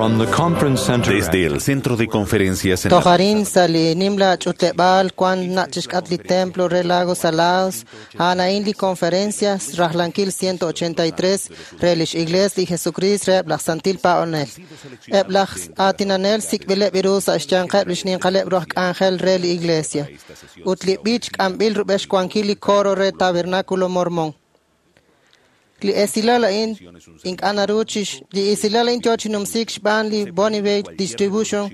From the conference center Desde el centro de conferencias en la Toj arin sa' li nimla ch'utleb'aal wan nach' chixk'atq li templo re Lago Salados, a'an a'in li conferencia rajlankil 183 re lix Iglees li Jesucrist reheb' laj Santil Paab'anel. Eb' laj aatinanel sik'b'ileb' ru sa' xyanqeb' lix ninqaleb' ru aj k'anjel re li Iglesia. Ut li b'ich k'amb'il rub'el xwankil li coro re Tabernáculo Mormón. Li esilal a'in ink'a' naru chix li esilal a'in yoo chi numsiik xb'aan li Bonneville Distribution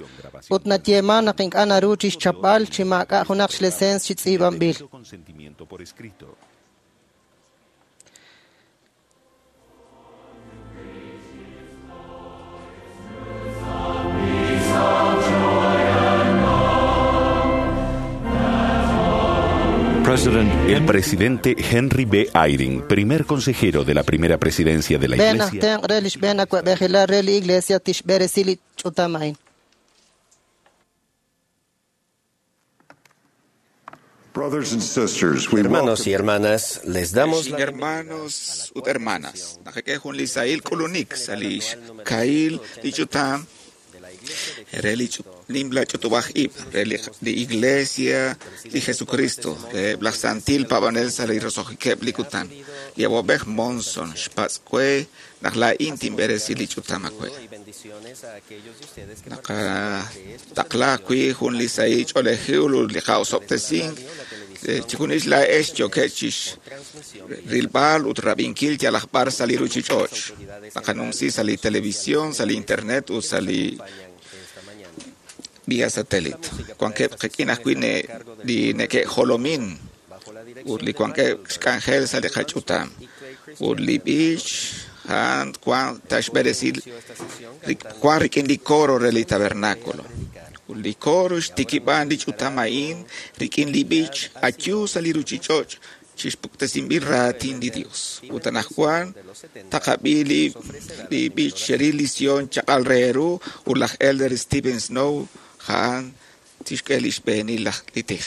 ut nayeeman naq ink'a' naru chixchapb'al chi maak'a' junaq xleseens chi tz'iib'anb'il. consentimiento por escrito. President El presidente Henry B. Eyring, primer consejero de la primera presidencia de la B'een aj Iglesia, tenq' re li xb'een awa'b'ejilal re li Iglesia tixb'eresi li ch'utam a'in. Brothers and sisters, we Hermanos y welcome hermanas, les damos Ex la hermanos ut hermanas, nakik'e jun li sahil k'ulunik sa' li xkahil li ch'utam re li nimla ch'utub'aj ib' re li Iglesia li Jesucristo re laj Santil Paab'anel sa' li roso'jikeb' li kutan. Li awab'ej Monson xpatz' we naq laa'in tinb'eresi li ch'utam awe'. Naqataqla wi' jun li sahil ch'oolejil ut li qa'osob'tesink chijunil laa'ex yookeb' chixrilb'al ut rab'inkil yalaq b'ar sa' li ruchich'och'. Naqanumsi sa' li televisión, sa' li internet ut sa' li vía satélite. Wankeb' qik'in ajwi' li neke'jolomin ut li wankeb' xk'anjel sa' li qach'utam. Ut li b'ich a'an wan taxb'eresi wan rik'in li coro re li tabernáculo. Ut li coro xtikib'an li ch'utam a'in rik'in li b'ich ayu sa' li ruchich'och' chixpuktesinb'il raatin li Dios. Ut anaqwan taqab'i li b'ich xeril li Sion chaq'al re ru ut laj Elder Steven Snow a'an tixk'e li xb'eenil laj li tij.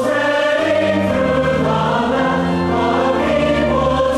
Spreading through the land, the people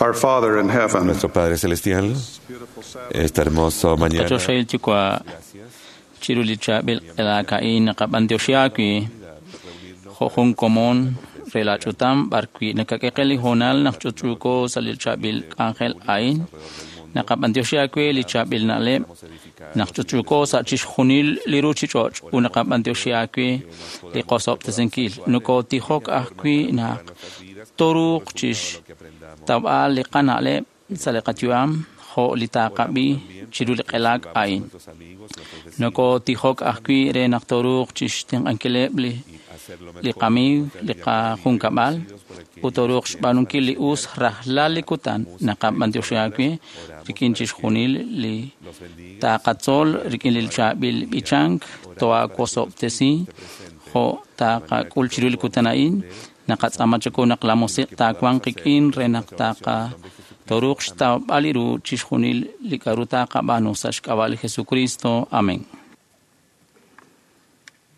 Our Father in heaven, Nuestro Padre Celestial, esta hermosa mañana. Qachoxahil Yuwa' chiru li chaab'il q'elaak a'in naqab'antioxi aawi' jo' jun komon re la ch'utam b'ar wi' nakak'e qe li hoonal naq ch'utch'uuko sa' li chaab'il k'anjel a'in naqab'antioxi aawe li chaab'il na'leb' naq ch'utch'uuko sa' chixjunil li ruchich'och' ut naqab'antioxi aawe li qosob'tesinkil nokotijok ajwi' naq toruuq chixtawb'al li qana'leb' sa' li qayu'am jo' li taqab'i chiru li q'elaak a'in. Nokotijok ajwi' re naq toruuq chixtenq'ankileb' li qamiiw, li qajunkab'al, ut toruuq xb'aanunkil li us rajlal li kutan naqab'antioxi aawe' rik'in chixjunil li taqatzol rik'in li chaab'il b'ichank toawosob'tesi jo' taqak'ul chiru li kutan a'in naqatz'aama chaku naq la musiq' taawanq qik'in re naq taqa toruuq xtawb'al ru chixjunil li k'a'ru taqab'aanu sa' xk'ab'a' li Jesucristo. Amén.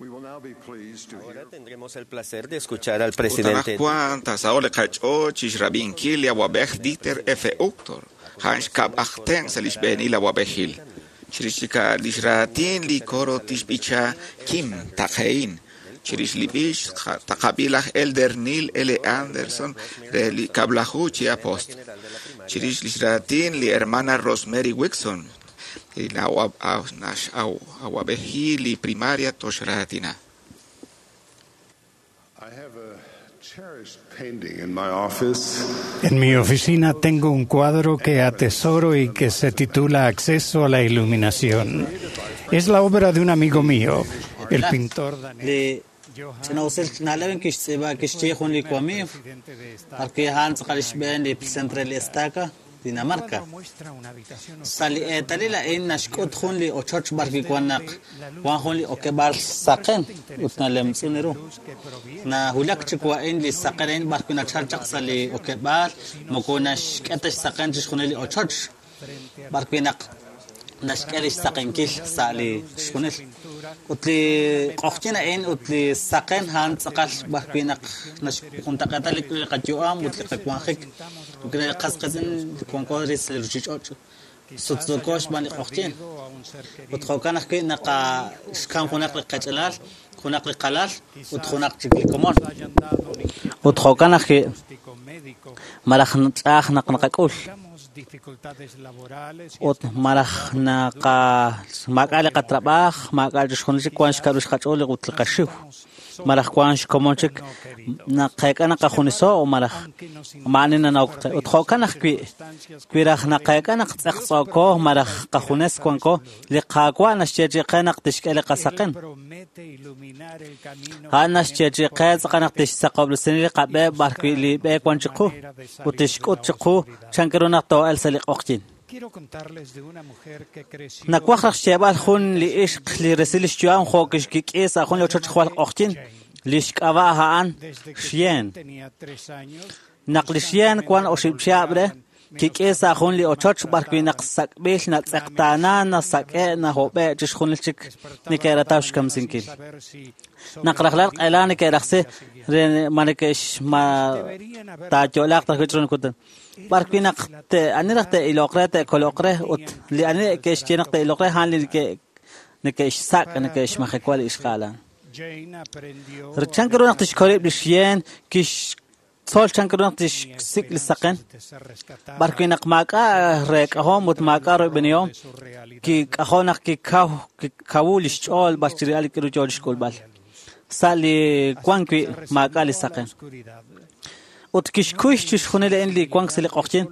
we will now be pleased to hear Ahora tendremos el placer de escuchar al Ut presidente anaqwan taasaho'q li qach'ool chixrab'inkil li awab'ej Dieter F. Uchtdorf, a'an xkab' aj tenq' sa' li xb'eenil awab'ejil. Chirix li xraatin li coro tixb'icha Kim Taqein. Chirix li b'ich taqab'i laj Elder Neil L. Anderson re li kab'laju chi apostol. Chirix li xraatin li hermana Rosemary Wixon, li awab'ejil li primaria toxraatina. I have a cherished painting in my office. En mi oficina tengo un cuadro que atesoro y que se titula Acceso a la Iluminación. Es la obra de un amigo mío, el pintor danés. Li ch'ina'usil na'leb' kixtz'iib'a kixye jun li wamiiw b'ar wi' a'an tz'aqal xb'een li presidente re li estaca Dinamarca. Sa' li eetalil a'in naxk'ut jun li ochoch b'ar wi' wan naq wan jun li okeb'aal saqen ut nalemtz'un ru. Nawulak chiwu a'in li saqen a'in b'ar wi' nachal chaq sa' li okeb'aal moko naxk'e ta xsaqen chixjunil li ochoch b'ar wi' naq naxk'e li xsaqenkil sa' li chixjunil. Ut li q'oqyin a'in ut li saqen a'an tz'aqal b'ar wi' naq naxjuntaq'eeta li qayu'am ut li qawanjik ut li qas qiitz'in li wanko re sa' li ruchich'och' sutsuuko xb'aan li q'oqyin. Ut jo'kan ajwi' naqaxkam junaq li qach'alal, junaq li qalal ut junaq chik li komon. Ut jo'kan ajwi' malaj ch'a'aj naq naqak'ul. Ut malaj naqa maak'a' li qatrab'aaj, maak'a' chixjunil chik wan xk'a'ru xqach'ool ut li qaxiw. Malaj wan xkomon chik naqeek'a naqajuniso o malaj ma'ani nanawk qe. Ut jo'kan ajwi' wi raj naqeek'a naq tz'eqtz'ooko malaj qajunes wanko, li Qaawa' naxyeechi'i qe naq tixk'e li qasaqen. A'an naxyeechi'i qe tz'aqal naq tixsaqob'resi li qab'e b'ar wi' li b'e wan chiqu ut tixk'ut chiqu chan ru naq too'el sa' li q'oqyin. Nawaj raj xyeeb'al jun li ixq li resil li xyu'am jo' kixkik'i sa' jun li ochoch jwal q'oqyin, li xk'ab'a' a'an Xyen. Naq li Xyen wan oxib' chihab' re, kik'i sa' jun li ochoch b'ar wi' naq sak'b'il natz'eqtaana nasak'e' nahob'e' chixjunil chik neke'rataw xkamsinkil. Naq rajlal q'ela neke'rajsi re ma neke'x ma taayo'laaq ta ajwi' chiru li kutan. B'ar wi' naq ani raj te'iloq re te'koloq re ut li ani ke'xye naq te'iloq re a'an li neke'xsak' neke'xmajewa li ixqa'al. Chan ru naq tixkoleb' li Xyen kixtzol chan ru naq tixsik' li saqen. B'ar wi' naq maak'a' reek'ahom ut maak'a' royb'enihom kik'ajo' naq kikawu li xch'ool b'ar chirib'al li k'aru yoo chixk'ulb'al. Sa' li wan wi' maak'a' li saqen. Ut kixkuy chixjunil a'in li wank sa' li q'oqyin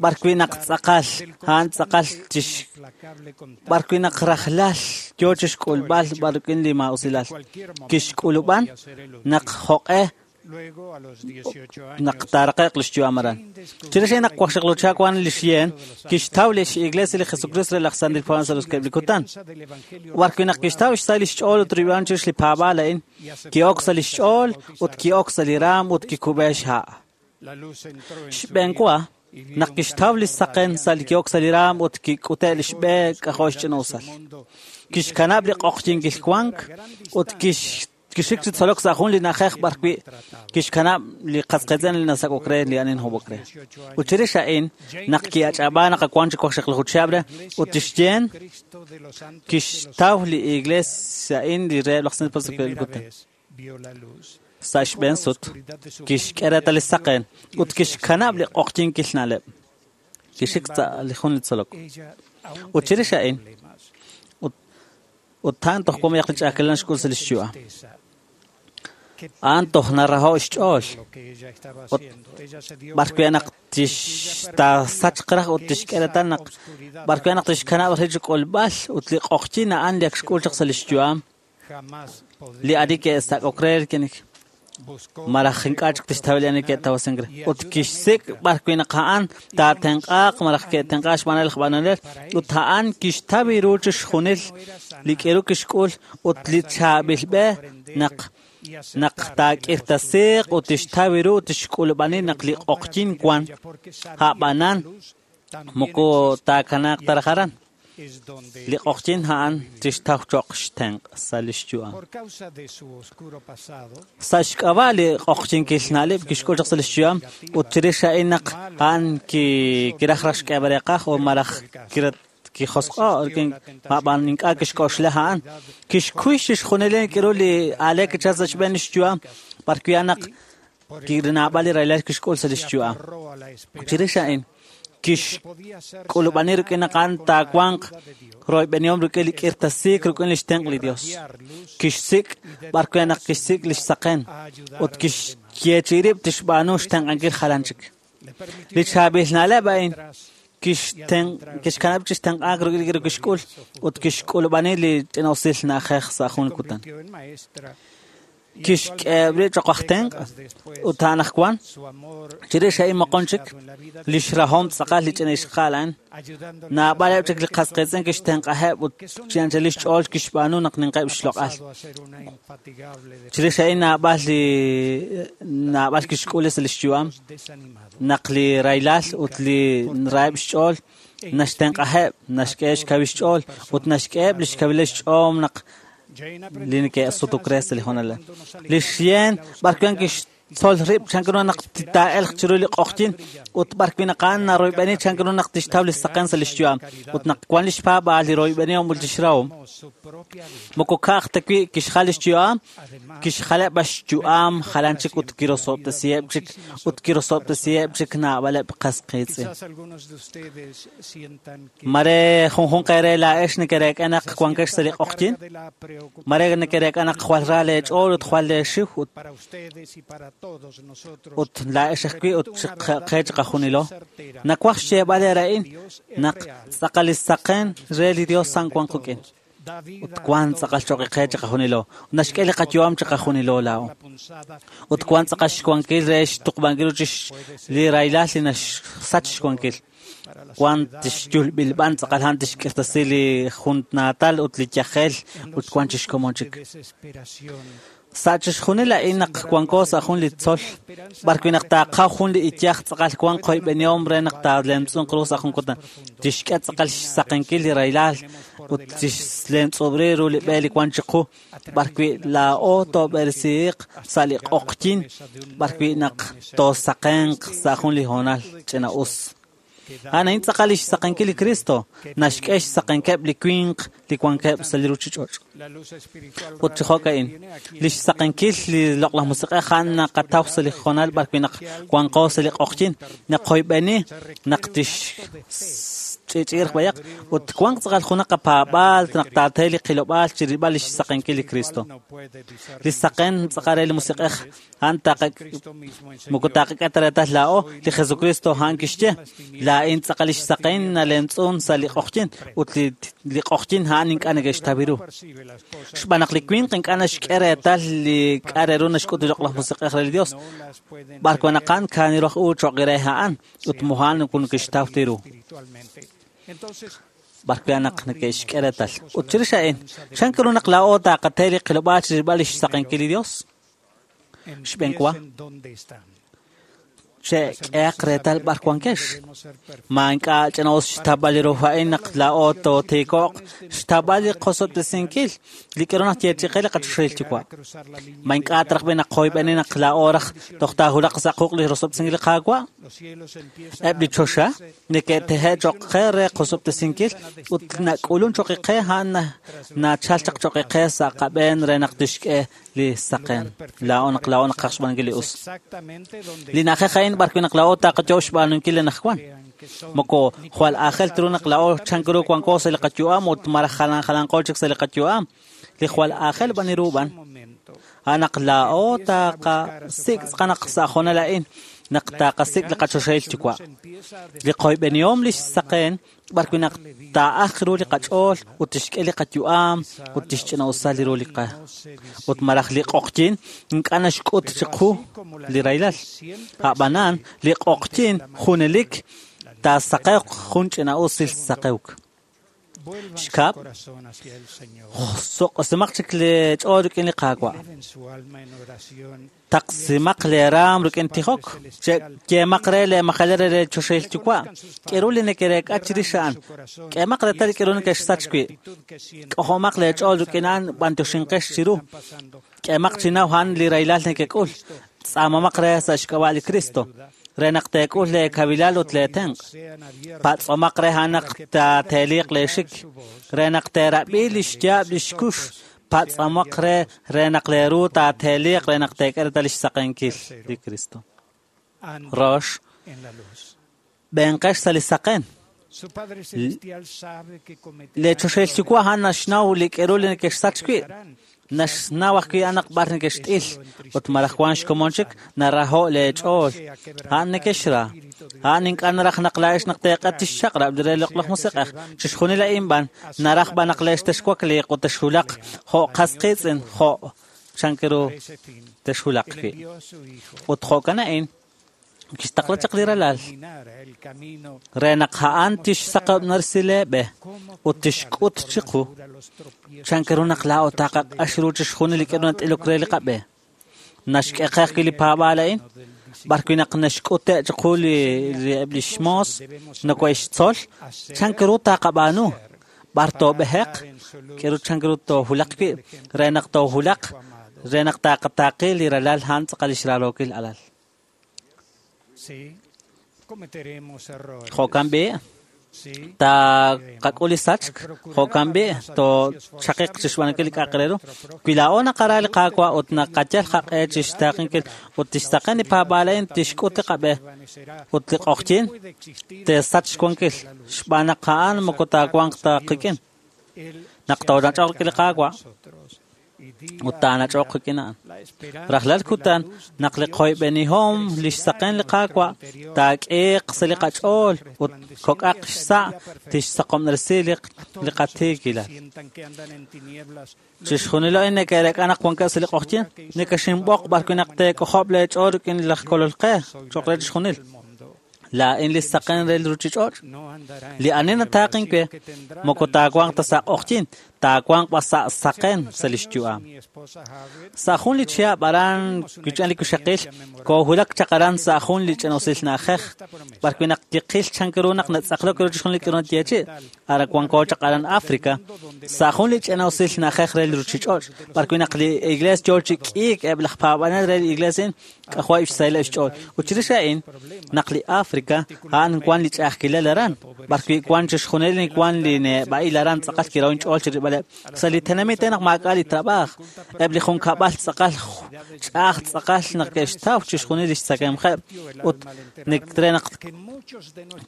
b'ar wi' naq tz'aqal a'an tz'aqal chix b'ar wi' naq rajlal yoo chixk'ulb'al b'ar rik'in li maa'usilal. Kixk'ulub'an naq jo'q'e naq taaraqe'q li xyu'am aran. Chirix a'in naq waqxaqlucha wan li Xyen kixtaw li x'iglesia li Jesucristo re laj Santil Paab'anel sa' roso'jikeb' li kutan. B'ar wi' naq kixtaw xsahil li xch'ool ut rib'an chirix li paab'aal a'in, ki'ok sa' li xch'ool ut ki'ok sa' li raam ut kikub'e xha'. Xb'een wa, naq kixtaw li saqen sa' li ki'ok sa' li raam ut kik'ute' li xb'e k'ajo' xch'ina'usal. Kixkanab' li q'oqyinkil wank ut kixik chi tzolok sa' jun li na'ajej b'ar wi' kixkanab' li qasqiitz'in li nasak'ok re li ani nahob'ok re. Ut chirix a'in, naq ki'ach'ab'a naq wank chi waqxaqlaju chihab' re, ut tixyen kixtaw li iglees a'in li reheb' laj Santil Paab'anel kutan. Sa' xb'een sut, kixk'e reetal li saqen ut kixkanab' li q'oqyinkil na'leb'. Kixik sa' li jun li tzolok. Ut chirix a'in, ut a'an toj wank li ch'a'ajkilal naxk'ul sa' li xyu'am. A'an toj naraho' xch'ool. Ut b'ar wi' naq tixtaasachq raj ut tixk'e reetal naq b'ar wi' naq tixkanab' rib' chi k'ulb'al ut li q'oqyin a'an li ak xk'ul chaq sa' li xyu'am li ani ke'sak'ok re malaj ink'a' chik tixtaw li ani ke'tawasink re. Ut kixsik' b'ar wi' naq a'an taatenq'aaq malaj ke'tenq'aaq xb'aan laj b'anonel ut a'an kixtaw ru chixjunil li k'iru kixk'ul ut li chaab'il b'e naq naq taak'irtasiiq ut tixtaw ru ut tixk'ulub'ani naq li q'oqyin wan a'b'anan moko taakanaaq ta raj aran. Li q'oqyin a'an tixtaw cho'q xtenq' sa' li xyu'am. Sa' xk'ab'a' li q'oqyinkil na'leb' kixk'ul chaq sa' li xyu'am ut chirix a'in naq a'an kiraj raj xk'eeb'al reeqaj o malaj kijosq'o' ab'an ink'a' kixk'oxla a'an. Kixkuy chixjunil k'iru li aaleek kichal sa' xb'een li xyu'am b'ar wi' naq naab'al li rahilal kixk'ul sa' li xyu'am. Chirix a'in kixk'ulub'ani rik'in naq a'an taawanq royb'enihom rik'in li k'irtasiik rik'in li xtenq' li Dios. Kixsik' b'ar wi' naq kixsik' li xsaqen ut kixyeechi'i rib' tixb'aanu xtenq'ankil jalan chik. Li chaab'il na'leb' a'in kixkanab' chi xtenq'aak rik'in li kixk'ul ut kixk'ulub'ani li ch'ina'usil na'ajej sa' jun kutan. Kixk'eheb' rib' cho'q aj tenq' ut a'an ajwan chirix a'in moqon chik li xrahom tz'aqal li ch'ina ixqa'al a'an naab'aleb' chik li qasqiitz'in kixtenq'aheb' ut chi anchal li xch'ool kixb'aanu naq ninqeb' xloq'al. Chirix a'in naab'al li naab'al kixk'ul sa' li xyu'am naq li rahilal ut li raheb' xch'ool naxtenq'aheb', naxk'e xkawil xch'ool ut naxk'eheb' li xkawil xch'ool naq li neke'sutuk re sa' li hoonal. Li xyen b'ar wi' kixtzol rib' chan ru naq taa'elq chiru li q'oqyin ut b'ar wi' naq a'an naroyb'eni chan ru naq tixtaw li saqen sa' li xyu'am ut naq wan li xpaab'aal li royb'enihom ut li xrahom. Moko ka'aj ta wi' kixjal li xyu'am, kixjaleb' b'an xyu'am jalan chik ut kirosob'tesiheb' chik ut kirosob'tesiheb' chik naab'aleb' qasqiitz'in. Mare junjunq eere laa'ex nekereek'a naq wankex sa' li q'oqyin, mare nekereek'a naq jwal ra leech'ool ut jwal leexiw ut laa'ex ajwi' ut qe chiqajunilo. Nawaj xyeeb'al eere a'in naq tz'aqal li saqen re li Dios san wan qik'in. Ut wan tz'aqal cho'q qe chiqajunilo. Naxk'e li qayu'am chiqajunilo laa'o. Ut wan tz'aqal xwankil re xtuqb'ankil ut li rahilal li naxsach xwankil. Wan tixyulb'il b'an tz'aqal a'an tixk'irtasi li juntnaatal ut li yajel ut wan chixkomon chik. Sa' chixjunil a'in naq wanko sa' jun li tzol b'ar wi' naq taaqaw jun li iyaj tz'aqal wan qoyb'enihom re naq taalemtz'unq ru sa' jun kutan. Tixk'e tz'aqal xsaqenkil li rahilal ut tixlemtz'ub'ri ru li b'e li wan chiqu b'ar wi' laa'o toob'eresiiq sa' li q'oqyin b'ar wi' naq toosaqenq sa' jun li hoonal ch'ina'us. A'an a'in tz'aqal li xsaqenkil li Cristo naxk'e xsaqenkeb' li winq li wankeb' sa' li ruuchich'och'. Ut chi jo'ka'in, li xsaqenkil li loq'laj musiq'ej a'an naqataw sa' li hoonal b'ar wi' naq wanqo sa' li q'oqyin, naq qoyb'eni naq tixch'i'ch'i'irq b'ayaq ut wanq tz'aqal junaq qapaab'aal naq taate li qilob'aal chirilb'al li xsaqenkil li Cristo. Li saqen tz'aqal re li musiq'ej a'an moko taaqak'e ta reetal laa'o, li Jesucristo a'an kixye, laa'in tz'aqal li xsaqen nalemtz'un sa' li q'oqyin ut li q'oqyin a'an ink'a' neke'xtaw ru. Xb'aan naq li winq ink'a' naxk'e reetal li k'a' re ru naxk'ut li loq'laj musiq'ej re li Dios. B'ar wan naq a'an kaaniru aj u cho'q re a'an ut mo'an neke'xtaw ta ru. B'ar wi' naq neke'xk'e reetal. Ut chirix a'in, chan ru naq laa'o taaqate li qilob'aal chirilb'al li xsaqenkil li Dios? Xb'een wa. Che'k'ehaq reetal b'ar wankex. Ma ink'a' ch'ina'us xtab'al li ru a'in naq laa'o tootiiko'q xtab'al li qosob'tesinkil li k'aru naq yeechi'i li qachoxahil Yuwa'. Ma ink'a' traj b'i naq qoyb'eni naq laa'o raj toj taahulaq sa' quq' li rosob'tesinkil li Qaawa'? Eb' li choxa neke'tehe' cho'q qe re qosob'tesinkil ut nak'ulun cho'q qe a'an nachal chaq cho'q qe sa' qab'een re naq tixk'e li saqen. Laa'o naq laa'o naqaj xb'aanunkil li us. Li na'ajej a'in b'ar wi' naq laa'o taqayo' xb'aanunkil li anaqwan. Moko jwal aajel ru naq laa'o chan ru wanko sa' li qayu'am ut malaj jalan jalanqo chik sa' li qayu'am. Li jwal aajel b'an ru b'an. A'an naq laa'o taqasik' tz'aqal sa' hoonal a'in naq taqasik' li qachoxahil Yuwa'. Li qoyb'enihom li xsaqen b'ar wi' naq taa'aj ru li qach'ool ut tixk'e li qayu'am ut tixch'ina'usal li ru li qa. Ut malaj li q'oqyin ink'a' naxk'ut chiqu li rahilal. A'b'anan li q'oqyin junelik taasaqewq jun ch'ina'usil saqewk. Xkab', soq'osimaq chik li ch'ool rik'in li Qaawa'. Taqsimaq le raam rik'in tijok. Yeemaq re le majal re le choxahil Yuwa'. K'eru li neke'reek'a chirix a'an. K'emaq reetal li k'eru neke'xsach wi'. K'ojomaq le ch'ool rik'in a'an b'antioxinqex chiru. K'emaq chinaw a'an li rahilal nekek'ul. Tz'aamamaq re sa' xk'ab'a' li Cristo. Re naq teek'ul le kavilal ut le tenq'. Patz'omaq re a'an naq taateeliq le xik. Re naq teerab'i li xyaab' li xkux. Patz'amaq re re naq le ru taateeliq re naq teek'e reetal li xsaqenkil li Cristo. Rox, b'enqex sa' li saqen. Le choxahil Yuwa' a'an naxnaw li k'eru li neke'xsach wi'. Naxnaw ajwi' a'an naq b'ar neke'xt'il ut malaj wan xkomon chik naraho' le ch'ool. A'an neke'xra. A'an ink'a' naraj naq laa'ex naq teeq'et tixchaq'rab' re loq'laj musiq'ej. Chixjunil a'in b'an naraj b'an naq leex texwakliiq ut texhulaq jo' qas qiitz'in jo' chan ru texhulaq wi'. Ut jo'kan a'in kixtaqla chaq li ralal re naq a'an tixsaqob'nersi le b'e ut tixk'ut chiqu chan ru naq laa'o taqaq'ax ru chixjunil li k'aru nat'ilok re li qab'e. Naxk'e qe ajwi' li paab'aal a'in b'ar wi' naq naxk'ute' chiqu li eb' li xmoos nokohe'xtzol chan ru taqab'aanu b'ar toob'eheq k'eru chan ru toohulaq wi' re naq toohulaq re naq taqataaqi li ralal a'an tz'aqal li xrarookil alal. Jo'kan b'i' taqak'ul li sachk, jo'kan b'i' toochaqiq chixb'aanunkil li k'a'aq re ru. Wi laa'o naqara li Qaawa' ut naqayal qaq'e chixtaaqenkil ut tixsaqen li paab'aal a'in tixk'ut li qab'e ut li q'oqyin teesach xwankil xb'aan naq a'an moko taawanq ta qik'in. Naq toonach'oq rik'in li Qaawa' ut taanach'oq qik'in a'an. Rajlal kutan naq li qoyb'enihom li xsaqen li Qaawa' taak'iiq sa' li qach'ool ut kok'aq xsa' tixsaqob'nersi li qatiikilal. Chixjunil a'in neke'reek'a naq wankeb' sa' li q'oqyin, neke'xinb'oq b'ar wi' naq teek'ojob' leech'ool rik'in laj Kolol qe cho'q re chixjunil. Laa'in li saqen re li ruchich'och'. Li ani nataaqin we moko taawanq ta sa' q'oqyin, taawanq b'an sa' saqen sa' li xyu'am. Sa' jun li chihab' aran wich'an li kuxaqil, koohulak chaq aran sa' jun li ch'ina'usil na'ajej, b'ar wi' naq kiqil chan ru naq natz'aqlok ru chixjunil li k'aru nayeechi'. Aran wanko chaq aran África, sa' jun li ch'ina'usil na'ajej re li ruchich'och', b'ar wi' naq li iglees yoo chi k'iik eb' laj paab'anel re li iglees a'in k'ajwa'ib' xsahileb' xch'ool. Ut chirix a'in, naq li África a'an wan li ch'a'ajkilal aran, b'ar wi' wan chixjunil li wan li neb'a'il aran tz'aqal kiraw inch'ool chirilb'aleb'. Sa' li tenamit naq maak'a' li trab'aaj, eb' li junkab'al tz'aqal ch'a'aj tz'aqal naq ke'xtaw chixjunil li xtzakemqeb' ut re naq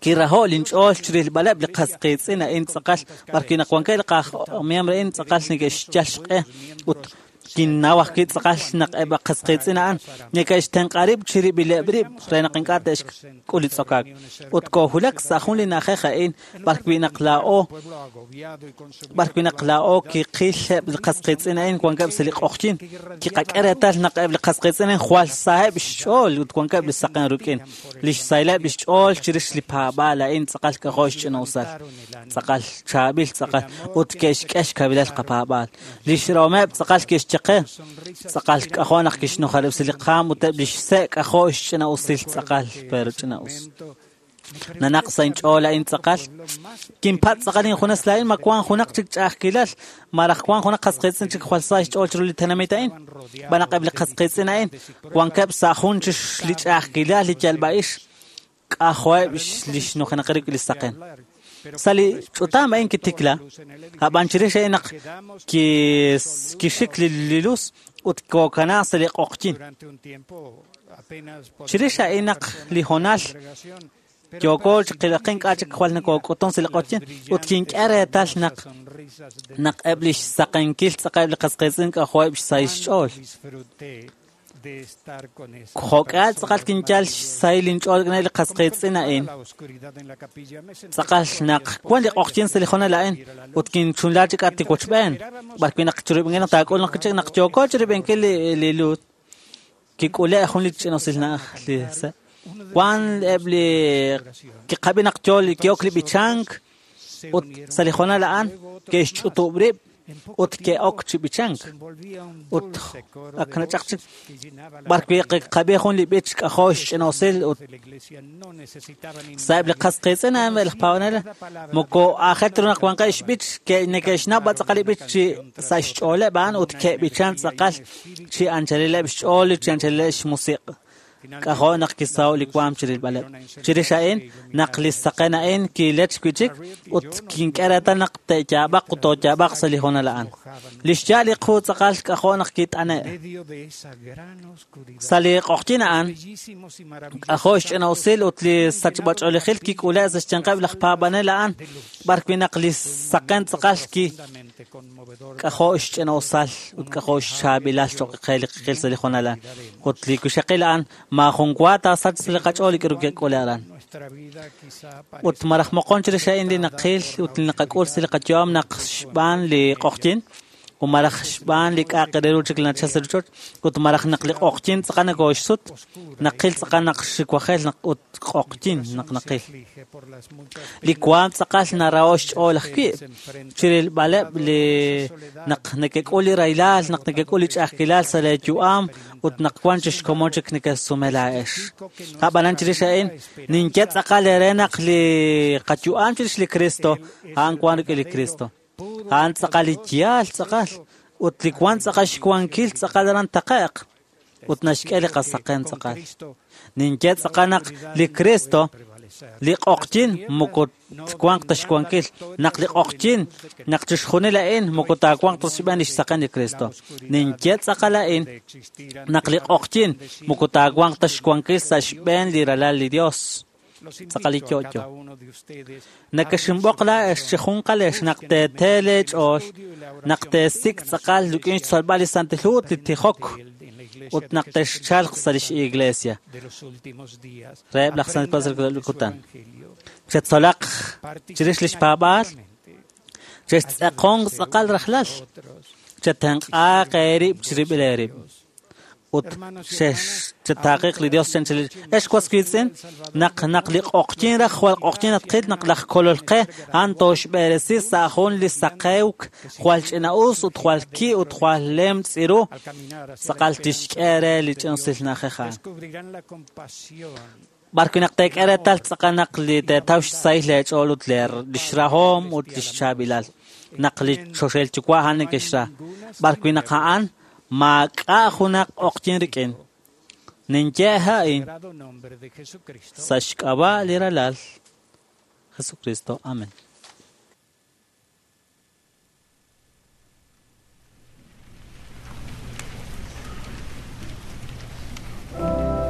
kiraho' linch'ool chirilb'aleb' li qas qiitz'in a'in tz'aqal b'ar wi' naq wankeb' li qaj miembro a'in tz'aqal neke'xyal xq'e ut kinnaw ajwi' tz'aqal naq eb' qas qiitz'in a'an neke'xtenq'a rib' chirib'ileb' rib' re naq ink'a' te'xk'ul li tz'okaak. Ut koohulak sa' jun li na'ajej a'in b'ar wi' naq laa'o kiqil eb' li qas qiitz'in a'in wankeb' sa' li q'oqyin. Kiqak'e reetal naq eb' li qas qiitz'in a'in jwal saheb' xch'ool ut wankeb' li saqen rik'in. Li xsahileb' li xch'ool chirix li paab'aal a'in tz'aqal k'ajo' xch'ina'usal. Tz'aqal chaab'il tz'aqal ut ke'xk'e xkavilal qapaab'aal. Li xrahomeb' tz'aqal ke'xchaq li qe. Tz'aqal k'ajo' naq kixnujaleb'si li qaam ut eb' li xse' k'ajo' xch'ina'usil tz'aqal, pero ch'ina'us. Nanaq sa' inch'ool a'in tz'aqal. Kinpatz' tz'aqal injunes laa'in ma wank junaq chik ch'a'ajkilal, malaj wank junaq qas qiitz'in chik jwal sa xch'ool chiru li tenamit a'in. B'an naq eb' li qas qiitz'in a'in wankeb' sa' jun chix li ch'a'ajkilal li yalb'a'ix k'ajo'eb' li xnujenaqil rik'in li saqen. Sa' li ch'utam a'in kitikla, ab'an chirix a'in naq kixik li luz ut kookana sa' li q'oqyin. Chirix a'in naq li hoonal yooko chiqilaqin k'a' chik jwal nakook'utun sa' li q'oqyin ut kink'e reetal naq eb' li xsaqenkil tz'aqal eb' li qas qiitz'in k'ajo'eb' xsahil xch'ool. Jo'k'al tz'aqal kinyal xsahil inch'ool rik'in li qas qiitz'in a'in. Tz'aqal naq wan li q'oqyin sa' li hoonal a'in ut kinchunla chik at li wochb'een. B'arwi' naq chirib'inkil naq taak'ul naq chik naq yooko chirib'inkil li luz kik'ule' jun li ch'ina'usil na'aj li se'. Wan eb' li kiqab'i naq yo ki'ok li b'ichank ut sa' li hoonal a'an ke'xch'utub' rib' ut ke'ok chi b'ichank. Ut ak nachaq chik b'arwi' kiqab'i jun li b'ich k'ajo' xch'ina'usil ut sa' eb' li qas qiitz'in a'an laj paab'anel moko aajel ta ru naq wanqeb' xb'ich neke'xnaw b'a tz'aqal li b'ich chi sa' xch'ooleb' a'an ut ke'b'ichan tz'aqal chi anchalileb' xch'ool chi anchalileb' xmusiq'. K'ajo' naq kisaho' li waam chirilb'aleb'. Chirix a'in naq li saqen a'in kilech wi' chik ut kink'e reetal naq te'yaab'aq ut tooyaab'aq sa' li hoonal a'an. Li xyaal li qu tz'aqal k'ajo' naq kit'ane'. Sa' li q'oqyin a'an k'ajo' xch'ina'usil ut li sachb'ach'oolejil kik'ule' sa' xyanqeb' laj paab'anel a'an b'arwi' naq li saqen tz'aqal ki k'ajo' xch'ina'usal ut k'ajo' xchaab'ilal cho'q qe li qil sa' li hoonal a'an. Ut li wixaqil a'an maajun wa taasach sa' li qach'ool li k'aru ke'k'ule aran. Ut malaj moqon chirix a'in li naqil ut li naqak'ul sa' li qayu'am naq xb'aan li q'oqyin ut malaj xb'aan li k'a'aq re ru chik li nachal sa' rochoch ut malaj naq li q'oqyin tz'aqal nakooxsut naqil tz'aqal naq xiwajel naq ut q'oqyin naq naqil. Li waam tz'aqal naraho' xch'ool ajwi' chirilb'aleb' li naq neke'k'ul li rahilal naq neke'k'ul li ch'a'ajkilal sa' lee yu'am ut naq wan chi xkomon chik neke'sume laa'ex. Ab'anan chirix a'in ninye tz'aqal eere naq li qayu'am chirix li Cristo a'an wan rik'in li Cristo. A'an tz'aqal li yaal tz'aqal ut li wan tz'aqal xwankil tz'aqal aran taqe'q ut naxk'e li qasaqen tz'aqal. Ninye tz'aqal naq li Cristo li q'oqyin moko twanq ta xwankil naq li q'oqyin naq chixjunil a'in moko taawanq ta xb'een li xsaqen li Cristo. Ninye tz'aqal a'in naq li q'oqyin moko taawanq ta xwankil sa' xb'een li ralal li Dios. Tz'aqal li yo'yo. Nakexinb'oq laa'ex chi junqalex naq teetee leech'ool naq teesik' tz'aqal rik'in xtzolb'al li Santil Hu ut li tijok ut naq texchalq sa' lix iglesia reheb' laj Santil Paab'anel li kutan. Chetzolaq chirix lix paab'aal, chextz'eqonq tz'aqal rajlal, chetenq'aaq eerib' chirib'il eerib'. Ut chetaaqiq li Dios chanchal ex was wiitz'in naq li q'oqyin raj jwal q'oqyin atqil naq laj kolol qe a'an tooxb'eresi sa' jun li saqewk jwal ch'ina'us ut jwal ki ut jwal lem tz'iru tz'aqal tixk'e re li ch'ina'usil na'ajej a'an. B'arwi' naq teek'e reetal tz'aqal naq li teetaw xsahil leech'ool ut li xrahom ut li xchaab'ilal naq li choxahil yuwa' a'an neke'xra. B'arwi' naq a'an maak'a' junaq q'oqyin rik'in. Ninye a'in sa' xk'ab'a' li ralal Jesucristo. Amén. Savior.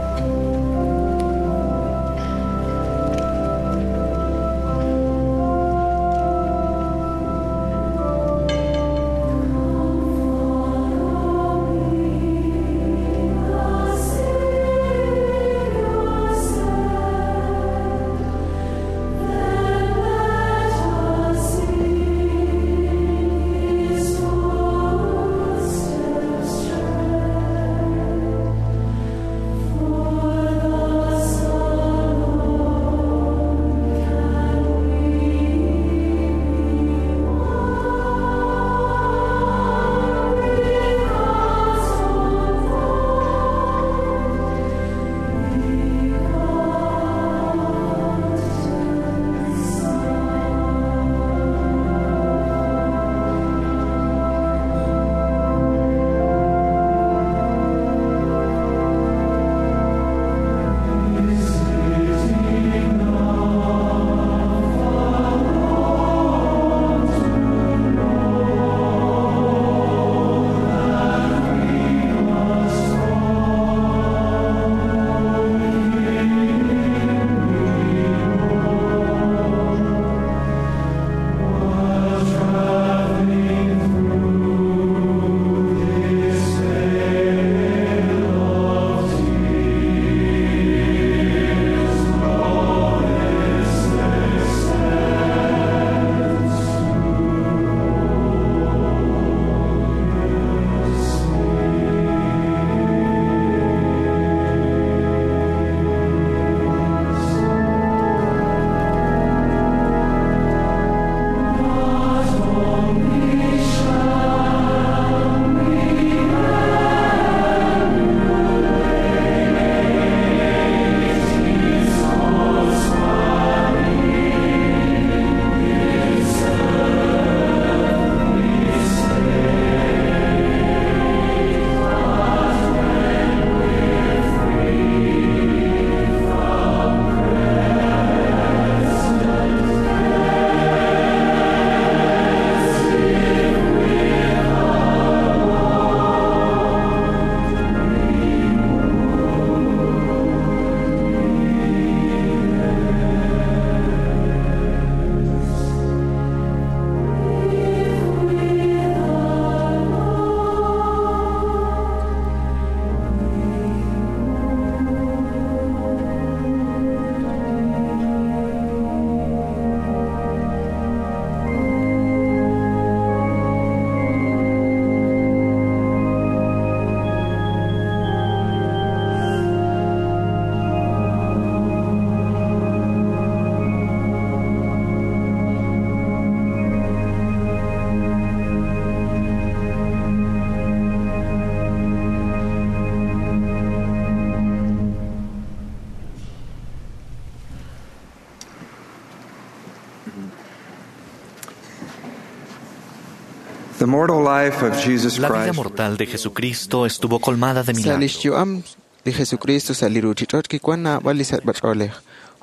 The mortal life of Jesus La vida Christ mortal de Jesucristo estuvo colmada de Sa' milagros. lix yu'am li Jesucristo sa' li ruchich'och' kiwan naab'al li sachb'ach'oolej,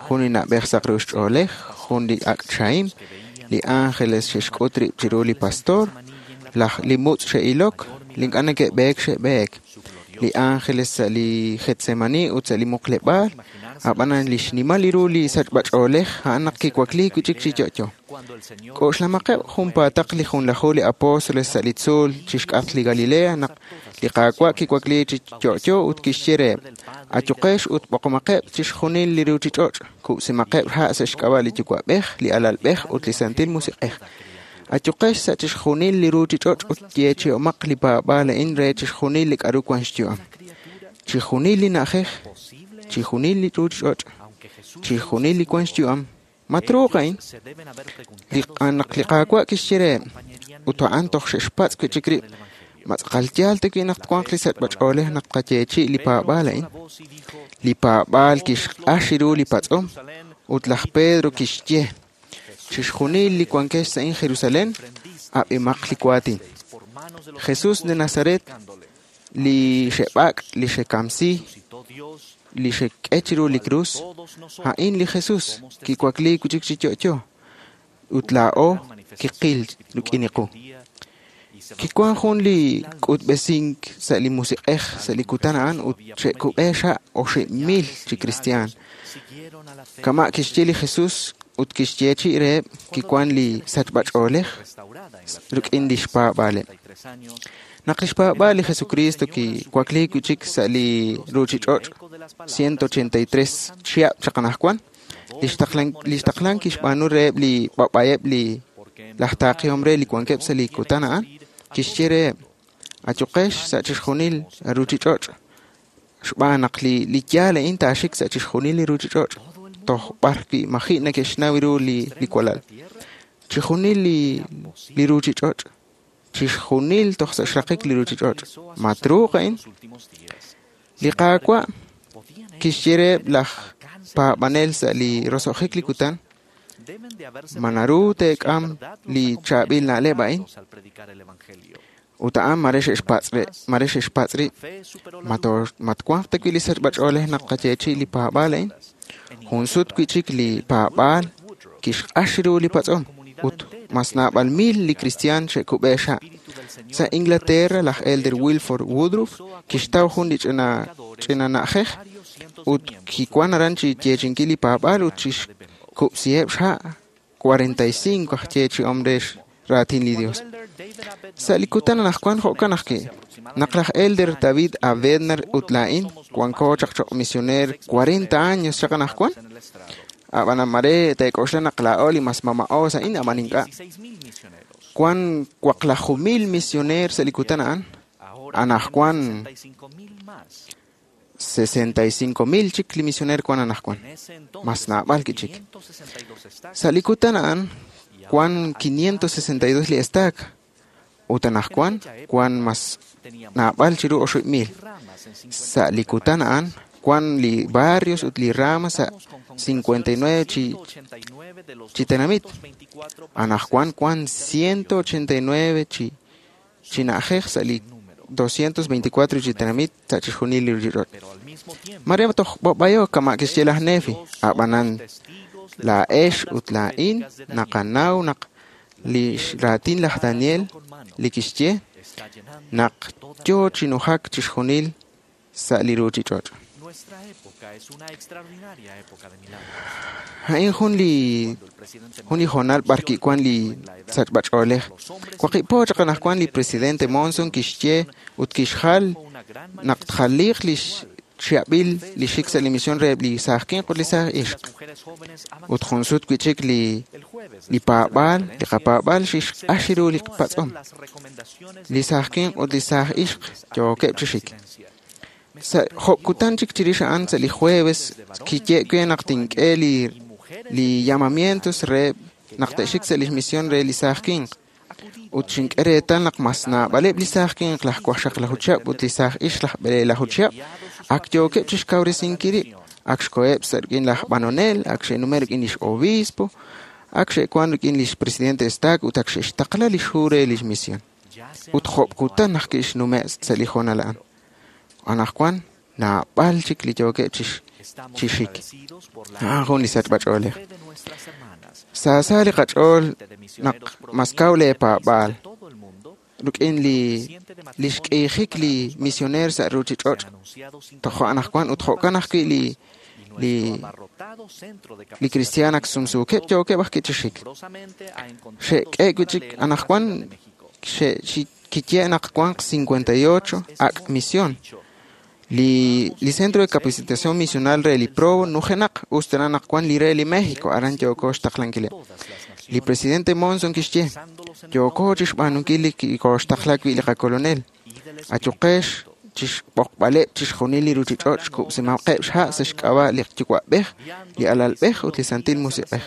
jun li na'b'ej saq ru xch'oolej, jun li ak' chahim, li ángeles xe'xk'ut rib' chiru li pastor, laj li mutz' xe'ilok, li ink'a' neke'b'eek xe'b'eek, li ángeles sa' li Getsemani ut sa' li muqleb'aal, ab'anan li xnimal ru li sachb'ach'oolej a'an naq kiwakliik wi' chik chi yo'yo. K'oxlamaqeb' junpaataq li junlaju li apóstoles sa' li tzuul chixk'atq li Galilea naq li Qaawa' kiwakliik chi yo'yo ut kixye reheb': Ayuqex ut b'oqomaqeb' chixjunil li ruchich'och', kub'simaqeb' ha' sa' xk'ab'a' li Yuwa'b'ej, li Alalb'ej ut li Santil Musiq'ej. Ayuqex sa' chixjunil li ruchich'och' ut yeechi'omaq li paab'aal a'in re chixjunil li k'aru wan xyu'am. Chixjunil li na'ajej, chixjunil li ruchich'och', chixjunil li wan xyu'am. Ma truuq a'in? Li naq li Qaawa' kixye reheb', ut a'an toj xe'xpatz' wi' chik rib', ma tz'aqal yaal ta wi' naq twanq li sachb'ach'oolej naq tqayeechi' li paab'aal a'in. Li paab'aal kixq'ax ru li patz'om, ut laj Pedro kixye, chixjunil li wankex sa' in Jerusalén, ab'imaq li waatin. Jesús de Nazaret, li xe'b'ak', li xe'kamsi, li xe'k'e chiru li krus, a'in li Jesús kiwakliik wi' chik chi yo'yo, ut laa'o kiqil rik'in qu. Kiwan jun li k'utb'esink sa' li musiq'ej sa' li kutan a'an ut xe'kub'e xa' 8,000 chi kristiaan. Kama' kixye li Jesús ut kixyeechi' reheb' kiwan li sachb'ach'oolej rik'in li xpaab'aaleb'. Naq li xpaab'aal li Jesucristo kiwakliik wi' chik sa' li ruchich'och' 183 chihab' chaq anaqwan, li xtaqlan kixb'aanu reheb' li b'ab'ayeb' li laj taaqihom re li wankeb' sa' li kutan a'an, kixye reheb': Ayuqex sa' chixjunil ruchich'och' xb'aan naq li yaal a'in taaxik sa' chixjunil li ruchich'och' toj b'ar wi' maji' neke'xnaw ru li walal. Chixjunil li ruchich'och', chixjunil toj sa' xraqik li ruchich'och'. Ma truuq a'in? Li Qaawa' kixye reheb' laj paab'anel sa' li roso'jik li kutan, ma naru teek'am li chaab'il na'leb' a'in? Ut a'an mare xe'xpatz' rib', ma twanq ta wi' li sachb'ach'oolej naq qayeechi' li paab'aal a'in? Jun sut wi' chik li paab'aal kixq'ax ru li patz'om ut mas naab'al mil li kristiaan xe'kub'e xa'. Sa' Inglaterra, laj Elder Wilford Woodruff kixtaw jun li ch'ina na'ajej ut kiwan aran chi yeechinkil li paab'aal ut chixkub'siheb' xha' 45 aj yeechi'om re raatin li Dios. Sa' li kutan anaqwan jo'kan ajwi', naq laj Elder David A. Bednar ut laa'in wanko chaq choq' misioneer 40 años chaq anaqwan, ab'an mare teek'oxla naq laa'o li mas mama'o sa' in ab'an ink'a'. Wan 1,000 misioneer sa' li kutan a'an, anaqwan 65,000 chik li misioneer wan anaqwan, mas naab'al ki chik. Sa' li kutan a'an, wan 562 li estaak, ut anaqwan wan mas naab'al chiru 8,000. Sa' li kutan a'an, wan li barrios ut li ramas sa' 59 chi tenamit. Anaqwan wan 189 chi na'ajej sa' li 224 chi tenamit sa' chixjunil li ruchich'och'. Mare toj b'ab'ayo kama' kixye laj Nefi, ab'anan laa'ex ut laa'in naqanaw naq li raatin laj Daniel li kixye naq yo chi nujak chixjunil sa' li ruchich'och'. A'in jun li hoonal b'ar kiwan li sachb'ach'oolej. Waqib' po chaq anaqwan li presidente Monson kixye ut kixjal naq tjaliiq li xchihab'il li xik sa' li misión reheb' li saaj winq ut li saaj ixq. Ut jun sut wi' chik li paab'aal, li qapaab'aal xixq'ax ru li patz'om. Li saaj winq ut li saaj ixq yookeb' chi xik. Sa' job' kutan chik chirix a'an sa' li jueves kiye we naq tink'e li llamamientos re naq te'xik sa' li misión re li saaj winq. Ut xink'e reetal naq mas naab'aleb' li saaj winq laj 16 chihab' ut li saaj ixq laj 12 chihab' ak yookeb' chixkawresinkil rib', ak xkoheb' sa' rik'in laj b'anonel, ak xe'nume' rik'in lix obispo, ak xe'wan rik'in lix presidente estac ut ak xe'xtaqla lix hu re lix misión. Ut job kutan ajwi' xnume' sa' li hoonal a'an. Anaqwan naab'al chik li yookeb' chi xik. A'an jun li sachb'ach'oolej. Saasa li qach'ool naq mas kaw leepaab'aal rik'in li xk'iijik li misioneer sa' ruuchich'och' tojo' anaqwan ut jo'kan ajwi' li kristiaan ak sumsuukeb' yookeb' ajwi' chi xik. Xe'k'e wi' chik anaqwan kiye naq wanq 58 ak' misión. Li Centro de Capacitación Misional re li Provo nujenaq us tana naq wan li re li México aran yooko xtaqlankileb'. Li presidente Monson kixye yooko chixb'aanunkil li kooxtaqla wi' li qakolonel. Ayuqex chixb'oqb'aleb' chixjunil li ruuchich'och' xkub'simaqeb' xha' sa' xk'ab'a' li Yuwa'b'ej, li Alalb'ej ut li Santil Musiq'ej.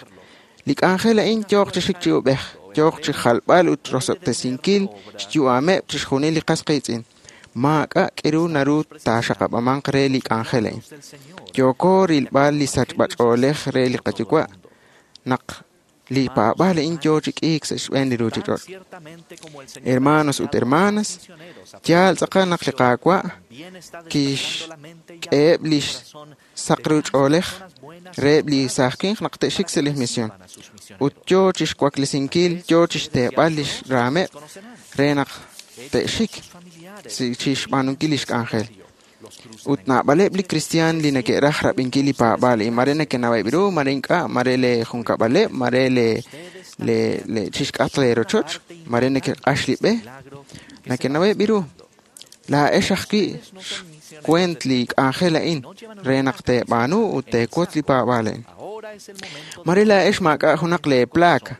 Li k'anjel a'in yooq chi xik chi ub'ej, yooq chi jalb'al ut rosob'tesinkil xyu'ameb' chixjunil li qas qiitz'in. Maak'a' k'iru naru taaxaqab'amanq re li k'anjel a'in. Yooko rilb'al li sachb'ach'oolej re li qayuwa' naq li paab'aal a'in yoo chi k'iik sa' xb'een li ruuchich'och'. Hermanos ut hermanas, yaal tz'aqal naq li Qaawa' kixk'eheb' li saq ru ch'oolej reheb' li saaj winq naq te'xik sa' li misión. Ut yoo chixwaklesinkil, yoo chixteeb'al lix raameb' re naq te'xik chixb'aanunkil lix k'anjel. Ut naab'aleb' li kristiaan li neke'raj rab'inkil li paab'aal a'in, mare nekenaweb' ru, mare ink'a', mare le junkab'aleb', mare le chixk'atq leerochoch, mare neke'q'ax li b'e, nekenaweb' ru. Laa'ex ajwi' xkuent li k'anjel a'in re naq teeb'aanu ut teewotz li paab'aal a'in. Mare laa'ex maak'a' junaq leeplaca,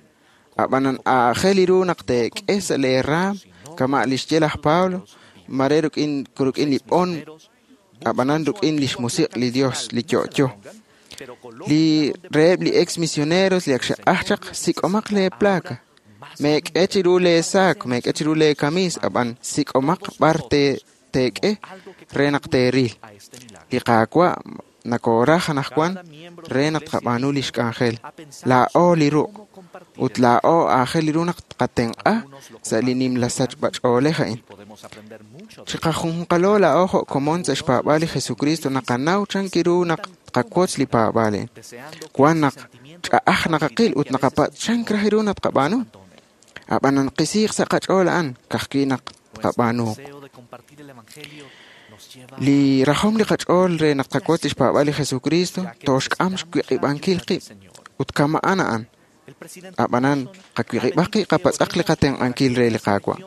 ab'anan aajel ru naq teek'e sa' leeraam kama' li xye laj Pablo, mare rik'in li b'on ab'anan rik'in li xmusiq' li Dios li yo'yo. Li reheb' li ex misioneros li ak xe'q'aj chaq sik'omaq leeplaca. Meek'e chiru leesaak, meek'e chiru leekamiis, ab'an sik'omaq b'ar teek'e re naq teeril. Li Qaawa' nakooraj anaqwan re naq tqab'aanu li xk'anjel. Laa'o li ruq' ut laa'o aajel ru naq tqatenq'a sa' li nimla sachb'ach'oolej a'in. Chiqajunqalo laa'o jo' komon sa' xpaab'aal li Jesucristo naqanaw chan ru naq tqawotz li paab'aal a'in. Wan naq ch'a'aj naqaqil ut naqapatz' chan raj ru naq tqab'aanu. Ab'anan qisiiq sa' qach'ool a'an ka'ajwi' naq tqab'aanu. Li rajom li qach'ool re naq tqawotz li xpaab'aal li Jesucristo tooxk'am xwiq'ib'ankil qib' ut kama'an a'an. Ab'anan qawiq'ib'aq qib' qapatz'aq li qatenq'ankil re li Qaawa'.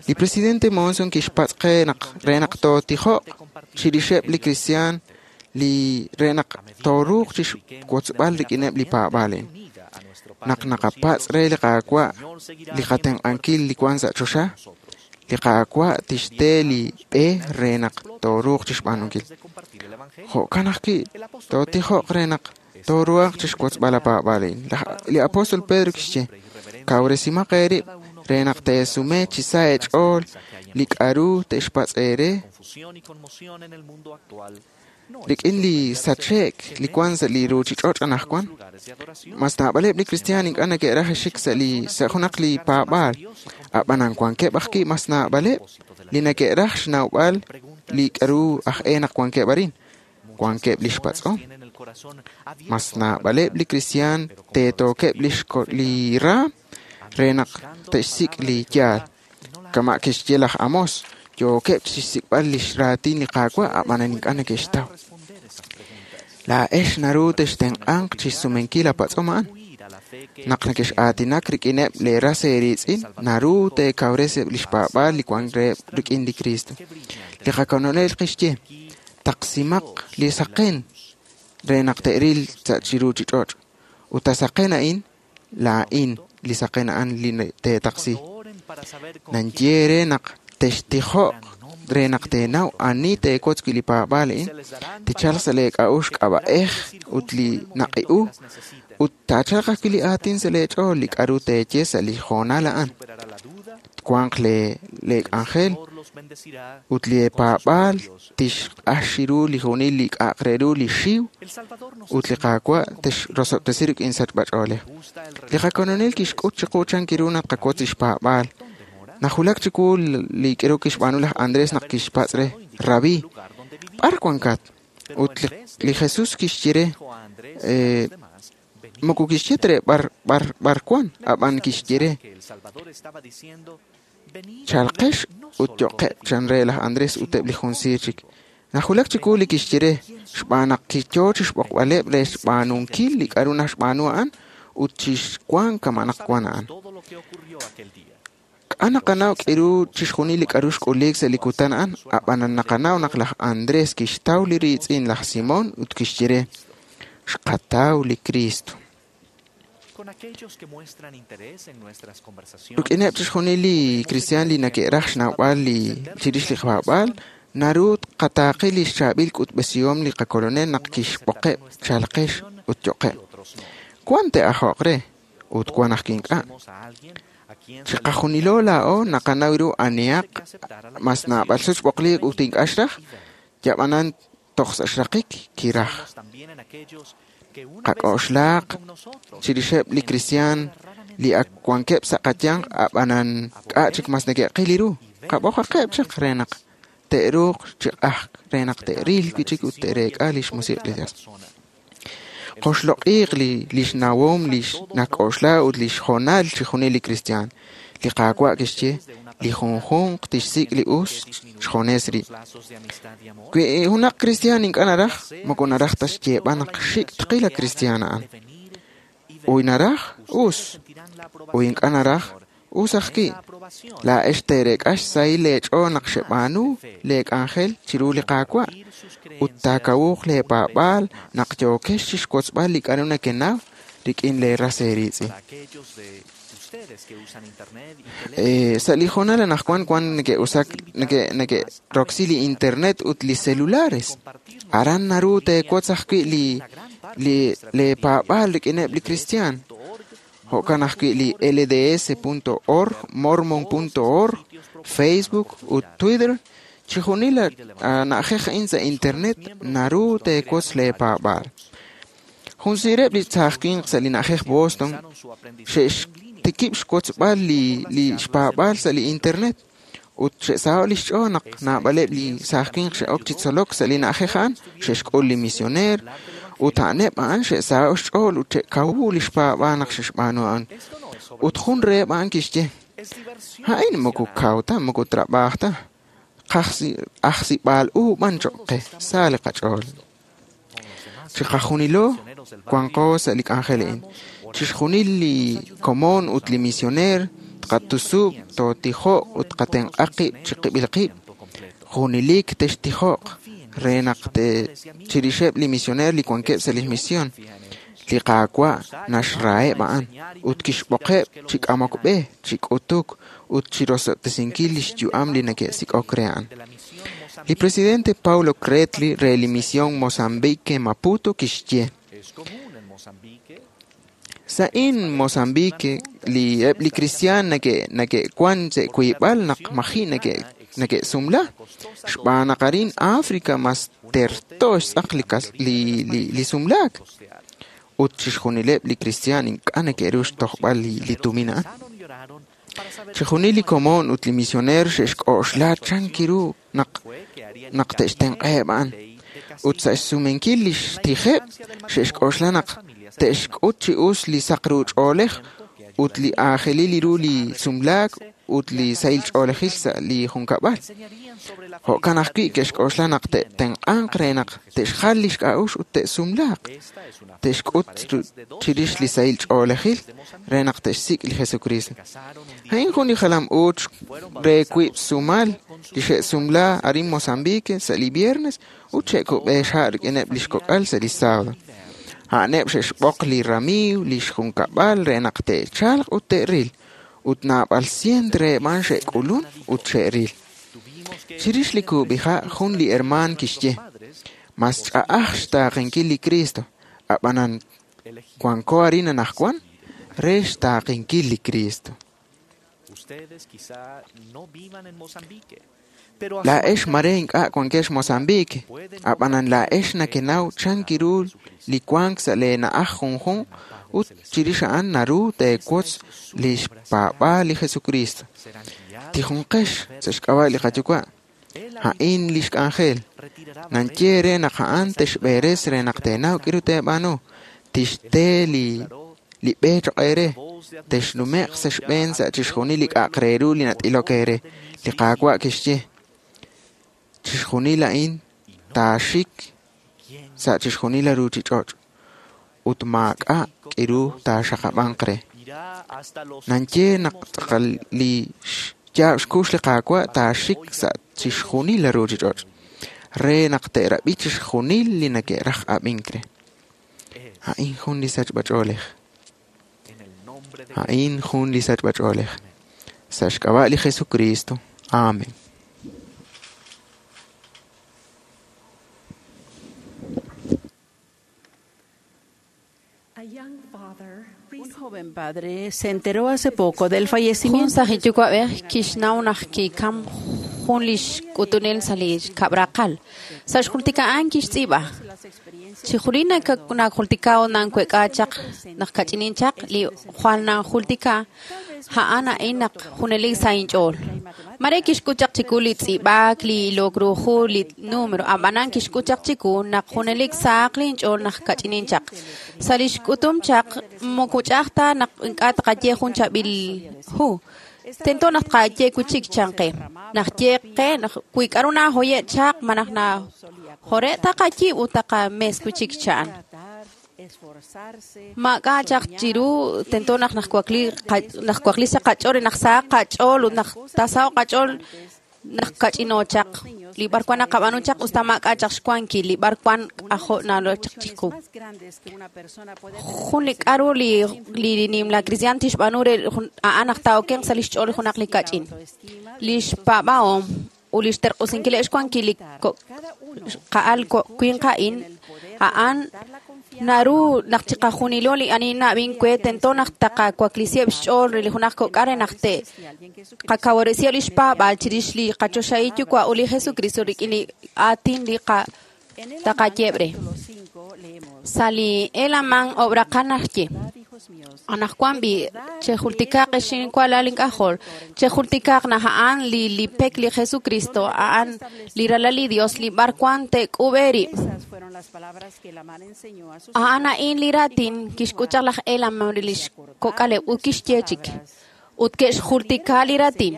Li presidente Monson kixpatz' qe naq re naq tootijo'q chirixeb' li kristiaan li re naq tooruuq chixwotzb'al rik'ineb' li paab'aal a'in. Naq naqapatz' re li Qaawa' li qatenq'ankil li wan sa' choxa, li Qaawa' tixte li b'e re naq tooruuq chixb'aanunkil. Jo'kan ajwi' tootijo'q re naq tooruhaq chixwotzb'al la paab'aal a'in. Li apóstol Pedro kixye, kawresimaq eerib' re naq teesume chi sa' eech'ool li k'a'ru te'xpatz' eere rik'in li sache'k li wan sa' li ruuchich'och' anaqwan. Mas naab'aleb' li kristiaan ink'a' neke'raj xik sa' junaq li paab'aal, ab'anan wankeb' ajwi' mas naab'aleb' li neke'raj xnawb'al li k'a'ru aj e naq wankeb' arin. Wankeb' li xpatz'om. Mas naab'aleb' li kristiaan teetookeb' li raam re naq te'xsik' li yaal. Kama' kixye laj Amos, yookeb' chixsik'b'al li xraatin li Qaawa' ab'anan ink'a' neke'xtaw. Laa'ex naru textenq'anq chixsumenkil a patz'om a'an. Naq nekex'aatinak rik'ineb' leeras eeriitz'in, naru teekawreseb' li xpaab'aal li wank reheb' rik'in li Cristo. Li qakolonel kixye, taqsimaq li saqen re naq te'ril sa' chi ruuchich'och'. Ut a saqen a'in, laa'in li saqen a'an li teetaqsi. Nanye re naq textijo'q re naq teenaw ani teewotz wi' li paab'aal a'in, tichalq sa' leek'a'uxl k'ab'a'ej ut li naqi'u ut taachalq ajwi' li aatin sa' leech'ool li k'a'ru teeye sa' li hoonal a'an. Twanq leek'anjel ut li paab'aal tixq'ax ru li junil li k'a'aq re ru li xiw ut li Qaawa' texrosob'tesi rik'in sachb'ach'oolej. Li qakolonel kixk'ut chiqu chan ru naq qawotz li xpaab'aal. Najulak chiwu li k'aru kixb'aanu laj Andrés naq kixpatz' re, Rabí, b'ar wankat? Ut li Jesús kixye re, moko kixye ta re b'ar wan, ab'an kixye re, chalqex ut yo'qeb' chan re laj Andrés ut eb' li jun siir chik. Najulak chiwu li kixye re, xb'aan naq kiyo chi xb'oqb'aleb' re xb'aanunkil li k'aru naxb'aanu a'an ut chixwank kama' naq wan a'an. K'a naqanaw k'iru chixjunil li k'aru xk'uliik sa' li kutan a'an, ab'an naqanaw naq laj Andrés kixtaw li riitz'in laj Simón ut kixye re, xqataw li Cristo. Rik'ineb' chixjunil li kristiaan li neke'raj xnawb'al li chirix li paab'aal, naru tqataaqi li xchaab'il k'utb'esihom li qakolonel naq kixb'oqeb' chalqex ut yo'qeb'. Wan te'ajoq re ut wan ajwi' ink'a'. Chiqajunilo laa'o naqanaw ru anihaq mas naab'al sut xb'oqliik ut ink'a' xraj, yab'anan toj sa' xraqik kiraj. Qak'oxlaaq chirixeb' li kristiaan li ak wankeb' sa' qayanq ab'anan k'a' chik mas neke'qil ru. Qab'oqaqeb' chaq re naq te'ruuq chi q'ajk re naq te'ril wi' chik ut te'reek'a li xmusiq' li Dios. Qoxloq'iiq li xnawom li nak'oxla ut li xhoonal chixjunil li kristiaan. Li Qaawa' kixye, li junjunq tixsik' li us xjunes rib'. Wi junaq kristiaan ink'a' naraj, moko naraj ta xyeeb'al naq xik' tqil a kristiaan a'an. Uy naraj, us. Uy ink'a' naraj, us ajwi'. Laa'ex teereek'a xsahil leech'ool naq xeb'aanu leek'anjel chiru li Qaawa' ut taakawuq leepaab'aal naq yookex chixwotzb'al li k'aru nekenaw rik'in leeras eeriitz'in. Sa' li hoonal anaqwan wan neke'usak neke'roksi li internet ut li celulares. Aran naru teewotz ajwi' li leepaab'aal rik'ineb' li kristiaan. Jo'kan ajwi' li lds.org, mormon.org, Facebook ut Twitter. Chixjunil na'ajej a'in sa' internet naru teewotz leepaab'aal. Jun siireb' li saaj winq sa' li na'ajej Boston xe'xtikib' xwotzb'al li xpaab'aal sa' li internet ut xe'saho' li xch'ool naq naab'aleb' li saaj winq xe'ok chi tzolok sa' li na'ajej a'an, xe'xk'ul li misioneer ut a'aneb' a'an xe'saho' xch'ool ut xe'kawu li xpaab'aal naq xe'xb'aanu a'an. Ut jun reheb' a'an kixye, a'in moko kaw ta, moko trab'aaj ta, ajsib'aal u b'an choq' qe, sa li qach'ool. Chiqajunilo wanqo sa' li k'anjel a'in. Chixjunil li komon ut li misioneer tqatusub', tootijo'q ut tqatenq'a qib' chiqib'il qib'. Junelik textijo'q re naq chirixeb' li misioneer li wankeb' sa' li misión. Li Qaawa' naxraheb' a'an ut kixb'oqeb' chi k'amok b'e, chi k'utuk ut chirosob'tesinkil li xyu'am li neke'sik'ok re a'an. Li presidente Paulo Cretli re li misión Mozambique Maputo kixye, Sa'in Mozambique li eb' li kristiaan neke'wan sa' wiib'al naq maji' neke'sumla, xb'aan naq arin África mas terto xtz'aq li sumlaak. Ut chixjunileb' li kristiaan ink'a' neke'ru xtojb'al li tumin a'an. Chixjunil li komon ut li misioneer xe'xk'oxla chan kiru naq te'xtenq'aheb' a'an. Ut sa' xsumenkil li xtijeb' xe'xk'oxla naq te'xk'ut chi us li saq ru ch'oolej ut li aajelil ru li sumlaak ut li sahil ch'oolejil sa' li junkab'al. Jo'kan ajwi' ke'xk'oxla naq te'tenq'anq re naq te'xjal li xk'a'uxl ut te'sumlaaq. Te'xk'ut chirix li sahil ch'oolejil re naq te'xsik' li Jesucristo. A'in jun li jalam uuch re wiib' sumal li xe'sumla arin Mozambique sa' li viernes ut xe'kub'e xha' rik'ineb' li xkok'al sa' li sábado. A'aneb' xe'xb'oq li ramiiw li xjunkab'al re naq te'chalq ut te'ril ut naab'al cien reheb' a'an xe'k'ulun ut xe'ril. Chirix li kub'iha' jun li hermaan kixye, mas ch'a'aj xtaaqenkil li Cristo, ab'anan wanko arin anaqwan re xtaaqenkil li Cristo. Laa'ex mare ink'a' wankex Mozambique, ab'anan laa'ex nakenaw chan kiru li wank sa' leena'aj junjunq ut chirix a'an naru teewotz li xpaab'aal li Jesucristo. Tijunqex sa' xk'ab'a' li qayuwa'. A'in li xk'anjel. Nanye re naq a'an texb'eres re naq teenaw k'iru teeb'aanu. Tixte li b'e choq' eere. Texnume'q sa' xb'een sa' chixjunil li k'a'aq re ru li nat'ilok eere. Li Qaawa' kixye. Chixjunil a'in taaxik sa' chixjunil li ruuchich'och' ut maak'a' k'iru taaxaqab'anq re. Nanye naq tz'aqal li xyaab' xkux li Qaawa' taaxik sa' chixjunil li ruuchich'och' re naq te'rab'i chixjunil li neke'raj ab'ink re. A'in jun li sachb'ach'oolej. A'in jun li sachb'ach'oolej. Sa' xk'ab'a' li Jesucristo. Amén. Un joven padre se enteró hace poco del fallecimiento Jun saj yuwa'b'ej kixnaw naq kikam jun li xk'utunel sa' li kab'raqal. Sa' xjultika a'an kixtz'iib'a. Chijulin najultika nankuek'a chaq naq kach'inin chaq li jwal nanjultika a'an a'in naq junelik sa' inch'ool. Mare kixk'ut chaq chiku li tz'iib'ak, li ilok ru hu, li número, ab'anan kixk'ut chaq chiku naq junelik sahaq linch'ool naq kach'inin chaq. Sa' li xk'utum chaq moko ch'a'aj ta naq ink'a' tqaye jun chaab'il hu. Tento naq tqaye wi' chik chan qe. Naq ye qe naq wi k'aru nahoye' chaq malaj najore' taqayiib' ut taqames wi' chik cha'an. Maak'a' chaq chiru tento naq najwakli sa' qach'ool re naq sahaq qach'ool ut naq taasaho'q qach'ool naq kach'ino chaq. Li b'arwan naqab'aanu chaq usta maak'a' chaq xwankil, li b'arwan k'ajo' nalo chaq chiqu. Jun li k'aru li nimla cristian tixb'aanu re a'an naq taa'okenq sa' li xch'ool junaq li kach'in. Li xpaab'ahom ut li xterq'usinkileb' xwankil li qa'al winq a'in a'an naru naq chiqajunilo li ani na'b'in we tento naq taqawaklisiheb' xch'ool re li junaq kok'al re naq te qakawaresiheb' li xpaab'aal chirix li qachoxahil yuwa' ut li Jesucristo rik'in li aatin li taqayeb' re. Sa' li Helaman ob'raqal naxye. Anaqwan b'i' chejultikaq xinkualal ink'ajol, chejultikaq naq a'an li pek li Jesucristo, a'an li ralal li Dios li b'arwan te'k'ub' eerib'. A'an a'in li raatin kixk'ut chaq laj Helaman re li xkok'aleb' ut kixye chik. Ut ke'xjultika li raatin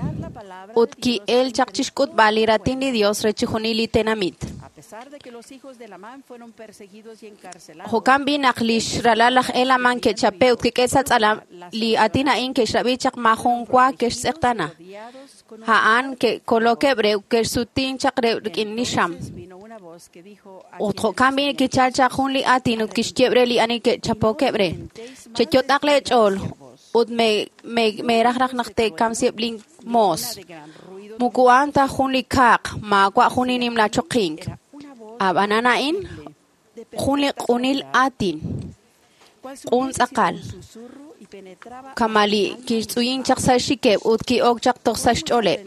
ut ki'el chaq chixk'utb'al li raatin li Dios re chixjunil li tenamit. Jo'kan b'i naq li xralal laj Helaman ke'chape' ut kik'e sa' tz'alam li aatin a'in ke'xrab'i chaq maajun wa ke'xtz'eqtaana. A'an ke'kolokeb' re ut ke'xsutin chaq re rik'in li xam. Ut jo'kan b'i kichal chaq jun li aatin ut kixyeb' re li ani ke'chapokeb' re. Cheyot'aq leech'ool ut meeraj raj naq te'kamsiheb' lin moos. Moko a'an ta jun li kaaq, maawa' jun li nimla choqink. Ab'anan a'in jun li q'unil aatin, q'un tz'aqal. Kama li kixtz'uyin chaq sa' xxikeb' ut ki'ok chaq toj sa' xch'ooleb'.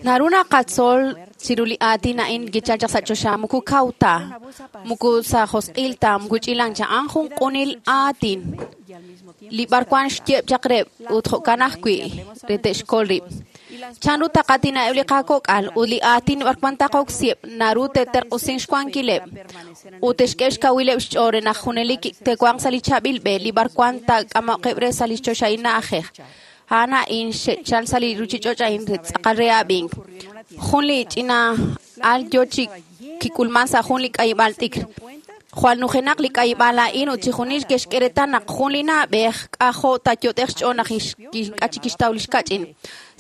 Naru naqatzol chiru li aatin a'in kichal chaq sa' choxa moko kaw ta, moko sa' josq'il ta, moko ch'ilan cha, a'an jun q'unil aatin. Li b'arwan xyeb' chaq reb' ut jo'kan ajwi' re te'xkol rib'. Chanru taqatina'eb' li qakok'al ut li aatin b'arwan taqoksiheb' naru te'terq'usin xwankileb' ut te'xk'e xkawileb' xch'ool re naq junelik te'wanq sa' li chaab'il b'e li b'arwan taak'amoqeb' re sa' li choxahil na'ajej. A'an a'in xe'chal sa' li ruuchich'och' a'in re tz'aqal re ab'ink. Jun li ch'ina al yo chi kik'ulman sa' jun li k'ayib'aal t'ikr. Jwal nujenaq li k'ayib'aal a'in ut chixjunil ke'xk'e reetal naq jun li na'b'ej k'ajo' taayot'ej xch'ool naq ink'a' chik kixtaw li xkach'in.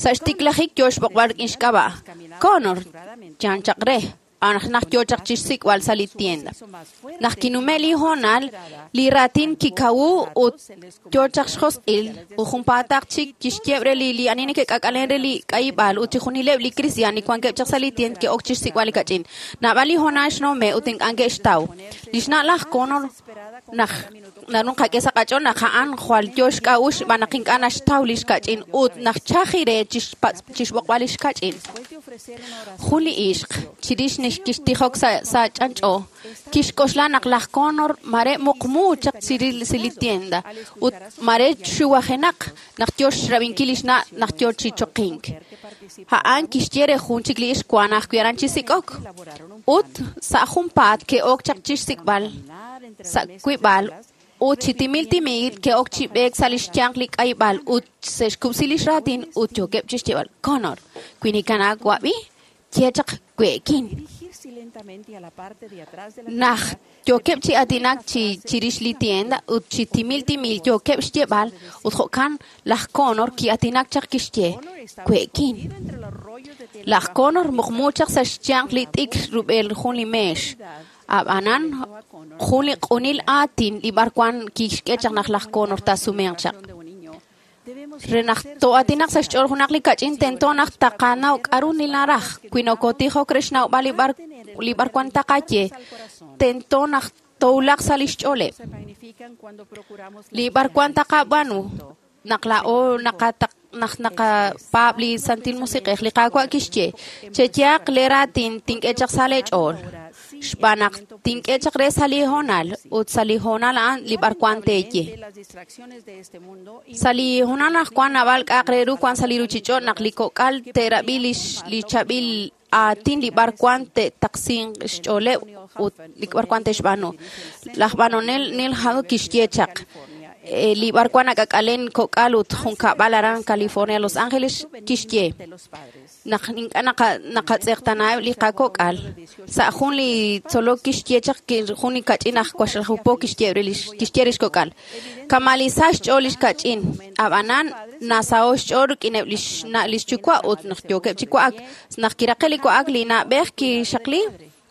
Sa' xtiklajik yo xb'oqb'al rik'in xk'ab'a'. Connor, chan chaq re, naq yo chaq chixsik'b'al sa' li tienda. Naq kinume' li hoonal, li raatin kikawu ut yo chaq xjosq'il ut junpaataq chik kixyeb' re li ani neke'k'ak'alen re li k'ayib'aal ut chixjunileb' li kristiaan li wankeb' chaq sa' li tienda ke'ok chixsik'b'al li kach'in. Naab'al li hoonal xnume' ut ink'a' ke'xtaw. Li xna' laj Connor naq naru nqak'e sa' qach'ool naq a'an jwal yo xk'a'uxl xb'aan naq ink'a' naxtaw li xkach'in ut naq chaji re chixb'oqb'al li xkach'in. Jun li ixq chirix kixtijok sa' ch'anch'o Kixk'oxla naq laj Connor mare muqmu chaq chiril sa' li tienda ut mare xuwajenaq naq yo xrab'inkil lix na' naq yo chi choqink. A'an kixye re jun chik li ixq wan ajwi' aran chi sik'ok. Ut sa' junpaat ke'ok chaq chixsik'b'al sa' wib'al ut chi timil timil ke'ok chi b'eek sa' lix yanq li k'ayb'al ut se'xkub'si lix raatin ut yookeb' chixyeeb'al Connor, wi nikanawab'i, ye chaq we'kin. Naq yookeb' chi aatinak chi chirix li tienda ut chi timil timil yookeb' xyeeb'al ut jo'kan laj Connor ki'aatinak chaq kixye we'kin. Laj Connor muqmu chaq sa' xyanq li t'ikr rub'el jun li meex. Ab'anan jun li q'unil aatin li b'arwan kixk'e chaq naq laj Connor taasumenq chaq. Re naq to'aatinaq sa' xch'ool junaq li kach'in tento naq taqanaw k'a'ru ninaraj. Wi nokotijok re xnawb'al li b'arwan taqaye, tento naq towulaq sa' lix ch'ooleb'. Li b'arwan taqab'aanu naq laa'o naq naqapaab' li Santil Musiq'ej li Qaawa' kixye, cheyaaq lee raatin tink'e chaq sa' lee ch'ool. Xb'aan naq tink'e chaq re sa' li hoonal ut sa' li hoonal a'an li b'arwan teeye. Sa' li hoonal naq wan naab'al k'a'aq re ru wan sa' li ruchich'och' naq li kok'al te'rab'i li chaab'il aatin li b'arwan te'taqsinq xch'ooleb' ut li b'arwan te'xb'aanu. Laj b'anonel Neil Hado kixye chaq li b'arwan nak'ak'alen kok'al ut junkab'al aran California, Los Angeles kixye naq ink'a' naqatz'eqtanaheb' li qakok'al. Sa' jun li tzolok kixye chaq jun li kach'in aj waxlajupo kixye re lix kok'al. Kamalisa xch'ool lix kach'in, ab'anan nasaho xch'ool rik'ineb' lix na' lix yuwa' ut naq yookeb' chi wa'ak. Naq kiraqe li wa'ak li na'b'ej kixaqli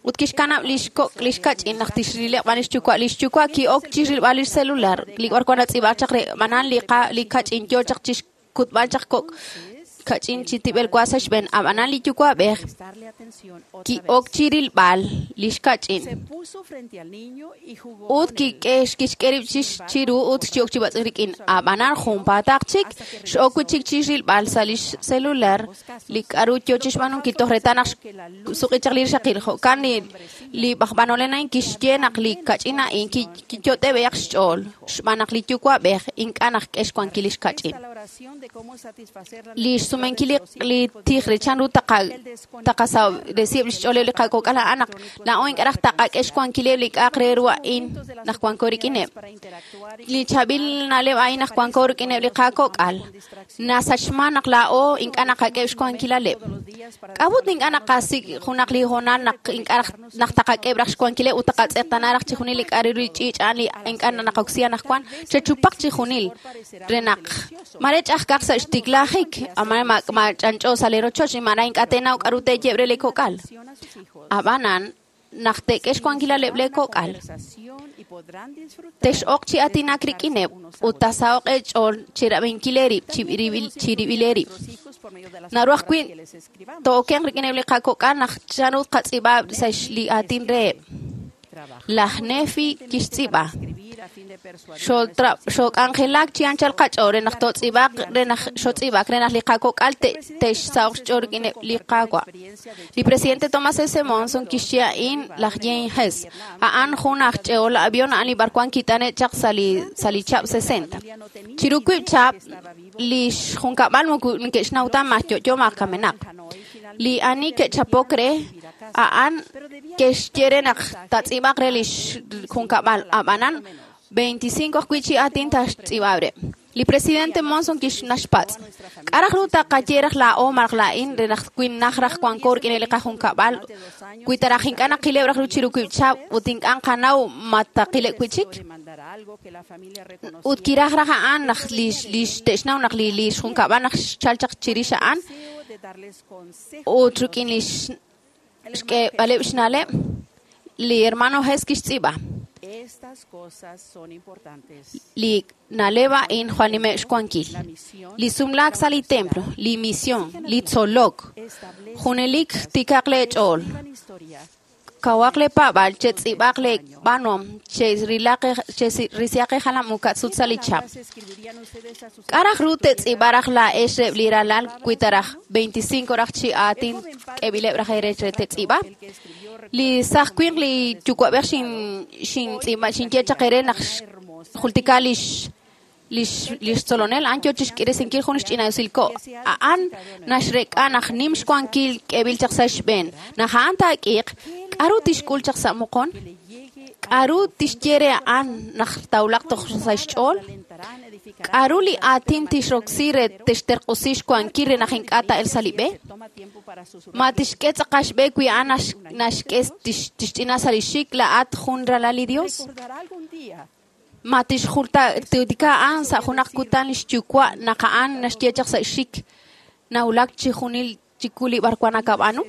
ut kixkanab' lix kok' lix kach'in naq tixrileb' b'an lix yuwa'. Lix yuwa' ki'ok chixrilb'al lix celular. Li b'arwan natz'iib'ak chaq re b'anan li kach'in yo chaq chixkutb'al chaq kok' kach'in chi tib'el wa sa' xb'een. Ab'anan li yuwa'b'ej ki'ok chirilb'al lix kach'in ut kixk'e rib' chiru ut ki'ok chi b'atz'unk rik'in. Ab'anan junpaataq chik x'ok wi' chik chixrilb'al sa' lix celular li k'a'ru yo chixb'aanunkil toj reetal naq xsuq'i chaq li rixaqil. Jo'kan li b'anonel a'in kixye naq li kach'in a'in kiyot'eb'eyaq xch'ool xb'aan naq li yuwa'b'ej ink'a' naq k'e xwankil lix kach'in. Li xsumenkil li tij re chanru taqasawresiheb' lix ch'ooleb' li qakok'al a'an naq laa'o ink'a' raj taqak'e xwankileb' li k'a'aq re ru a'in naq wanko rik'ineb'. Li chaab'il na'leb' a'in naq wanko rik'ineb' li qakok'al nasachman naq laa'o ink'a' naqak'eb' xwankilaleb'. K'a'ut ink'a' naqasik' junaq li hoonal naq ink'a' naq taqak'eb' raj xwankileb' ut taqatz'eqtana raj chijunil li k'a' re ru li ch'iich' a'an li ink'a' naqoksi anaqwan chechupaq chijunil re naq mare ch'ajkaq sa' xtiklajik amare ma ch'anch'o sa' li rochoch mare ink'a' teenaw k'a'ru teeyeb' re li kok'al. Ab'anan naq teek'e xwankilaleb' lee kok'al tex'oq chi aatinak rik'ineb' ut taasaho'q eech'ool chirab'inkil eerib' chirib'il eerib'. Naru ajwi' to'okenq rik'ineb' li qakok'al naq chanru qatz'iib'a sa' li aatin reheb'. Laj Nefi kixtz'iib'a xook'anjelak chi anchal qach'ool re naq totz'iib'aq re naq xotz'iib'ak re naq li qakok'al te'xsaho'q xch'ool rik'ineb' li Qaawa'. Li presidente Thomas S. Monson kixye a'in laj Jane Hess. A'an jun aj ch'e'ol avión a'an li b'arwan kit'ane' chaq sa' li chab' 60. Chiru wiib' chab' lix junkab'al moko neke'xnaw ta ma yo'yo ma kamenaq. Li ani ke'chapok re a'an ke'xye re naq tatz'iib'aq re lix junkab'al. Ab'anan 25 ajwi' chi aatin taxtz'iib'ab' re. Li presidente Monson kixnaxpatz'. K'a' raj ru taqaye raj laa'o malaj laa'in re naq wi naj raj wanko rik'in li qajunkab'al wi ta raj ink'a' naqileb' raj ru chiru wiib' chab' ut ink'a' nqanaw ma taqileb' wi' chik. Ut kiraj raj a'an naq lix te'xnaw naq lix junkab'al naq xchal chaq chirix a'an ut rik'in lix xk'eeb'aleb' xna'leb' li hermano Hess kixtz'iib'a. Li na'leb' a'in jwal nimeb' xwankil. Li sumlaak sa' li templo, li misión, li tzolok, junelik tikaq lee ch'ool. Kawaq lee paab'al, chetz'iib'aq lee b'aanuhom, cherisihaq jalam u ka'sut sa' li chab'. K'a' raj ru te'tz'iib'a raj laa'ex reheb' li ralal wi ta raj 25 raj chi aatin k'eb'ileb' raj eere re te'tz'iib'a? Li saaj winq li yuwa'b'ej xintz'iib'a xinye chaq eere naq jultika lix tzolonel a'an yo chixk'iresinkil jun xch'ina'usil ko'. A'an naxrek'a naq nim xwankil k'eeb'il chaq sa' xb'een. Naq a'an taak'iiq, k'aru tixk'ul chaq sa' moqon? K'aru tixye re a'an naq tawlaq toj sa' xch'ool? K'aru li aatin tixroksi re tixterq'usi xwankil re naq ink'a' taa'el sa' li b'e? Ma tixk'e tz'aqal xb'e wi a'an naxk'e tixch'ina sa' li xik laa'at jun ralal li Dios? Ma tixjultika a'an sa' junaq kutan lix yuwa' naq a'an naxye chaq sa' xik nawulak chi junil chiku li b'arwan nakab'aanu?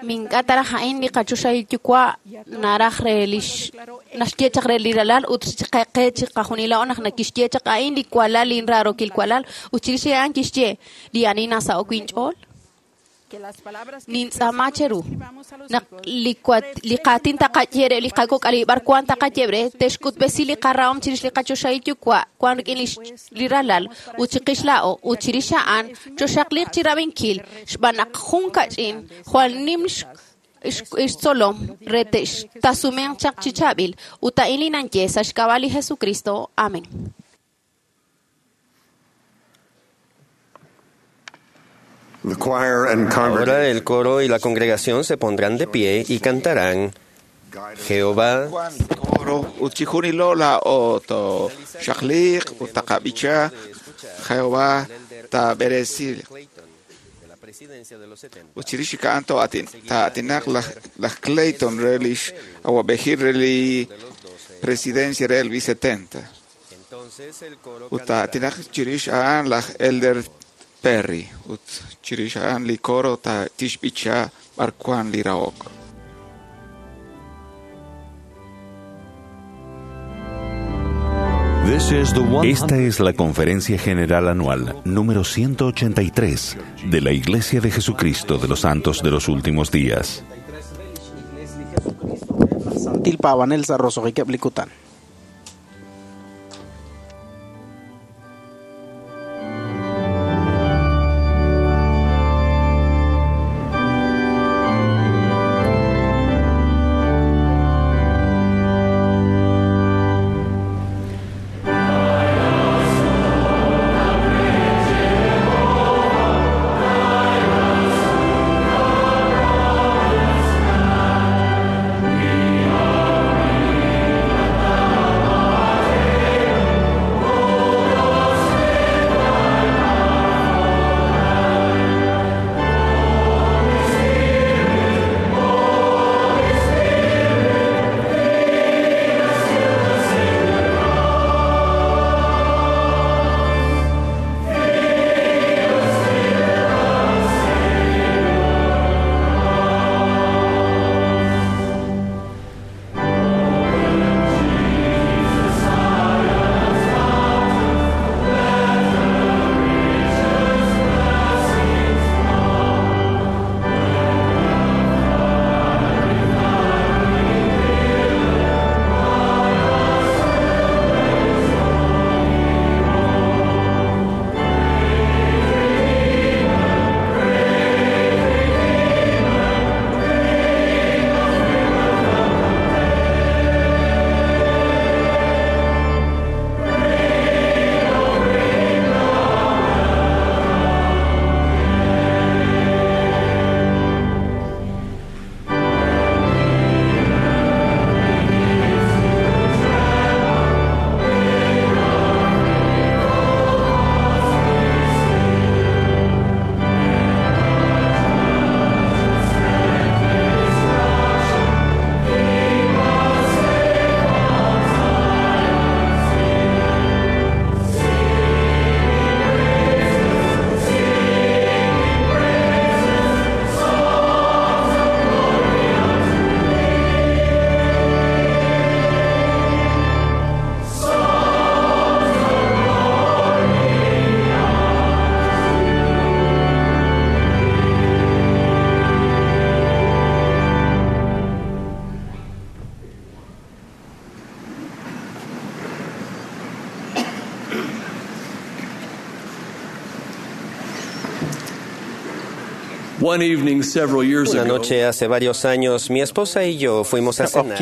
Mink'a' taraj a'in li qachoxahil yuwa' naraj re lix naxye chaq re li ralal ut qe chi qajunila'o naq nakixye chaq a'in li walal linraarokil walal ut chirix a'an kixye li ani nasa'ok inch'ool. Nintz'aama cheru naq li qaatin taqaye re li qakok'al li b'arwan taqaye re te'xk'utb'esi li qarahom chirix li qachoxahil yuwa' wan rik'in li ralal ut chiqix laa'o ut chirix a'an choxaqliq chi rab'inkil xb'aan naq jun kach'in jwal nim xtzolom re te'xtasumenq chaq chi chaab'il ut a'in li nanye sa' xk'ab'a' li Jesucristo. Amén. Ahora el coro y la congregación se pondrán de pie y cantarán Jehová. Coro utchijunilola oto shakliq utaqabicha Jehová taberesil. Uchirishika anto atin ta atinak laj Clayton relish awabejir reli presidencia rel V70. Uta atinak chirish aan laj Elder Perry ut chirix a'an li coro ta tixb'icha b'arwan li rahok. Esta es la Conferencia General Anual número 183 de la Iglesia de Jesucristo de los Santos de los Últimos Días. Una noche hace varios años, mi esposa y yo fuimos a cenar.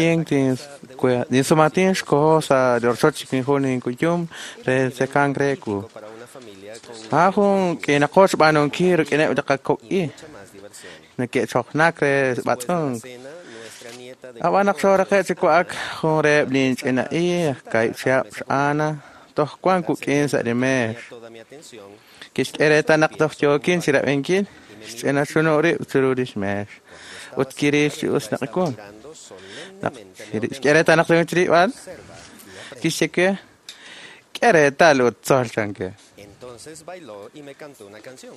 Entonces bailó y me cantó una canción.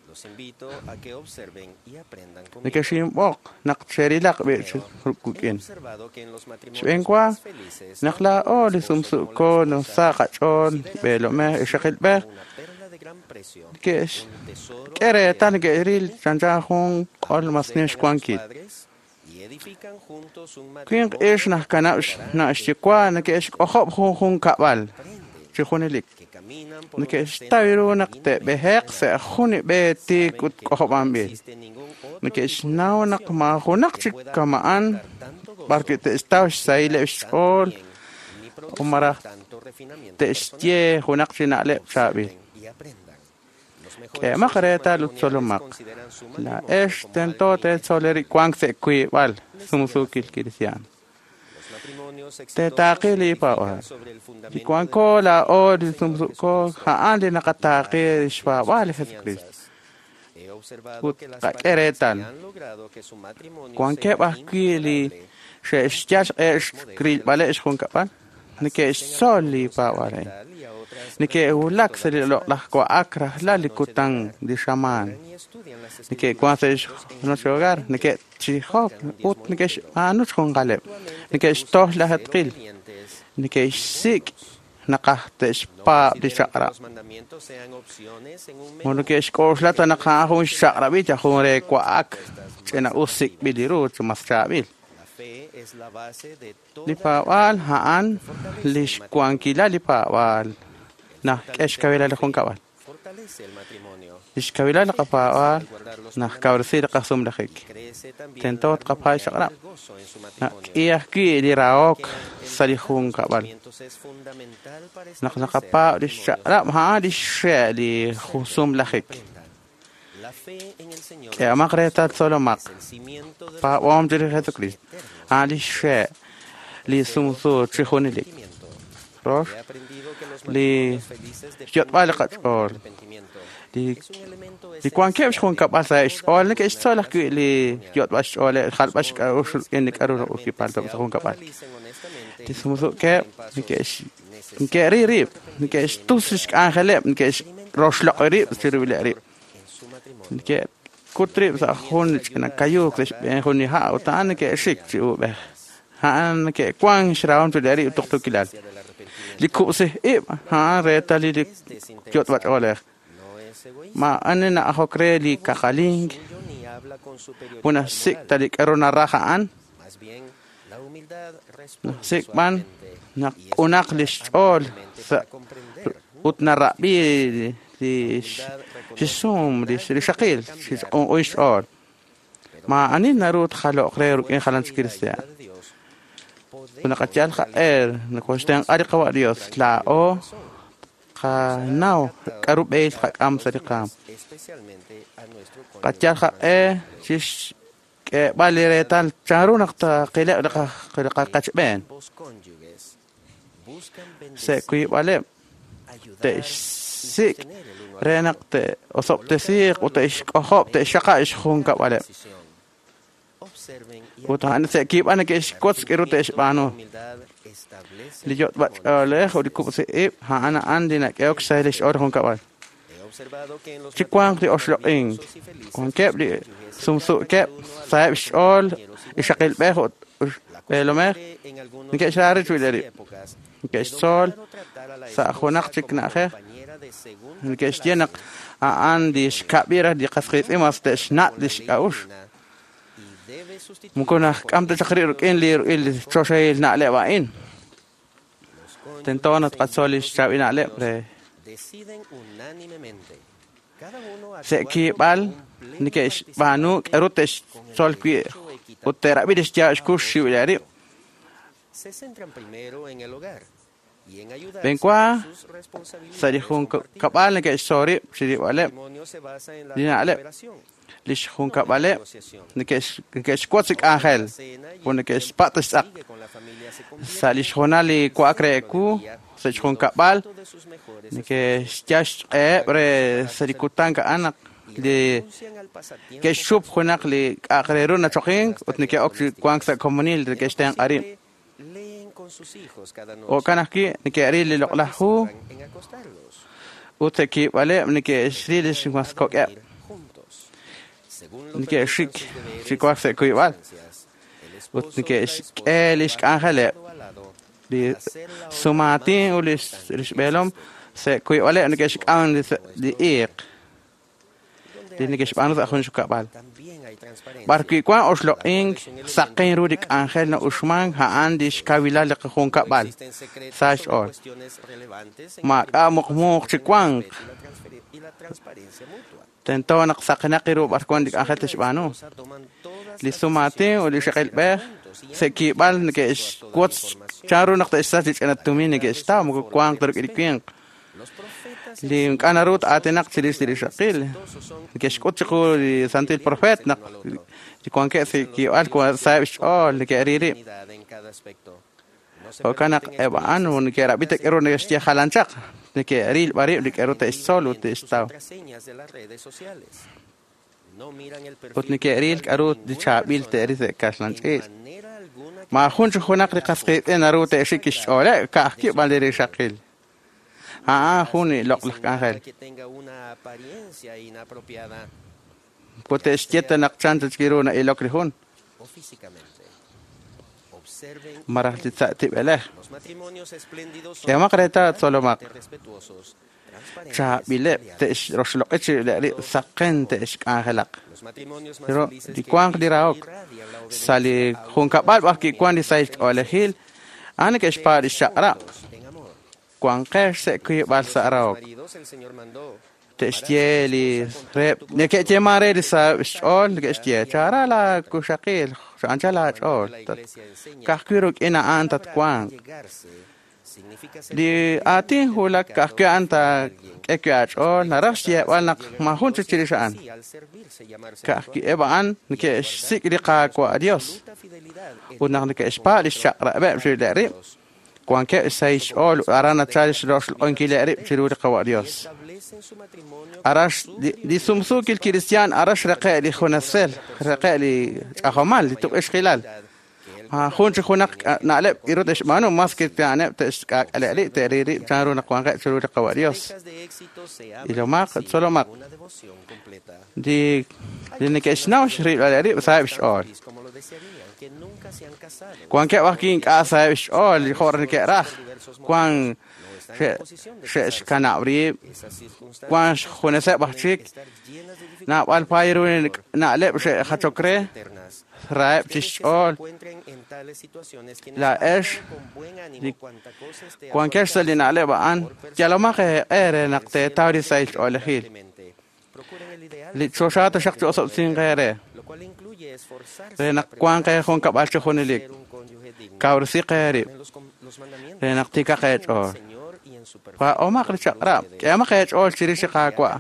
Los invito a que observen y aprendan conmigo. He observado que en los matrimonios más felices una perla de gran precio, un tesoro padres y edifican juntos un matrimonio que caminan por una senda divina. Existe ningún otro tipo de relación que pueda aportar tanto gozo, tanto bien, ni producir tanto refinamiento personal. Observen y aprendan. Los mejores socios matrimoniales consideran su matrimonio como algo intangible. Los matrimonios exitosos se edifican sobre el fundamento del Señor Jesucristo. He observado que las parejas que han logrado que su matrimonio sea inquebrantable y a otras y estudian las escrituras los mandamientos sean opciones en un menú La fe es la base de toda fortalece el matrimonio. Crece también la armonía y el gozo en su matrimonio. Mandamientos es fundamental para establecer matrimonios. La fe en el Señor es el cimiento de los eternos. He aprendido que los matrimonios felices dependen del arrepentimiento. Es un elemento esencial de toda relación matrimonial. Los jóvenes realmente se autoanalicen honestamente y tomen el paso necesario en su matrimonio. No es egoísta. Ni habla con superioridad moral. Más bien, la humildad responde suavemente y escucha amablemente para comprender. La humildad reconoce que nadie puede cambiar a nadie, pero con la fuerza y la ayuda de Dios podemos realizar nuestro trayecto a los demás, especialmente a nuestro cónyuge matrimonial. Ambos cónyuges buscan bendecir, ayudar y sostener el uno al otro. Decisión. Observen y aprendan. El crecimiento de la humildad establece matrimonios felices. He Chi wanq li oxloq'ink, wankeb' li sumsu'keb' saheb' xch'ool ixaqilb'ej ut b'eelomej neke'xra rib' rib', neke'xtzol sa' junaq chik na'ajej, neke'xye naq a'an li xkab'il li qas qiitz'in mas te'xnat' li xk'a'uxl. Moko naxk'am ta chaq rib' rik'in li choxahil na'leb' a'in. Tento naq tqatzol li xchaab'il na'leb' re se'kiib'al neke'xb'aanu k'aru te'xtzol wi' ut te'rab'i li xyaab' xkux xxiwil rib'. B'enwa sa' li junkab'al neke'xtzol rib' chirib'aleb' li na'leb'. Li xjunkab'aleb' neke'xwotz li k'anjel ut neke'xpat' xtz'aq. Sa' li xhoonal li wa'ak re ewu sa' xjunkab'al neke'xyal xq'eheb' re sa' li kutan a'an naq li ke'xchup junaq li k'a'aq re ru nachoqink ut neke'ok chi wank sa' komonil neke'xtenq'a rib'. Jo'kan ajwi' neke'ril li loq'laj hu ut se'kiib'aleb' neke'xril li xmaskok'eb'. Neke'xik chi wank sa' kuyb'al ut neke'xk'e li xk'anjeleb' li sumaatin ut li xb'eelom sa' kuyb'aleb' neke'xk'am li iiq li neke'xb'aanu sa' jun xkab'al. B'ar wi' wank oxloq'ink saqen ru li k'anjel na'uxmank a'an li xkawilal li junkab'al sa' xch'ool. Maak'a' muqmuuq chi wank. Tento naq saqenaq ru b'ar wank li k'anjel te'xb'aanu. Li sumaatin ut li xaqilb'ej se'kiib'al neke'xwotz chanru naq te'xsach li ch'ina tumin neke'xtaw moko wanq ta rik'in li winq. Li ink'a' naru aatinaq chirix li rixaqil neke'xk'ut chiqu li santil profeet naq li wankeb' se'kiib'al saheb' xch'ool neke'ril rib'. Jo'kan naq eb' a'an neke'rab'i k'aru neke'xye jalan chaq neke'ril b'ar rib' li k'aru te'xtzol ut te'xtaw. Ut neke'ril k'aru li chaab'il te'ril sa' kaxlan ch'iich'. Maajun chi junaq li qas qiitz'in naru te'xik xch'ooleb' ka'ajwi' b'an li rixaqil. A'an jun li loq'laj k'anjel. Moko te'xye ta naq chan ta chik ru na'ilok li jun. Maraj li sa' tib'elej. K'ehomaq reetal tzolomaq. Chaab'ileb' te'xroxloq'i chi rib' saqen te'xk'anjelaq. Li wanq li rahok sa' li junkab'al b'ar wi' wank li sahil ch'oolejil a'an neke'xpaab' li xchaq'rab'. Wanqex sa' kuyb'al sa' rahok. Te'xye li reheb' neke'yeeman re li saheb' xch'ool neke'xye chara laakuxaqil anchal aach'ool ka'ajwi' rik'in a'an tatwanq. Li aatin wulak ka'ajwi' a'an taak'e wi' aach'ool naraj xyeeb'al naq maajun chik chirix a'an. Ka'ajwi' eb' a'an neke'xsik' li Qaawa' Dios ut naq neke'xpaab' li xchaq'rab'eb' chirib'ileb' rib' wankeb' xsahil xch'ool ut aran nachal xroxloq'inkileb' rib' chiru li Qawa' Dios. Arax li sumsuukil kristiaan arax reqe' li junasel reqe' li ch'ajomal li tuq'ixqilal. Maajun chi junaq na'leb' k'aru te'xb'aanu mas kristiaaneb' te'xk'aak'aleb' rib' te'ril rib' chanru naq wanqeb' chiru li Qawa' Dios. Ilomaq tzolomaq li neke'xnaw xrilb'aleb' rib' saheb' xch'ool. Wankeb' ajwi' ink'a' saheb' xch'ool li jo' neke'raj wank xe'xkanab' rib' wank xjuneseb' aj chik naab'al paay ru na'leb' xe'jachok re raheb' chi xch'ool. Laa'ex li wankex sa' li na'leb' a'an yalomaq eeq'e re naq teetaw li sahil ch'oolejil. Li choxa taxaq chi osob'sinq eere re naq wanq eejunkab'al chi junelik. Kawresiq eerib' re naq tiikaq eech'ool. Paa'omaq li chaq'rab', k'ehomaq eech'ool chirix li Qaawa'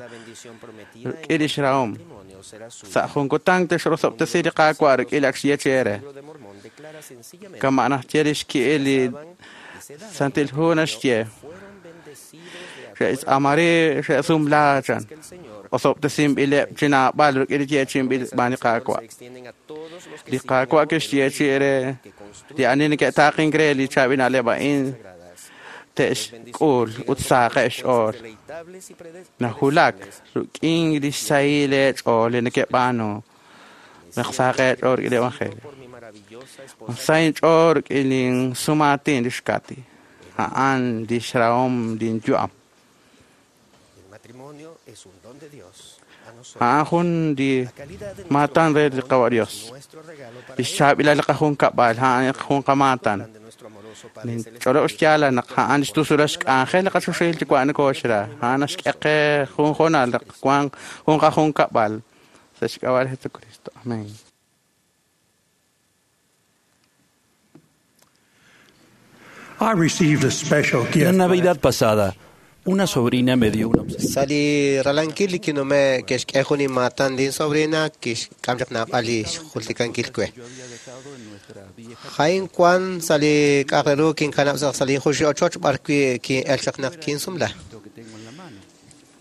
rik'in li xrahom. Sa' jun kutan texrosob'tesi li Qaawa' rik'in li ak xye chi eere. Kama' naxye li xki'il li Santil Hu naxye. Xe'xtz'aamari xe'sumla chan. Osob'tesinb'ileb' chi naab'al rik'in li yeechi'inb'il xb'aan li Qaawa'. Li Qaawa' kixye chi eere li ani neke'taaqink re li chaab'il na'leb' a'in te'xk'ul ut sahaqeb' xch'ool. Najulak rik'in li xsahil eech'ool li nekeb'aanu naq sahaq eech'ool rik'in li evangelio. Sa inch'ool rik'in linsumaatin li xKati. A'an li xrahom linyu'am. A'an jun li maatan re li Qawa' Dios. Li xchaab'ilal li qajunkab'al, a'an jun qamaatan. Ninch'olob' xyaala naq a'an li xtusulal xk'anjel li qachoxahil Yuwa' nokooxra. A'an naxk'e qe jun hoonal naq wanq jun qajunkab'al sa' xk'ab'a' li Jesucristo. Amén. I received a special La gift. Navidad pasada, una sobrina me dio una Sa' li ralankil li kinume' ke'xk'e jun inmaatan linsobrina kixk'am chaq naab'al li xjultikankil we. Jain wan sa' li k'a'aq re ru kinkanab' sa' li junxil ochoch b'ar wi' kin'el chaq naq kinsumla.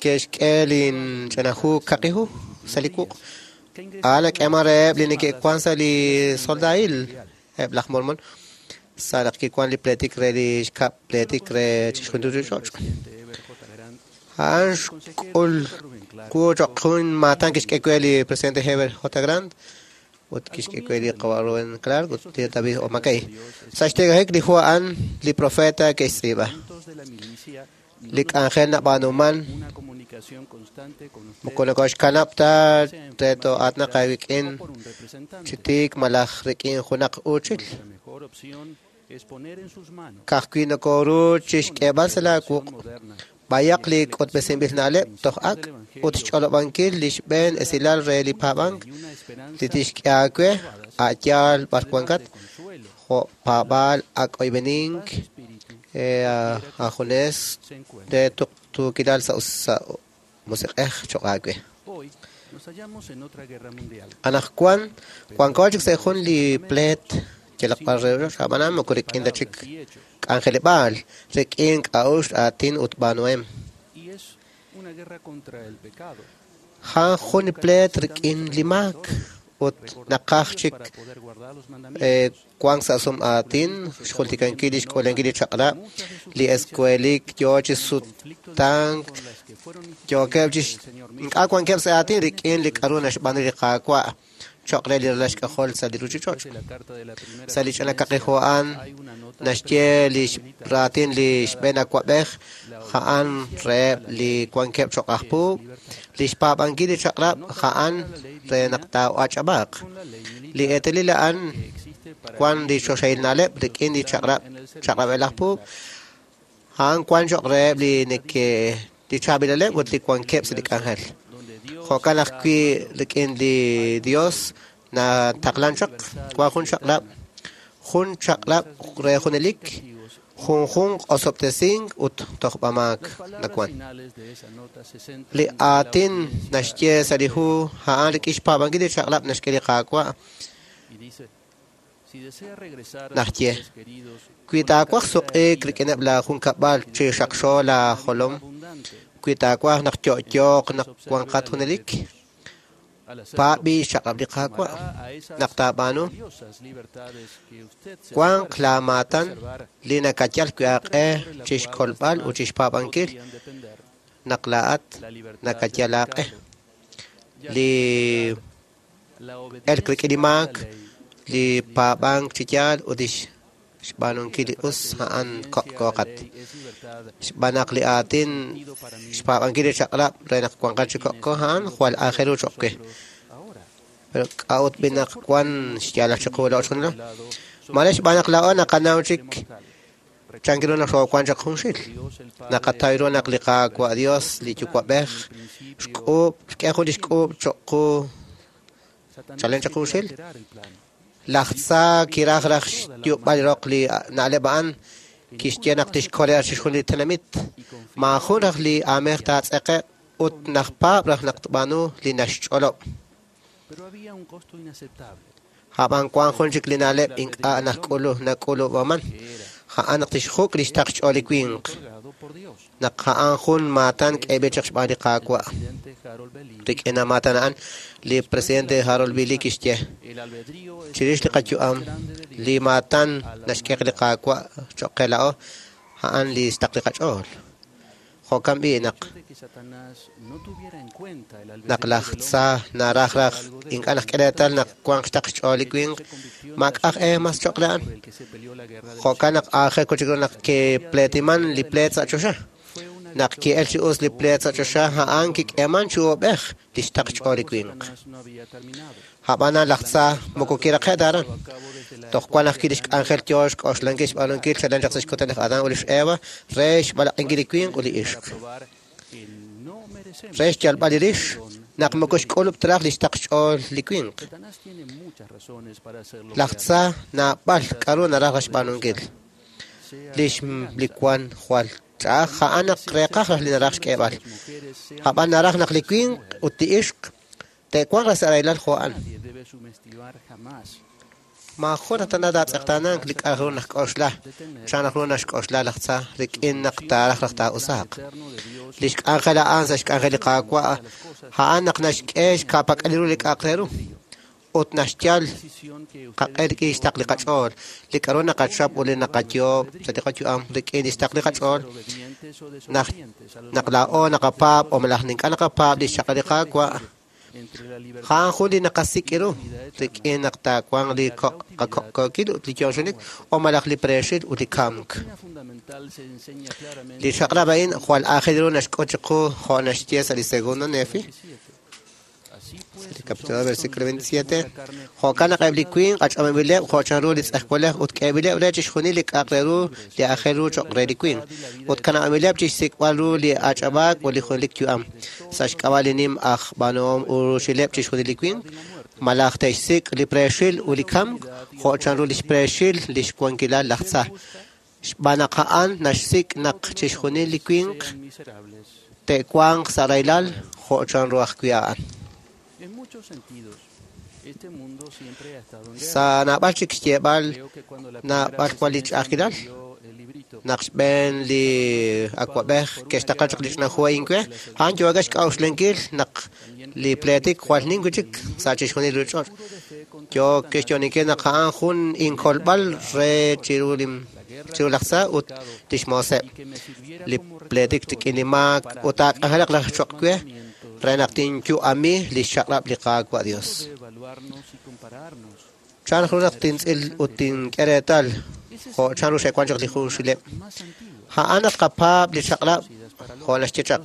Ke'xk'e linch'ina hu kaqi hu sa' li wuq'. A'an nak'eeman reheb' li neke'wan sa' li soldail eb' laj Mormon sa' naq kiwan li pleetik re li xkab' pleetik re chixjunil ruchich'och'. A'an xk'ul wu choq' jun maatan kixk'e we li presidente Heber J. Grant ut kixk'e we li qawa' Rubén Clark ut li David O. McKay. Sa' xtiklajik li hu a'an li profeta ke'xtz'iib'a. Li k'anjel nab'aanuman moko nokoxkanab' ta re to'aatnaq aawik'in chi tiik malaj rik'in junaq uuchil. Ka'ajwi' nokoru chixk'eeb'al sa' laawuq' b'ayaq li k'utb'esinb'il na'leb' toj ak' ut xch'olob'ankil li xb'een esilal re li paab'ank li tixk'e aawe a' yaal b'ar wankat jo' paab'aal ak' oyb'enink ajunes re tuqtuukilal sa' sa' musiq'ej choq' aawe. Anaqwan wanko chik sa' jun li pleet yalaq b'ar re ruchich'och' ab'anan moko rik'in ta chik k'anjeleb'aal rik'in k'a'uxl aatin ut b'aanuhem. A'an jun li pleet rik'in li maak ut naqaj chik wank sa' sum aatin xjultikankil li xk'uulankil li chaq'rab' li eskuelik yoo chi sutank yookeb' chi ink'a' wankeb' sa' aatin rik'in li k'a'ru naxb'aanu li Qaawa' choq' re li ralal xk'ajol sa' li ruchich'och'. Sa' li ch'ina kaqi hu a'an naxye li raatin li xb'een awa'b'ej a'an reheb' li wankeb' choq' aj puub', li xpaab'ankil li chaq'rab' a'an re naq taa'ach'ab'aaq. Li eetalil a'an wan li choxahil na'leb' rik'in li chaq'rab' chaq'rab'el aj puub', a'an wan choq' reheb' li neke li chaab'ilaleb' ut li wankeb' sa' li k'anjel. Jo'kan ajwi' rik'in li Dios nataqlan chaq wan jun chaq'rab' re junelik junjunq osob'tesink ut tojb'amaak nawan. Li aatin naxye sa' li hu a'an rik'in xpaab'ankil li chaq'rab' naxk'e li Qaawa' naxye wi taawaj suq'iik rik'ineb' laajunkab'al chi xaqxo laajolom wi taawaj naq yo'yooq naq wanqat junelik paab'i xchaq'rab' li Qaawa' naq taab'aanu wanq laamaatan li nakayal wi' aaq'e chixkolb'al ut chixpaab'ankil naq laa'at nakayal aaq'e. Li elk rik'in li maak li paab'ank chi yaal ut li xb'aanunkil li us a'an ko'qat. Xb'aan naq li aatin xpaab'ankil li chaq'rab' re naq wanqat chi ko'ko a'an jwal aajel ru choq' we. Pero k'a'ut b'i naq wan xyaalal chiqu laa'o chixjunilo? Mare xb'aan naq laa'o naqanaw chik chan ru naq xoowan chaq junxil. Naqataw ru naq li Qaawa' Dios li Yuwa'b'ej xk'uub' xk'e jun li xk'uub' choq' qu chalen chaq junxil. Laj tza kiraj raj xyu'b'al roq li na'leb' a'an kixye naq tixkol raj chixjunil li tenamit. Maajun raj li aamej taatz'eqe'q ut naj paab' raj naq tb'aanu li naxch'olob'. Ab'an wan jun chik li na'leb' ink'a' najk'ulu nak'ulub'aman a'an naq tixjuk' li xtaql xch'ool li winq. Naq a'an jun maatan k'eeb'il chaq xb'aan li Qaawa'. Rik'in maatan a'an li presidente Harold B. Lee kixye chirix li qayu'am li maatan naxk'e li Qaawa' choq' qe laa'o A'an li xtaql li qach'ool. Jo'kan b'i' naq naq laj Tza naraj raj ink'a' naq k'e reetal naq wanq xtaql xch'ool li winq, maak'aj e mas cho'q re a'an. Jo'kan naq aajel wi' chik ru naq kipleetiman li pleet sa' choxa. Naq ki'el chi us li pleet sa' choxa, a'an kik'eeman chi uub'ej li xtaql xch'ool li winq. Ab'anan laj Tza moko kiraqe' ta aran. Toj wan ajwi' lix k'anjel yoo xk'oxlankil xb'aanunkil chalen chaq sa' xkutan laj Adán ut lix Eva re xb'alaq'inkil li winq ut li ixq. Re xyalb'al li rix naq moko xk'ulub' ta raj li xtaql xch'ool li winq. Laj Tza naab'al k'a'ru naraj raj xb'aanunkil. Lix li wan jwal ch'a'aj a'an naq reeqaj raj li naraj xk'eeb'al. Ab'an naraj naq li winq ut li ixq te'wanq raj sa' rahilal jo' a'an. Maajun raj tana taatz'eqtaanank li k'a' ru naxk'oxla, chan raj ru naxk'oxla laj Tza rik'in naq taaraj raj taa'usaaq. Lix k'anjel a'an sa' xk'anjel li Qaawa' a'an naq naxk'e xka'pak'alil ru li k'a'aq re ru ut naxyal qaq'e rik'in xtaql li qach'ool, li k'a'ru naqachap ut li naqayoob' sa' li qayu'am rik'in lix taql li qach'ool, naq naq laa'o naqapaab' o malaj ink'a' naqapaab' lix chaq'rab' li Qaawa', a'an jun li naqasik' ru rik'in naq taawanq li qako'kookil ut li yo'xonik o malaj li preexil ut li kamk. Li chaq'rab' a'in jwal aajel ru naxk'ut chiqu jo' naxye sa' li segundo Nefi, sa' li capítulo 2, versículo 27, jo'kan naq eb' li winq ach'ab'anb'ileb' jo' chanru li tz'ejwalej ut k'eeb'ileb' re chixjunil li k'a'aq re ru li aajel ru cho'q re li winq, ut kanab'anb'ileb' chixsik'b'al ru li ach'ab'aak ut li junelik yu'am, sa' xk'ab'a' li nim aj b'aanuhom uruchileb' chixjunil li winq, malaj te'xsik' li preexil ut li kamk jo' chanru lix preexil lix wankilal laj Tza, xb'aan naq a'an naxsik' naq chixjunil li winq te'wanq sa' rahilal jo' chanru ajwi' a'an. Sa' naab'al chik xyeeb'al naab'al wan li ch'a'ajkilal, naq xb'een li awa'b'ej ke'xtaqla chaq li ch'ina hu a'in we, a'an yookeb' xk'a'uxlankil naq li pleetik jwal nim wi' chik sa' chixjunil li ruuchich'och'. Yook xyo'oninkil naq a'an jun inkolb'al re chiru li chiru laj Tza ut lix mooseb', li pleetik rik'in li maak ut taak'anjelaq raj cho'q we re naq tinyu'ami lix chaq'rab' li Qaawa' Dios. Chan ru naq tintz'il ut tink'e reetal jo' chanru xe'wan chaq li junxileb'? A'an naq tqapaab' li chaq'rab' jo' naxye chaq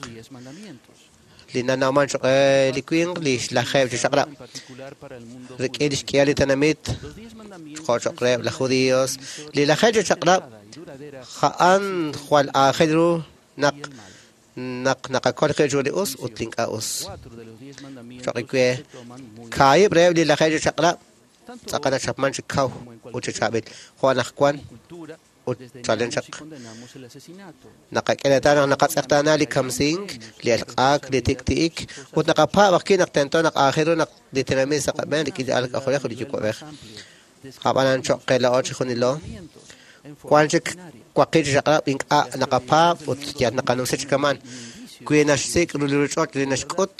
li nanawman cho'q re li winq li xlajeeb' chi chaq'rab' rik'in li xk'ihal li tenamit jo' cho'q reheb' laj judíos. Li lajeeb' chi chaq'rab' a'an jwal aajel ru naq naq naqakol qib' chiru li us ut li ink'a' us. Cho'q we, kaahib' reheb' li lajeeb' chi chaq'rab' tz'aqal nachapman chi kaw ut chi chaab'il, jo' anaqwan ut chalen chaq. Naqak'e reetal naq naqatz'eqtaana li kamsink, li elq'ak, li tik'ti'ik, ut naqapaab' ajwi' naq tento naq aajel ru naq li tenamit sa' qab'een rik'in li alal k'ajolej ut li yuwa'b'ej. Ab'anan cho'q qe laa'o chijunilo, wan chik waqib' chi chaq'rab' ink'a' naqapaab' ut yal naqanumsi chi kama'an. Wi naxsik' ru li ruuchich'och' li naxk'ut,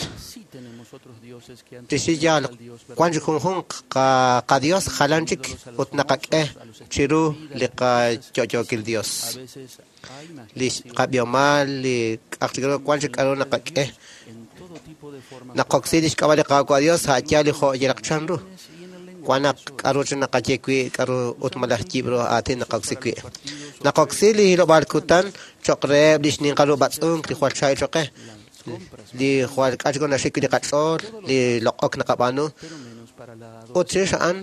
tixye yaal, wan chik junjunq qaDios jalan chik ut naqak'e chiru li qayo'yookil Dios. Li qab'ihomal, li k'a'aq chik ru, wan chik k'a'ru naqak'e. Naqoksi lix k'ab'a' li Qaawa' Dios a' yaal li jo' yalaq chanru. Wan naq k'a'ru chik naqaye wi' k'a'ru ut malaj yib' ru aatin naqoksi wi'. Naqoksi li hilob'aal kutan cho'q reheb' li xninqal ru b'atz'unk li jwal chaab'il cho'q qe, li jwal k'a' chik ru naxik wi' li qach'ool, li loq'ok naqab'aanu. Ut chirix a'an,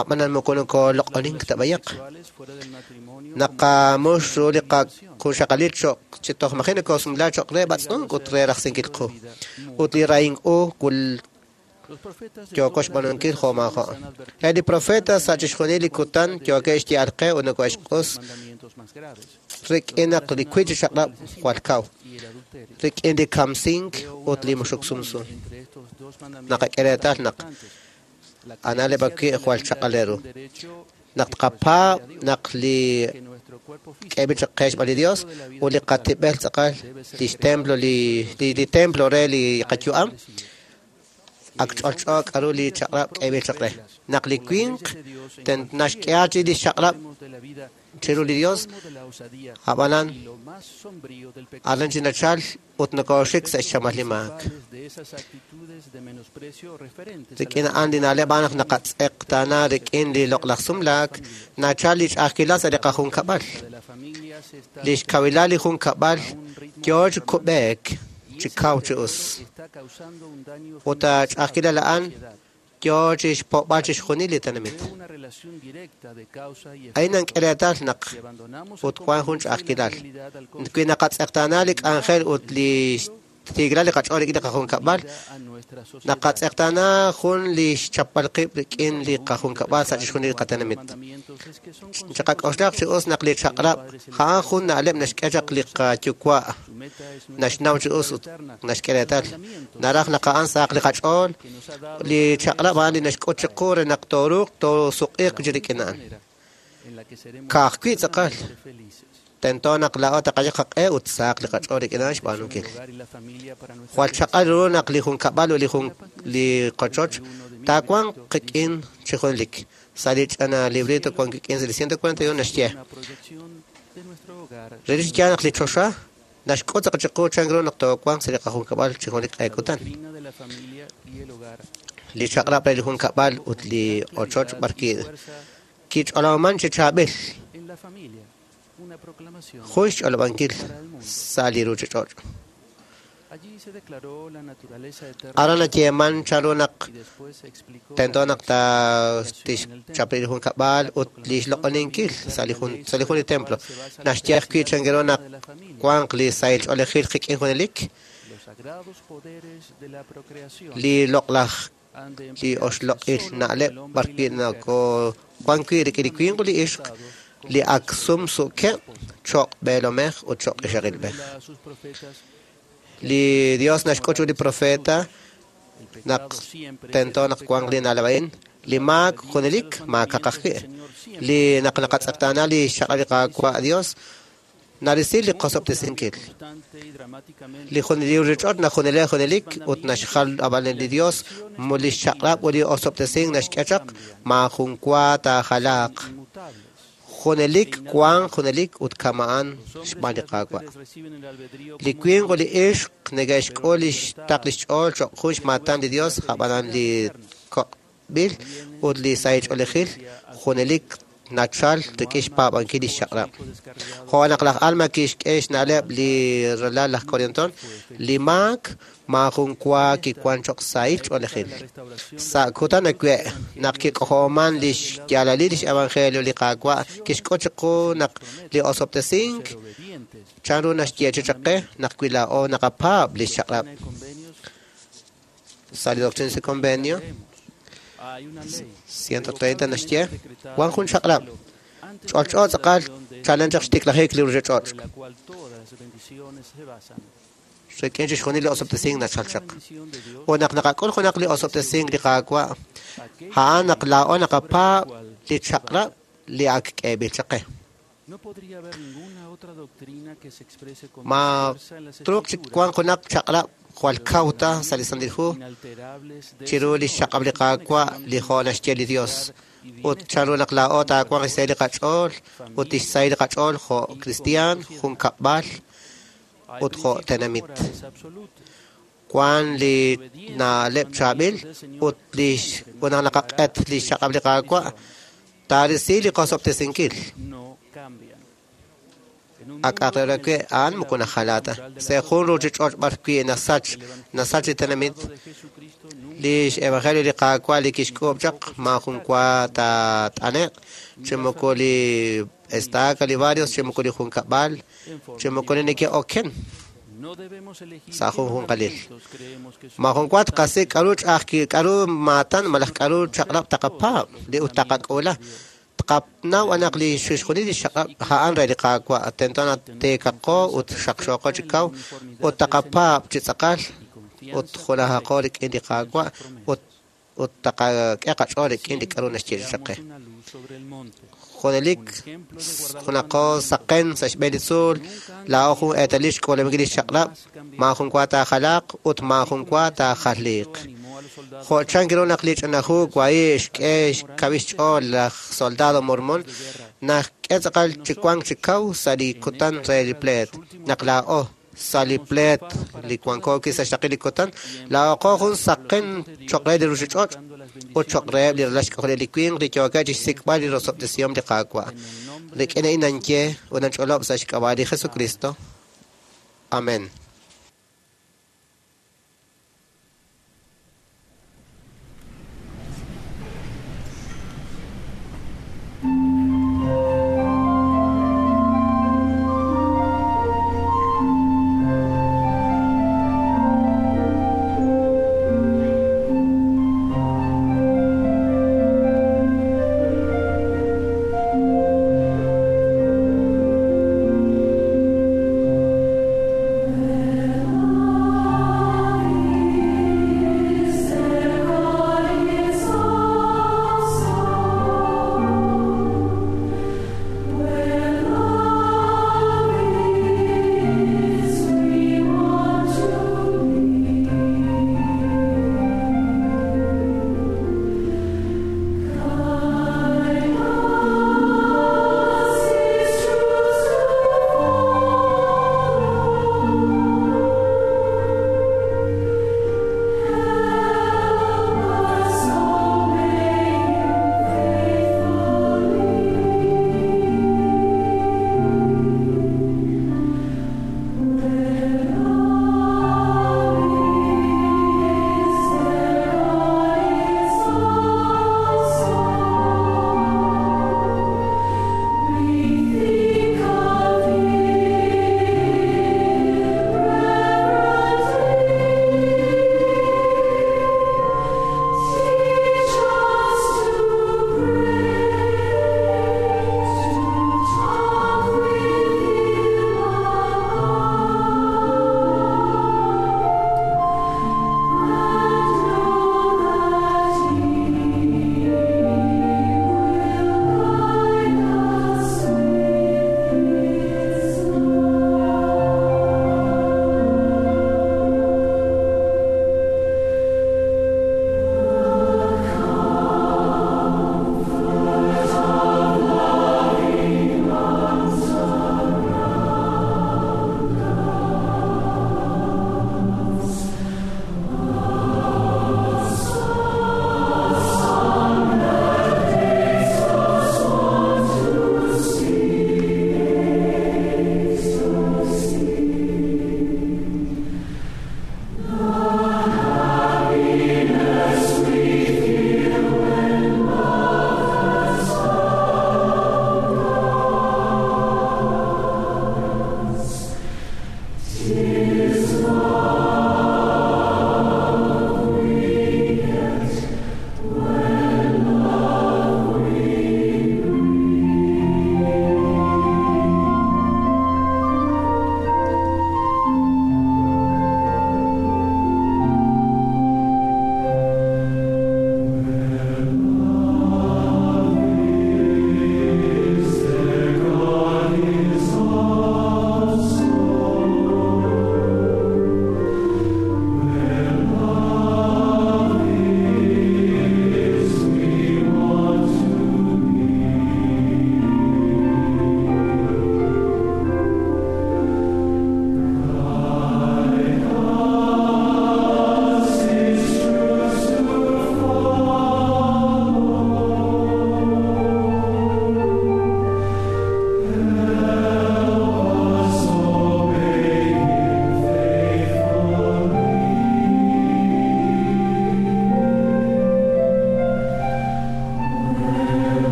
ab'anan moko nokoloq'onink ta b'ayaq. Naqamux ru li qajunxaqalil cho'q chi toj maji' nokosumla cho'q re b'atz'unk ut re rajsinkil qu. Ut li rahink u yooko xb'aanunkil jo' maajo'. Eb' li profeta sa' chixjunil li kutan yookeb' xye'al qe ut nokohe'xq'us rik'in naq li wiib' chi chaq'rab' jwal kaw, rik'in li kamsink ut li muxuk sumsu. Naqak'e reetal naq a na'leb' ajwi' jwal chaq'al ru. Naq tqapaab' naq li k'eeb'il chaq qe xb'aan li Dios ut li qatib'el tz'aqal lix templo li li templo re li qayu'am, ak ch'olch'o k'a'ru li chaq'rab' k'eeb'il chaq re. Naq li winq naxk'e chi li xchaq'rab' chiru li Dios, ab'anan aran chi nachal ut nokooxik sa' xchamal li maak. Rik'in a'an li na'leb' a'an naq naqatz'eqtaana rik'in li loq'laj sumlaak, nachal li ch'a'ajkilal sa' li qajunkab'al. Li xkawilal li junkab'al yoo chi kub'eek chi kaw chi us. Ut ch'a'ajkilal a'an yoo chi xpo'b'al chixjunil li tenamit. A'in nank'e reetal naq ut wan jun ch'a'ajkilal. Wi naqatz'eqtaana li k'anjel ut li xtiikilal li qach'ool rik'in li qajunkab'al, naqatz'eqtaana jun li xchapb'al qib' rik'in li qajunkab'al sa' chixjunil li qatenamit. Chiqak'oxlaq chi us naq li chaq'rab' a'an jun na'leb' naxk'e chaq li qayuwa' naxnaw chi us ut naxk'e reetal. Naraj naq a'an sahaq li qach'ool, li chaq'rab' a'an li naxk'ut chiqu re naq tooruuq toosuq'iiq chi rik'in a'an. Ka'ajwi' tz'aqal tento naq laa'o taqayal qaq'e ut sahaq li qach'ool rik'in a'an xb'aanunkil. Jwal chaq'al ru naq li junkab'al ut li qochoch taawanq qik'in chi junelik. Sa' li ch'ina librito wan kik'in sa' li 141 naxye. Relik chi yaal naq li choxa naxk'ut tz'aqal chiqu chan ru naq toowanq sa' li qajunkab'al chi junelik q'e kutan. Li chaq'rab' re li junkab'al ut li ochoch b'ar kich'olob'aman chi chaab'il. Jun xch'olob'ankil sa' li ruuchich'och'. Aran nayeeman chanru naq tento naq tixchap li junkab'al ut li xloq'oninkil sa' li jun li templo. Naxye ajwi' chan ru naq wanq li sahil ch'oolejil qik'in junelik, li loq'laj li oxloq'il na'leb' b'ar wi' wan wi' rik'in li winq ut li ixq li ak sumsukeb' cho'q b'eelomej ut cho'q ixaqilb'ej. Li Dios naxk'ut chiru li profeta naq tento naq wanq li na'leb' a'in, li maak junelik maakaq ajwi'. Li naq naqatz'eqtaana li xchaq'rab' li Qaawa' Dios narisi li qosob'tesinkil. Li ruuchich'och' najunele junelik ut naxjal ab'an li Dios li xchaq'rab' ut li osob'tesink naxk'e chaq maajun wa taajalaaq. Junelik wanq junelik ut kama'an xb'aan li Qaawa'. Li winq ut li ixq neke'xk'ul li xtaql li xch'ool cho'q jun xmaatan li Dios, ab'anan li koq'b'il ut li sahil ch'oolejil junelik nachal rik'in xpaab'ankil li xchaq'rab'. Jo' naq laj Alma kixk'e xna'leb' li ralal laj Corianton, li maak maajun wa kiwan cho'q sahil ch'oolejil. Sa' kutan awe' naq kik'ojob'aman li xyaalalil lix evangelio li Qaawa' kixk'ut chiqu naq li osob'tesink chanru naxyeechi chaq qe naq wi laa'o naqapaab' li xchaq'rab'. Sa' li Doctrina y Convenio 130 naxye wan jun chaq'rab' ch'olch'o tz'aqal chalen chaq xtiklajik li ruuchich'och'. Rik'in chixjunil li osob'tesink nachal chaq. Ut naq naqak'ul junaq li osob'tesink li Qaawa', a'an naq laa'o naqapaab' li chaq'rab' li ak k'eeb'il chaq qe. Ma truuq chi wanq junaq chaq'rab' jwal kaw ta sa' li Santil Hu chiru li xchaq'rab' li Qaawa' li jo' naxye li Dios. Ut chanru naq laa'o taawanq xsahil li qach'ool ut tixsahil li qach'ool jo' kristiaan, junkab'al ut jo' tenamit. Wan li na'leb' chaab'il ut li naq naqaq'et li xchaq'rab' li Qaawa' taarisi li qosob'tesinkil. Ak re a'an moko najala ta. Sa' jun ruuchich'och' b'ar wi' nasach li tenamit, li xevangelio li Qaawa' li kixk'uub' chaq maajun wa taat'ane'q, chi moko li estaca li barrios, chi moko li junkab'al, chi moko li neke'oken sa' junjunqalil. Maajun wa tqasik' k'aru ch'a'ajki k'aru maatan malaj k'aru chaq'rab' taqapaab' li ut taqak'uula. Tqanaw naq li chixjunil li xchaq'rab' a'an re li Qaawa' tento naq teekaqo ut xaqxooqo chi kaw ut taqapaab' chi tz'aqal ut junajaqo rik'in li Qaawa' ut taqak'e qach'ool rik'in li k'aru naxye chaq qe. Junelik junaqo saqen sa' xb'een li tzuul, laa'o jun eetalil xk'uulankil li xchaq'rab', maajun wa taajalaaq ut maajun wa taajaliiq. Jo' chank ru naq li ch'ina hu wahi' xk'e xkawil xch'ool laj soldado mormon, naxk'e tz'aqal chi wank chi kaw sa' li kutan re li pleet. Naq laa'o sa' li pleet li wanko wi' sa' xraqik li kutan, laa'oqo jun saqen cho'q re li ruuchich'och' ut cho'q reheb' li ralal xk'ajoleb' li winq li yookeb' chi xsik'b'al li rosob'tesihom li Qaawa'. Rik'in a'in ninye ut ninch'olob' sa' xk'ab'a' li Jesucristo. Amén. Thank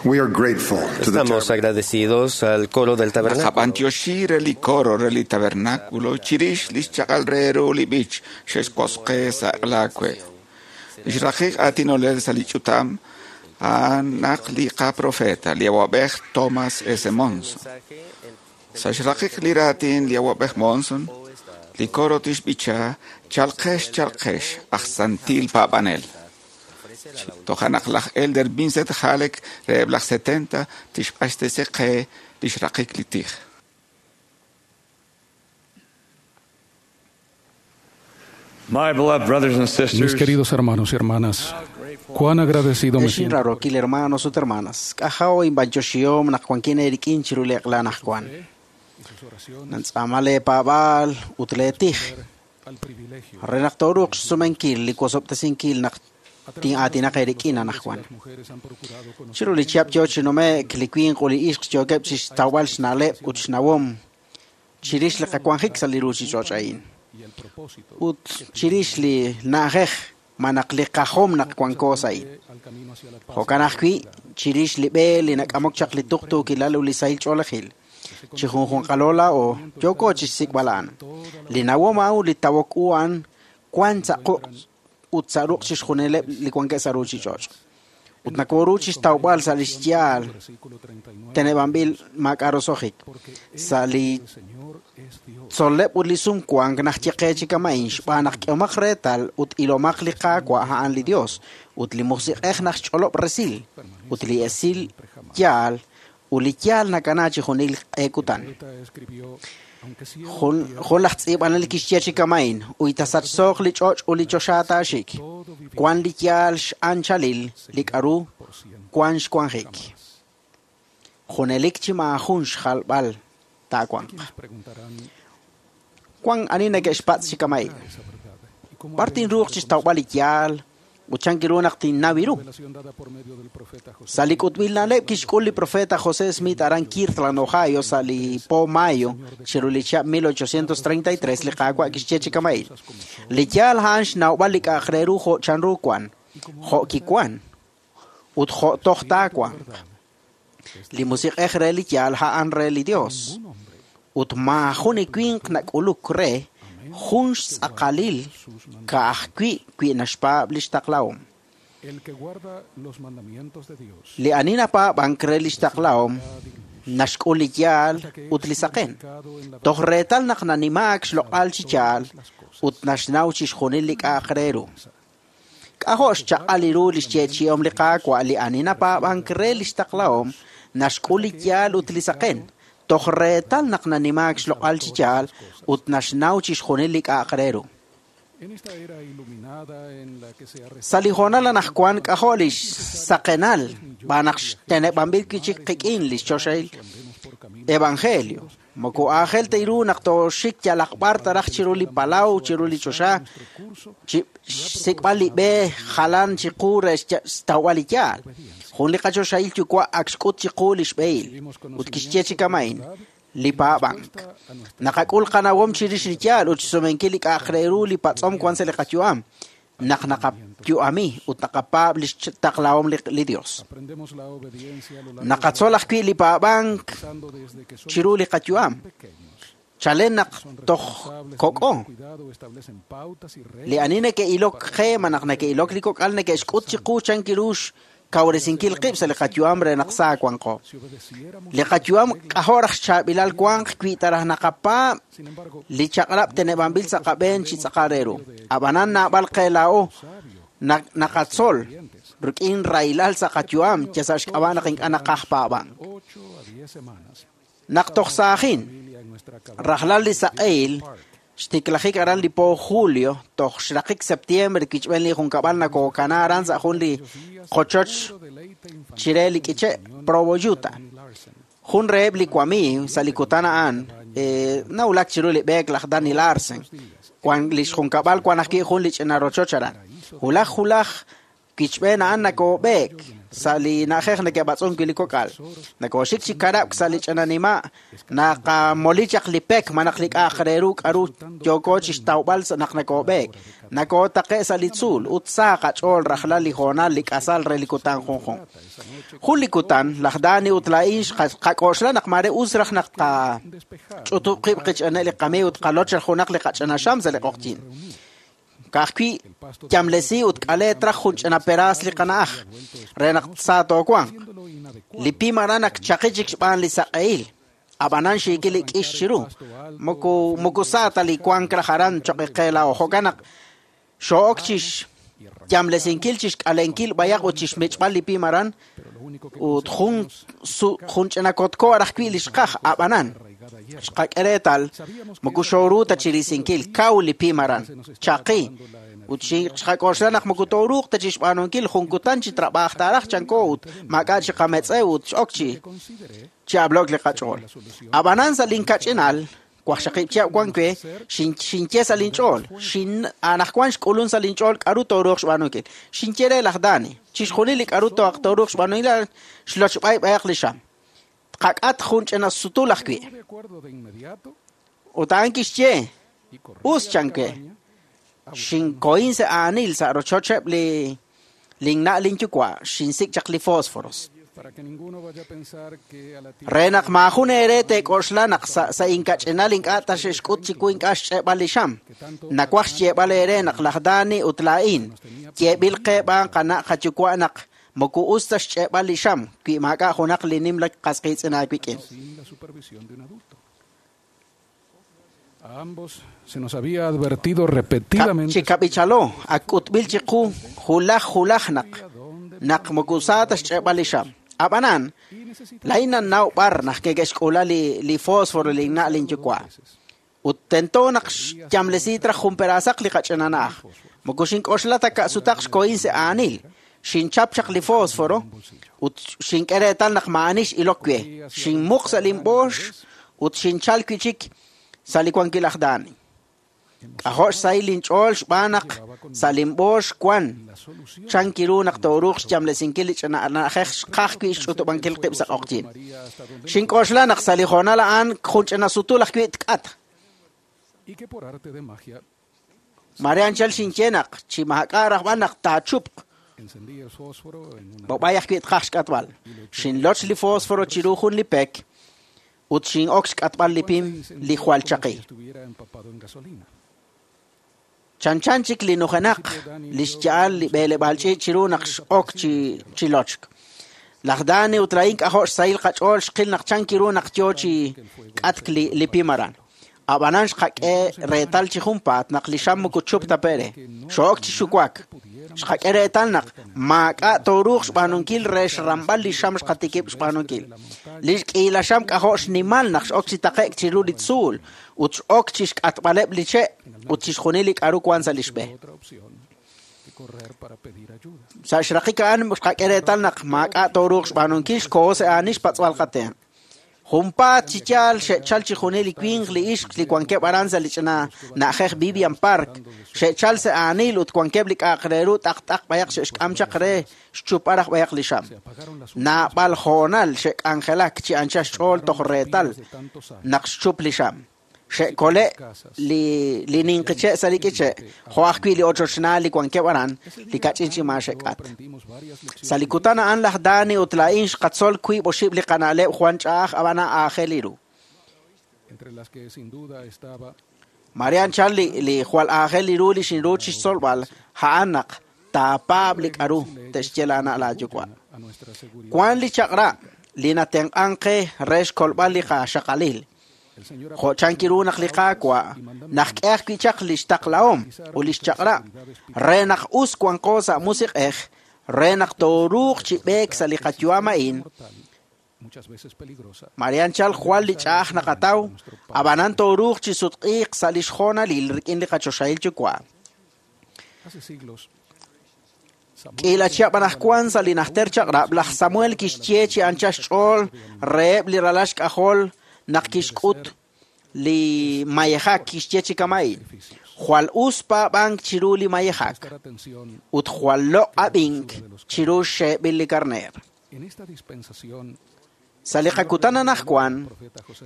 We are grateful to the Estamos agradecidos al coro del tabernáculo. Naqab'antioxi re li coro re li tabernáculo chirix lix chaq'al re ru li b'ich xe'xwosqe sa' laawe. Lix raqiq aatinolel sa' li ch'utam a'an naq li qaprofeta li awab'ej Thomas S. Monson. Sa' xraqiq li raatin li awab'ej Monson, li coro tixb'icha chalqex chalqex aj santil paab'anel. Toja' naq laj Elder Vincent Halleck reheb' laj 70 tixq'axtesi qe lix raqik li tij. My beloved brothers and Mis sisters, queridos hermanos y hermanas, cuán agradecido me Ex siento inrarokil hermanos ut hermanas, k'ajaw inb'anchoxihom naq wankin eerik'in chiru li eq'la anaqwan. Nantz'aama leepaab'aal ut leetij. Re naq tooruuq xsumenkil li wosob'tesinkil naq tin'aatinaq eerik'in anaqwan. Chiru li chihab' yoo chi nume'k li winq ut li ixq yookeb' chixtawb'al xna'leb' ut xnawom chirix li qawanjik sa' li ruuchich'och' a'in. Ut chirix li na'ajej ma naq li qajom naq wanko sa' a'in. Jo'kan ajwi' chirix li b'e li nak'amok chaq li tuqtuukilal ut li sahil ch'oolejil. Chi junjunqalo laa'o yooko chixsik'b'al a'an. Li nawom a'an ut li tawok u a'an wan sa' quq' ut sa' ruq' chixjunileb' li wankeb' sa' ruuchich'och'. Ut nakoru chixtawb'al sa' lix yaal teneb'anb'il maak'a' roso'jik. Sa' li tzol'leb' ut li sumwank naq ye qe chi kama'in xb'aan naq k'ehomaq reetal ut ilomaq li Qaawa' a'an li Dios ut li Musiq'ej naq xch'olob' resil ut li esil yaal ut li yaal nakana chi junil q'e kutan. Jun laj tz'iib'anel kixye chi kama'in uy tasachsooq li ch'och' ut li choxa taaxik. Wan li yaal x'anchalil li k'aru wan xwanjik. Junelik chi maajun xjalb'al taawanq. Wan ani neke'xpatz' chi kama'in. B'ar tinruuq chixtawb'al li yaal ut chan kiru naq tinnaw ru. Sa' li k'utb'il na'leb' kixk'ul li profeta José Smith aran Kirtland, Ohio, sa' li po mayo chiru li chihab' 1833 li Qaawa' kixye chi kama'in. Li yaal a'an xnawb'al li k'a'aq re ru jo' chanru wan, jo' kiwan, ut jo' toj taawanq. Li musiq'ej re li yaal a'an re li Dios. Ut maajun li winq nak'uluk re jun xtz'aqalil ka'ajwi' wi naxpaab' lix taqlahom. El que guarda los mandamientos de Dios Li ani napaab'ank re lix taqlahom naxk'ul li yaal ut li saqen. Toj reetal naq nanimaak xloq'al chi yaal ut naxnaw chixjunil li k'a'aq re ru. K'ajo' xchaq'al ru li xyeechi'om li Qaawa' li ani napaab'ank re lix taqlahom naxk'ul li yaal ut li saqen. Toj reetal naq nanimaak xloq'al chi yaal ut naxnaw chixjunil li k'a'aq re ru. en esta era iluminada en la que se ha Sa' li hoonal anaqwan k'ajo' lix saqenal b'aan naq xteneb'anb'il wi' chik qik'in lix choxahil evangelio. Moko aajel ta ru naq tooxik yalaq b'ar taraj chiru li palaw, chiru li choxa, chi xsik'b'al li b'e jalan chiqu re xtawb'al li yaal. Jun li qachoxahil yuwa' ak xk'ut chiqu li xb'ehil ut kixye chi kama'in li paab'ank. Naqak'ul qanawom chirix li yaal ut xsumenkil li k'a'aq re ru li patz'om wan sa' li qayu'am. Naq naqayu'ami ut naqapaab' lix taqlahom li Dios. Aprendemos la obediencia a lo largo Naqatzol ajwi' li paab'ank pasando desde que somos chiru li qayu'am. Chalen naq toj kok'o. cuidado establecen pautas y reglas Li ani neke'ilok qe ma naq neke'ilok li kok'al neke'xk'ut chiqu chan kiru xkawresinkil qib' sa' li qayu'am re naq sa wanqo. Li qayu'am k'ajo' raj xchaab'ilal wanq wi taraj naqapaab' li chaq'rab' teneb'anb'il sa' qab'een chi tz'aqal re ru. Ab'anan naab'al qe laa'o naqatzol rik'in rahilal sa' qayu'am ya sa' xk'ab'a' naq ink'a' naqaj paab'ank. 8 a 10 semanas. Naq toj saajin, rajlal li saq'ehil xtiklajik aran li po julio toj xraqik septiembre kichb'en li junkab'al nakokana aran sa' jun li qochoch chire li k'iche' Provo, Utah. Jun reheb' li wamiiw sa' li kutan a'an nawulak chiru li b'eek laj Danny Larsen. Wan lix junkab'al wan ajwi' jun li ch'ina rochoch aran. Hulaj hulaj kichb'en a'an nakob'eek sa' li na'ajej neke'b'atz'unk wi' li kok'al. Nakooxik chi karab'k sa' li ch'ina nima', naqamoli chaq li pek malaj li k'a'aq re ru k'aru yooko chi xtawb'al naq nakoob'eek. Nakootaqe' sa' li tzuul ut sa qach'ool rajlal li hoonal li k'asal re li kutan junjunq. Jun li kutan, laj Dani ut laa'in xqak'oxla naq maare us raj naq tqach'utub' qib' qich'ane' li qamiiw ut qaloch junaq li qach'ina xam sa' li q'oqyink. Ka'ajwi' yamlesi ut k'ale traj jun ch'ina peraas li qana'aj re naq sa toowanq. Li pim aran ak chaqi chik xb'aan li saq'ehil. Ab'anan xiikil li k'ix chiru. Moko sa ta li wank raj aran choq' qe laa'o. Jo'kan naq xoo'ok chi xyamlesinkil, chi xk'alenkil b'ayaq ut chi xmich'b'al li pim aran ut jun ch'ina kotko raj wi' li xqaj. Ab'anan xqak'e reetal moko xooru ta chi risinkil kaw li pim aran chaqi ut xqak'oxla naq moko tooruuq ta chi xb'aanunkil jun kutan chi trab'aaj taaraj chanko ut maak'a' chi qametz'ew ut x'ok chi ablok li qach'ool. Ab'anan sa' linkach'inal waqxaqib' chihab' wan we xinye sa' linch'ool anaqwan xk'ulun sa' linch'ool k'aru tooruuq xb'aanunkil. Xinye re laj Dani chixjunil li k'aru tooruuq xb'aanunkil xlochb'ay b'ayaq li xam. Tqak'at jun ch'ina sutul ajwi'. Ut a'an kixye us chanke. Xinkohin sa' aanil sa' rochocheb' li linna' linyuwa' xinsik' chaq li fósforos. Re naq maajun eere teek'oxla naq sa' inkach'inal ink'a' ta xe'xk'ut chiwu ink'a' xch'e'b'al li xam. Nawaj xyeeb'al eere naq laj Dani ut laa'in yeeb'il qe b'aan qana' qayuwa' naq moko us ta xch'e'b'al li xam wi maak'a' junaq li nimla qas qiitz'in aawik'in. A ambos se nos había advertido repetidamente Chi kab'ichalo ak k'utb'il chiqu julaj julaj naq naq moko sa ta xch'e'b'al li xam. Ab'anan laa'in nannaw b'ar naq ke'xk'ula li fósforo linna' linyuwa'. Ut tento naq xyamlesi traj jun peraasaq li qach'ina na'aj. Moko xink'oxla ta ka'sutaq xkohin sa' aanil. Xinchap chaq li fósforo ut xink'e reetal naq maa'ani x'ilok we. Xinmuq sa' linb'oox ut xinchal wi' chik sa' li wankil aj Dani. K'ajo' xsahil linch'ool xb'aan naq sa' linb'oox wan chan kiru naq tooruuq xyamlesinkil li ch'ina na'ajej xqaj wi' xch'utub'ankil qib' sa' q'oqyink. Xink'oxla naq sa' li hoonal a'an jun ch'ina sutul ajwi' tk'at. Mare anchal xinye naq chi maak'a' rajb'al naq taachupq. B'ob'ay ajwi' tqaj xk'atb'al. Xinloch li fósforo chiru jun li pek ut xin'ok xk'atb'al li pim li jwal chaqi. Chanchan chik li nujenaq li xya'al li b'eeleb'aal ch'iich' chiru naq x'ok chi lochk. Laj Dani ut laa'in k'ajo' xsahil qach'ool xqil naq chan kiru naq yo chi k'atk li pim aran. Ab'anan xqak'e reetal chi junpaat naq li xam moko chup ta pere. Xoo'ok chi xuwak. Xqak'e reetal naq maak'a' tooruuq xb'aanunkil re xramb'al li xam xqatikib' xb'aanunkil. Li xk'iila xam k'ajo' xnimal naq x'ok chi taqe'k chiru li tzuul ut x'ok chi xk'atb'aleb' li che' ut chixjunil li k'aru wan sa' li xb'e. Sa' xraqik a'an xqak'e reetal naq maak'a' tooruuq xb'aanunkil xkoho sa' aani xpatz'b'al qatenq'. Junpaat chi yaal xe'chal chixjunil li winq li ixq li wankeb' aran sa' li ch'ina na'ajej Vivian Park. Xe'chal sa' aanil ut wankeb' li k'a'aq re ru t'aqt'aq b'ayaq xe'xk'am chaq re xchupb'al raj b'ayaq li xam. Naab'al hoonal xe'k'anjelak chi anchal xch'ool toj reetal naq xchup li xam. Xe'kole' li ninqi che' sa' li k'iche' jo' ajwi' li ochochnaal li wankeb' aran li kach'in chi maa xe'k'at. Sa' li kutan a'an laj Dani ut laa'in xqatzol wiib' oxib' li qana'leb' jwan ch'a'aj ab'ana aajel ru. Mare anchal li jwal aajel ru li xinru chi xtzolb'al a'an naq taapaab' li k'aru te'xye laana' laayuwa'. Wan li chaq'rab' li natenq'an qe re xkolb'al li qaxaqalil. Jo' chan kiru naq li Qaawa' naq k'e ajwi' chaq li xtaqlahom ut li xchaq'rab' re naq us wanqo sa' musiq'ej re naq tooruuq chi b'eek sa' li qayu'am a'in. Mare anchal jwal li ch'a'aj naqataw, ab'anan tooruuq chi sutq'iiq sa' li xjoonalil rik'in li qachoxahil yuwa'. K'iila chihab' anaqwan sa' li najter chaq'rab', laj Samuel kixye chi anchal xch'ool reheb' li ralal xk'ajol naq kixk'ut li mayejak kixye chi kama'in. Jwal us paab'ank chiru li mayejak ut jwal loq' ab'ink chiru xxeeb'il li karneer. Sa' li qakutan anaqwan,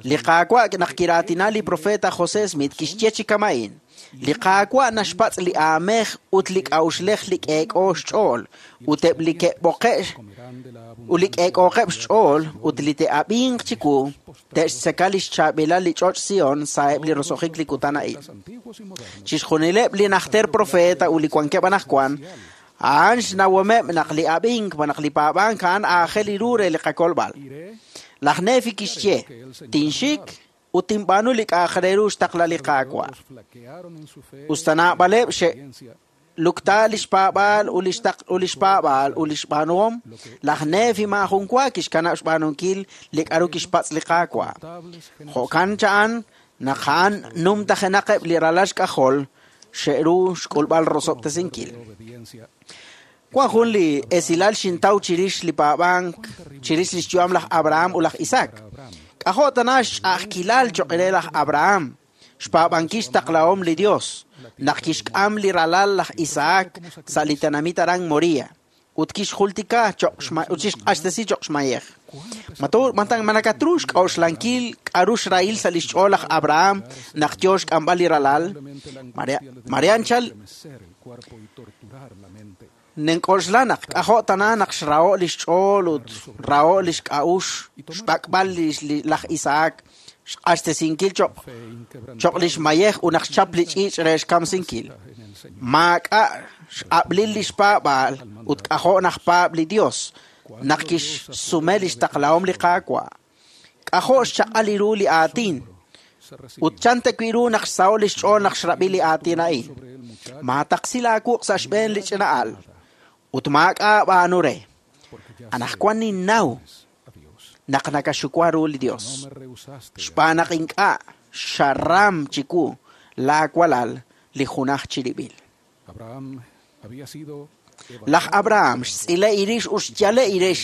li Qaawa' naq kiraatina li profeta José Smith kixye chi kama'in: Li Qaawa' naxpatz' li aamej ut li k'a'uxlej li k'eek'o xch'ool ut eb' li ke'b'oqe' ut li k'eek'ooqeb' xch'ool ut li te'ab'inq chiwu te'xtzeka li xchaab'ilal li ch'och' Sion sa'eb' li roso'jik li kutan a'in. Chixjunileb' li najter profeta ut li wankeb' anaqwan, a'an xnawomeb' naq li ab'ink malaj li paab'ank a'an aajel ru re li qakolb'al. Laj Nefi kixye, Tinxik ut tinb'aanu li k'a'aq re ru xtaqla li Qaawa'. Usta naab'aleb' xe'lukta li xpaab'aal ut li xtaq ut li xpaab'aal ut li xb'aanuhom, laj Nefi maajun wa kixkanab' xb'aanunkil li k'aru kixpatz' li Qaawa'. Jo'kan cha'an naq a'an numtajenaqeb' li ralal xk'ajol xe'ru xk'ulb'al rosob'tesinkil. Wan jun li esilal xintaw chirix li paab'ank chirix li xyu'am laj Abraham ut laj Isaac. K'ajo' tana xch'a'ajkilal choq' re laj Abraham xpaab'ankil xtaqlahom li Dios naq kixk'am li ralal laj Isaac sa' li tenamit aran Moria ut kixjultika choq' ut kixq'axtesi choq' xmayej. Ma nakatru xk'a'uxlankil k'aru xrahil sa' li xch'ool laj Abraham naq yo xk'amb'al li ralal? Maria anchal Nink'oxla naq k'ajo' tana naq xraho' li xch'ool ut raho' li xk'a'ux xb'ak'b'al laj Isaac xq'axtesinkil choq' li xmayej ut naq xchap li ch'iich' re xkamsinkil. Maak'a' x'ab'lil li xpaab'aal ut k'ajo' naq paab' li Dios naq kixsume li xtaqlahom li Qaawa'. K'ajo' xchaq'al ru li aatin ut chan ta wi' ru naq xsaho' li xch'ool naq xrab'i li aatin a'in. Maataqsi laawuq' sa' xb'een li ch'ina'al ut maak'a' b'aanu re. Anaqwan ninnaw naq nakaxuwa ru li Dios. Xb'aan naq ink'a' xaram chiwu laawalal li junaj chirib'il. Laj Abraham xtz'ile irix ut xyale irix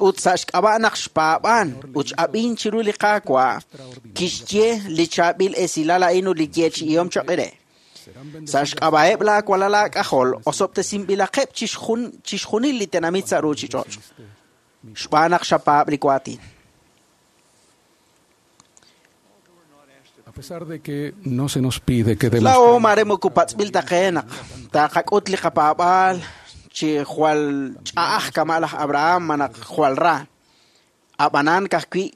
ut sa' xk'ab'a' naq xpaab'an ut x'ab'in chiru li Qaawa' kixye li chaab'il esilal a'in ut li yeechi'ihom choq' re. Sa' xk'ab'a'eb' laawalal aak'ajol osob'tesinb'ilaqeb' chixjunil li tenamit sa' ruuchich'och' xb'aan naq xapaab' li waatin. A pesar de que no se nos pide que Laa'o mare moko patz'b'il ta qe naq taqak'ut li qapaab'aal chi jwal ch'a'aj kama' laj Abraham manaq jwal ra. Ab'anan ka'ajwi'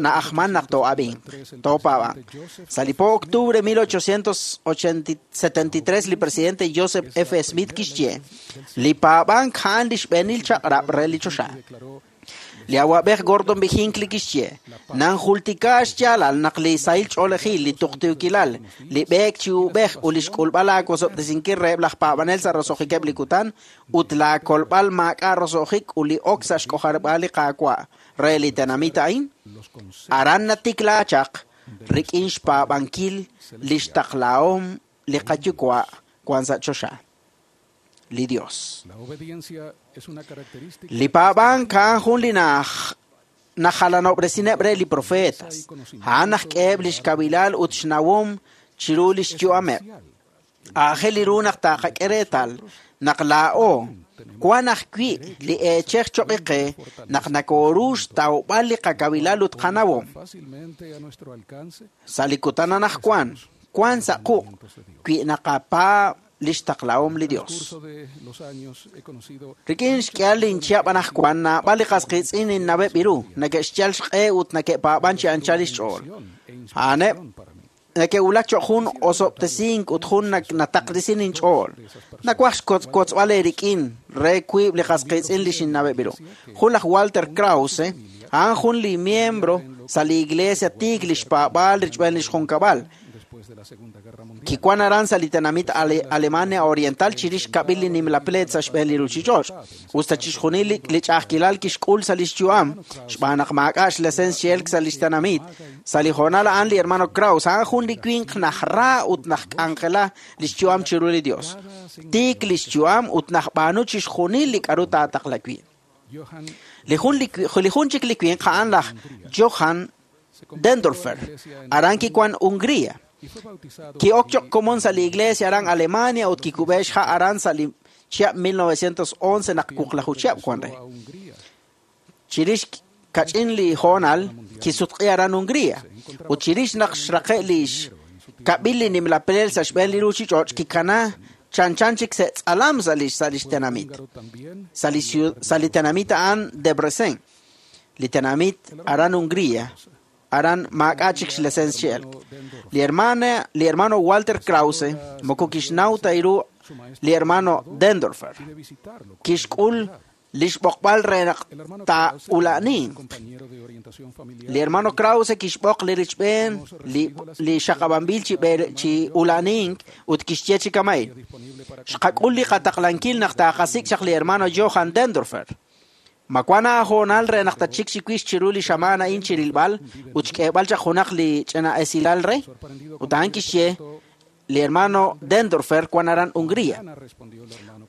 na'ajman naq too'ab'inq, toopaab'anq. Sa' li po octubre 1873 li presidente Joseph F. Smith kixye, li paab'ank a'an li xb'eenil chaq'rab' re li choxa. Li awab'ej Gordon B. Hinckley kixye, nanjultika xyaalal naq li sahil ch'oolejil, li tuqtuukilal, li b'eek chi ub'ej ut li xk'ulb'al aawosob'tesinkil reheb' laj paab'anel sa' roso'jikeb' li kutan ut laakolb'al maak'a' roso'jik ut li ok sa' xk'ojarib'aal li Qaawa' re li tenamit a'in, aran natikla chaq rik'in xpaab'ankil li xtaqlahom li qayuwa' wan sa' choxa. Li Dios. Li paab'ank a'an jun li najalanob'resineb' re li profetas. A'an naq k'eheb' li xkabilal ut xnawom chiru li xyu'ameb'. Aajel ru naq taqak'e reetal naq laa'o wan ajwi' li eechej choq' qe naq nakooru xtawb'al li qakabilal ut qanawom. Sa' li kutan anaqwan wan sa' quq' wi naqapaab' li xtaqlahom li Dios. Rik'in xk'ihal linchihab' anaqwan naab'al li qas qiitz'in ninnaweb' ru neke'xyal xq'e ut neke'paab'an chi anchal li xch'ool. A'aneb' neke'wulak choq' jun osob'tesink ut jun nataqresin inch'ool. Nawaj xkotzb'al eerik'in re wiib' li qas qiitz'in li xinnaweb' ru. Jun laj Walter Krause, a'an jun li miembro sa' li iglesia tiik li xpaab'aal richb'een li xjunkab'al. Kiwan aran sa' li tenamit Alemania Oriental chirix xkab'il li nimla pleet sa' xb'een li ruuchich'och'. Usta chixjunil li ch'a'ajkilal kixk'ul sa' li xyu'am, xb'aan naq maak'a' xlesens x'elk sa' li xtenamit. Sa' li hoonal a'an li hermano Krause, a'an jun li winq najra ut najk'anjela li xyu'am chiru li Dios. Tiik li xyu'am ut najb'aanu chixjunil li k'aru taataqla wi'. Li jun chik li winq a'an laj Johann Dendorfer, aran kiwan Hungría. Ki'ok choq' komon sa' li iglesia aran Alemania ut kikub'e xha' aran sa' li chihab' 1911 naq wuqlaju chihab' wan re. Chirix kach'in li hoonal kisutq'i aran Hungría ut chirix naq xraqe' li xkab'il li nimla pleel sa' xb'een li ruuchich'och' kikana chanchan chik se'tz'alam sa' li xtenamit. Sa' li tenamit a'an Debrecen, li tenamit aran Hungría, aran maak'a' chik xlesens xi'elk. Li hermano Walter Krause moko kixnaw ta ru li hermano Dendorfer. Kixk'ul lix b'oqb'al re naq taa'ula'ninq. Li hermano Krause kixb'oq li richb'een li xaqab'anb'il chi ula'nink ut kixye chi kama'in. Xqak'ul li qataqlankil naq taaqasik' chaq li hermano Johann Dendorfer. Ma wan aahoonal re naq tachik chiwix chiru li xamaan a'in chirilb'al ut xk'eeb'al chaq junaq li ch'ina esilal re? Ut a'an kixye li hermano Dendorfer wan aran Hungría.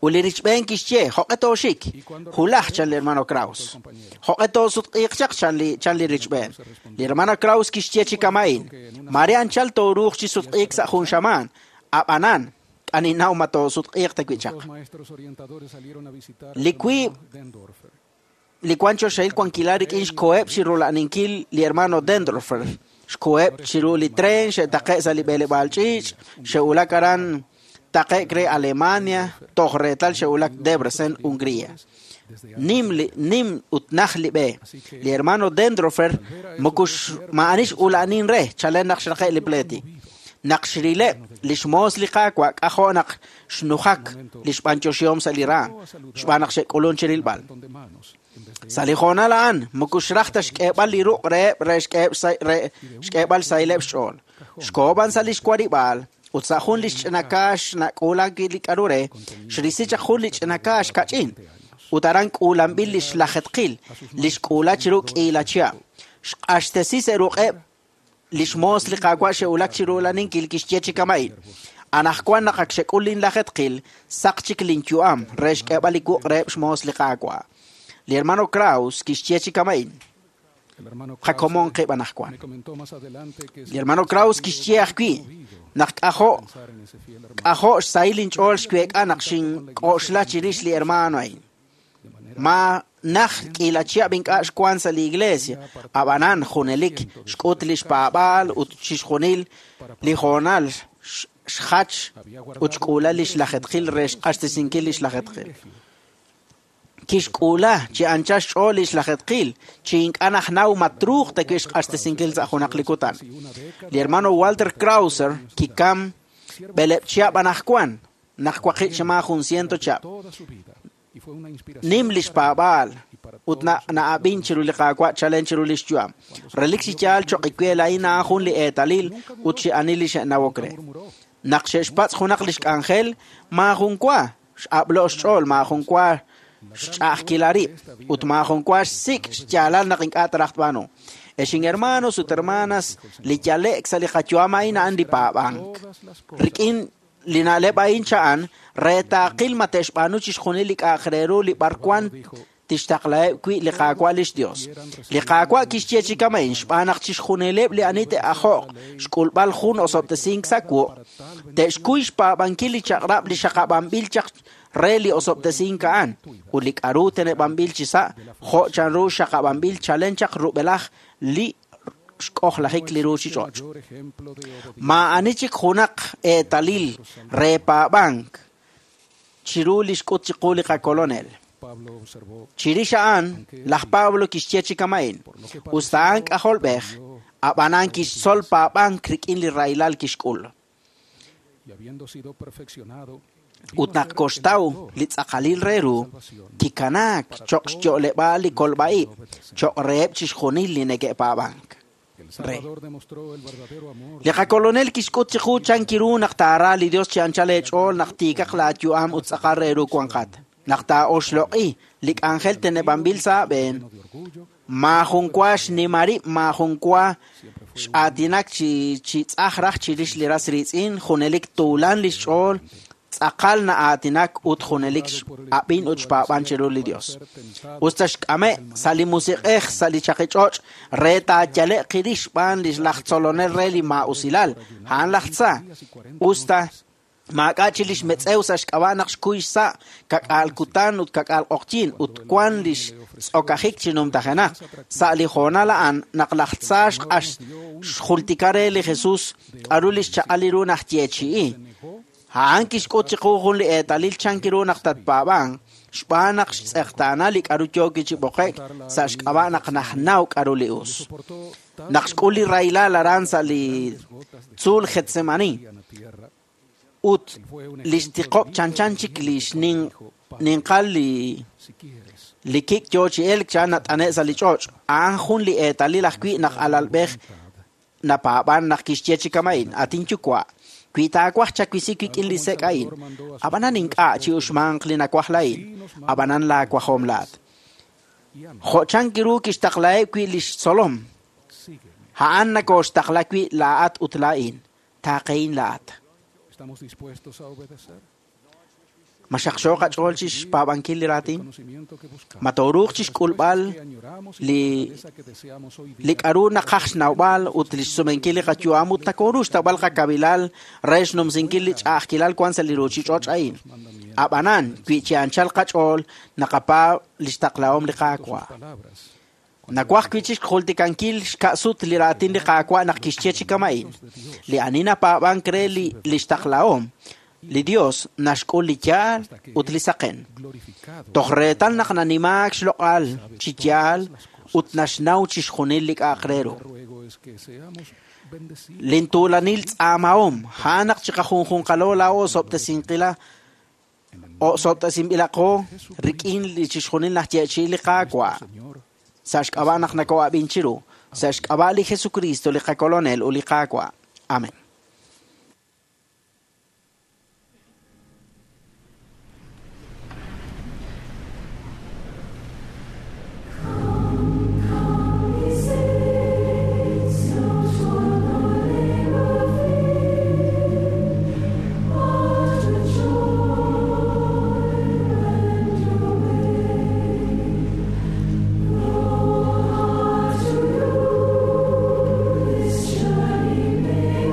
Ut li richb'een kixye joq'e tooxik, hulaj chan li hermano Kraus. Joq'e toosutq'iiq chaq chan li richb'een. Li hermano Kraus kixye chi kama'in, mare anchal tooruuq chi sutq'iik sa' jun xamaan, ab'anan k'aninaw ma toosutq'iiq ta wi' chaq. Li wiib' li wan choxahil wankilal rik'in xkoheb' chi rula'ninkil li hermano Dendorfer. Xkoheb' chiru li tren, xe'taqe' sa' li b'eleb'aal ch'iich', xe'ulak aran taqe'k re Alemania, toj reetal xe'ulak Debrecen, Hungría. Nim ut naj li b'e. Li hermano Dendorfer moko ma'anix ula'nin re, chalen naq xraqe' li pleeti. Naq xrileb' li xmoos li Qaawa' k'ajo' naq xnujak li xb'anyoxihom sa' li raam, xb'aan naq xe'k'ulun chirilb'al. Sa' li hoonal a'an moko xraj ta xk'eeb'al li ruq' reheb' re xk'eeb'al xsahileb' xch'ool. Xkohob'an sa' li xwarib'aal ut sa' jun li xch'ina kaax nak'uulan wi' li k'aru re, xrisi chaq jun li ch'ina kaax kach'in ut aran k'uulanb'il li xlajetqil li xk'uula chiru k'iila chihab'. Xq'axtesi sa' ruq'eb' li xmoos li Qaawa' xe'ulak chiru ula'ninkil kixye chi kama'in. Anajwan naq ak xek'ul linlajetqil, saq chik linyu'am re xk'eeb'al li wuq' reheb' xmoos li Qaawa'. Li hermano Kraus kixye chi kama'in. Qakomon qib' anajwan. Li hermano Kraus kixye ajwi' naq k'ajo' xsahil inch'ool xweek'a naq xink'oxla chirix li hermano a'in. Ma naj k'iila chihab' ink'a' xwan sa' li iglesia, ab'anan junelik xk'ut li xpaab'aal ut chixjunil li hoonal xjach ut xk'uula li xlajetqil re xq'axtesinkil li xlajetqil. Kixk'uula chi anchal xch'ool li xlajetqil, chi ink'a' najnaw ma truuq ta wi' xq'axtesinkil sa' junaq li kutan. Li hermano Walter Krauser kikam b'eleb' chihab' anajwan, naq waqib' xama jun ciento chihab'. Nim li xpaab'aal ut na'ab'in chiru li Qaawa' chalen chiru li xyu'am. Relik chi yaal choq' iwe laa'in a'an jun li eetalil ut chi ani li xe'nawok re. Naq xe'xpatz' junaq li xk'anjel, maajun wa x'ab'lo' xch'ool, maajun wa xch'a'ajkila rib' ut maajun wa xsik' xyaalal naq ink'a' taraj tb'aanu. Exin hermanos ut hermanas, li yale'k sa' li qayu'am a'in a'an li paab'ank. Rik'in li na'leb' a'in cha'an re taaqil ma te'xb'aanu chixjunil li k'a'aq re ru li b'arwan tixtaqlaheb' wi' li Qaawa' lix Dios. Li Qaawa' kixye chi kama'in xb'aan naq chixjunileb' li ani te'ajo'q xk'ulb'al jun osob'tesink sa' wuq', te'xkuy xpaab'ankil li chaq'rab' li xaqab'anb'il chaq re li osob'tesink a'an ut li k'aru teneb'anb'il chi sa' jo' chanru xaqab'anb'il chalen chaq rub'elaj li xk'ojlajik li ruuchich'och'. Maa'ani chik junaq eetalil re paab'ank chiru li xk'ut chiqu li qakolonel. Chirix a'an, laj Pablo kixye chi kama'in, usta a'an k'ajolb'ej, ab'anan kixtzol paab'ank rik'in li rahilal kixk'ul. Ut naq koxtaw li tz'aqalil re ru, kikanaak choq' xyo'leb'aal li kolb'a'ib', choq' reheb' chixjunil li neke'paab'ank. Re. Li qakolonel kixk'ut chiqu chan kiru naq taara li Dios chi anchal eech'ool naq tiikaq laayu'am ut tz'aqal re ru wanqat. Naq taa'oxloq'i li k'anjel teneb'anb'il sa' aab'een, maajun wa xnima rib', maajun wa x'aatinak chi tz'aj raj chirix li ras riitz'in, junelik tuulan li xch'ool, Tz'aqal na'aatinak ut junelik x'ab'in ut xpaab'an chiru li Dios. Us ta xk'ame' sa' li musiq'ej sa' li chaqich'och' re taayale'q qirix xb'aan li laj tzolonel re li maa'usilal, a'an laj tza. Us ta maak'a' chi lix metz'ew sa' xk'ab'a' naq xkuy xsa' kak'aal kutan ut kak'aal q'oqyin ut wan lix tz'okajik chi numtajenaq. Sa' li hoonal a'an naq laj tza xq'ax xjultika re li Jesus k'aru li xchaq'al li ru naj yeechi'i. A'an kixk'ut chiqu jun li eetalil chan ru naq tatpaab'anq xb'aan naq xtz'eqtaana li k'aru yooki chi b'oqe'k sa' xk'ab'a' naq najnaw k'aru li us. Naq xk'ul li rahilal aran sa' li tzuul Getsemani ut lix tiqob' chanchan chik lix ninqal li kik' yoo chi elk chan nat'ane' sa' li ch'och'. A'an jun li eetalil ajwi' naq alalb'ej napaab'an naq kixye chi kama'in, atin yuwa', wi taawaj chawisi wik'in li sek' a'in, ab'anan ink'a' chi uxmanq li nawaj la'in, ab'anan laawajom laat. Jo' chan ru kixtaqlaheb' wi' lix tzolom, a'an nakooxtaqla wi' laa'at ut laa'in, taaqehin laa'at. ¿Estamos dispuestos a obedecer? Ma xaqxo qach'ool chi xpaab'ankil li raatin? Ma tooruuq chi xk'ulb'al li k'aru naqaj xnawb'al ut li xsumenkil li qayu'am ut nakooru xtawb'al qakabilal re xnumsinkil li ch'a'ajkilal wan sa' li ruuchich'och' a'in. Ab'anan, wi chi anchal qach'ool naqapaab' li xtaqlahom li Qaawa'. Nawaj wi' chi xjultikankil xka'sut li raatin li Qaawa' naq kixye chi kama'in. Li ani napaab'ank re li xtaqlahom, li Dios naxk'ul li yaal ut li saqen. Toj reetal naq nanimaak xloq'al chi yaal ut naxnaw chixjunil li k'a'aq re ru. Lintuulanil tz'aamahom, a'an naq chiqajunjunqalo laa'o osob'tesinb'ilaqo rik'in li chixjunil najyeechi'i li Qaawa'. Sa' xk'ab'a' naq nakoo'ab'in chiru, sa' xk'ab'a' li Jesucristo li qakolonel ut li Qaawa'. Amén. This journey may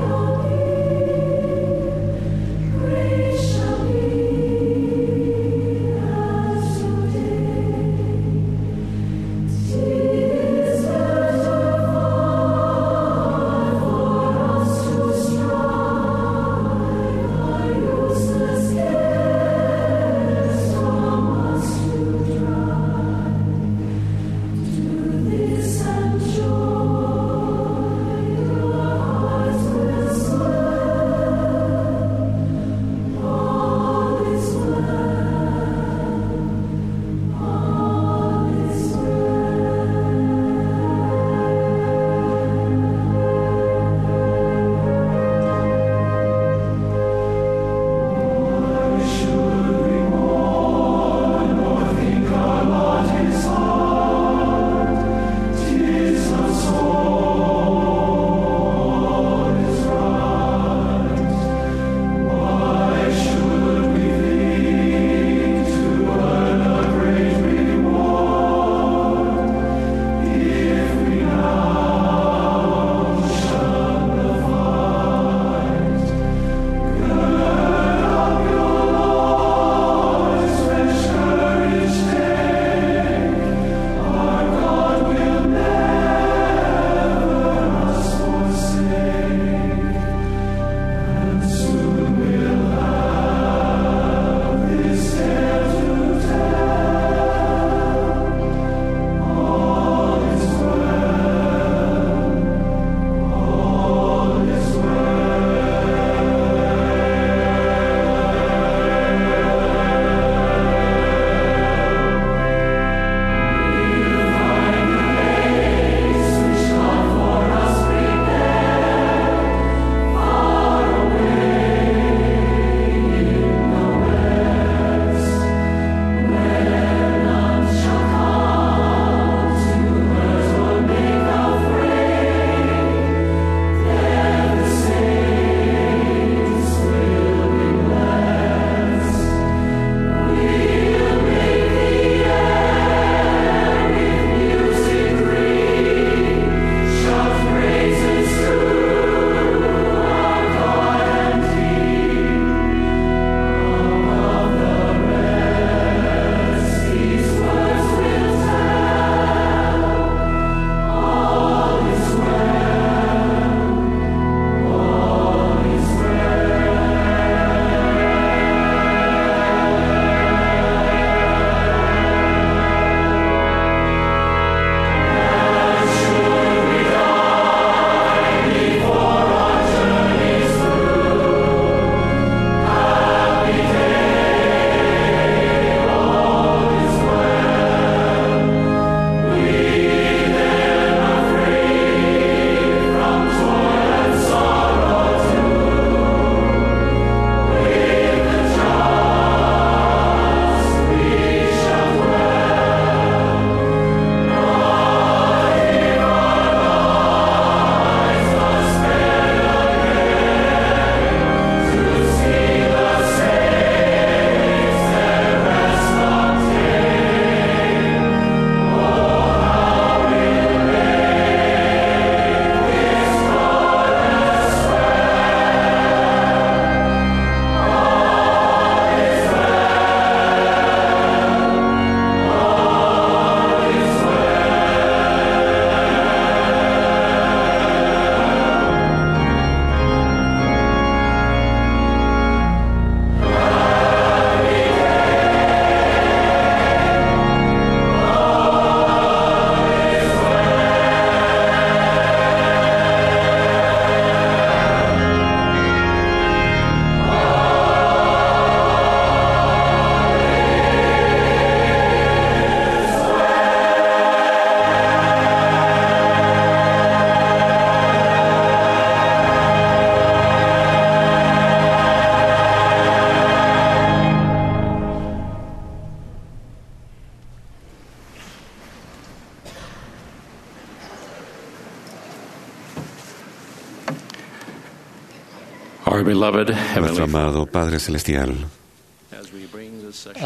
Our beloved Nuestro Heavenly amado Padre Celestial,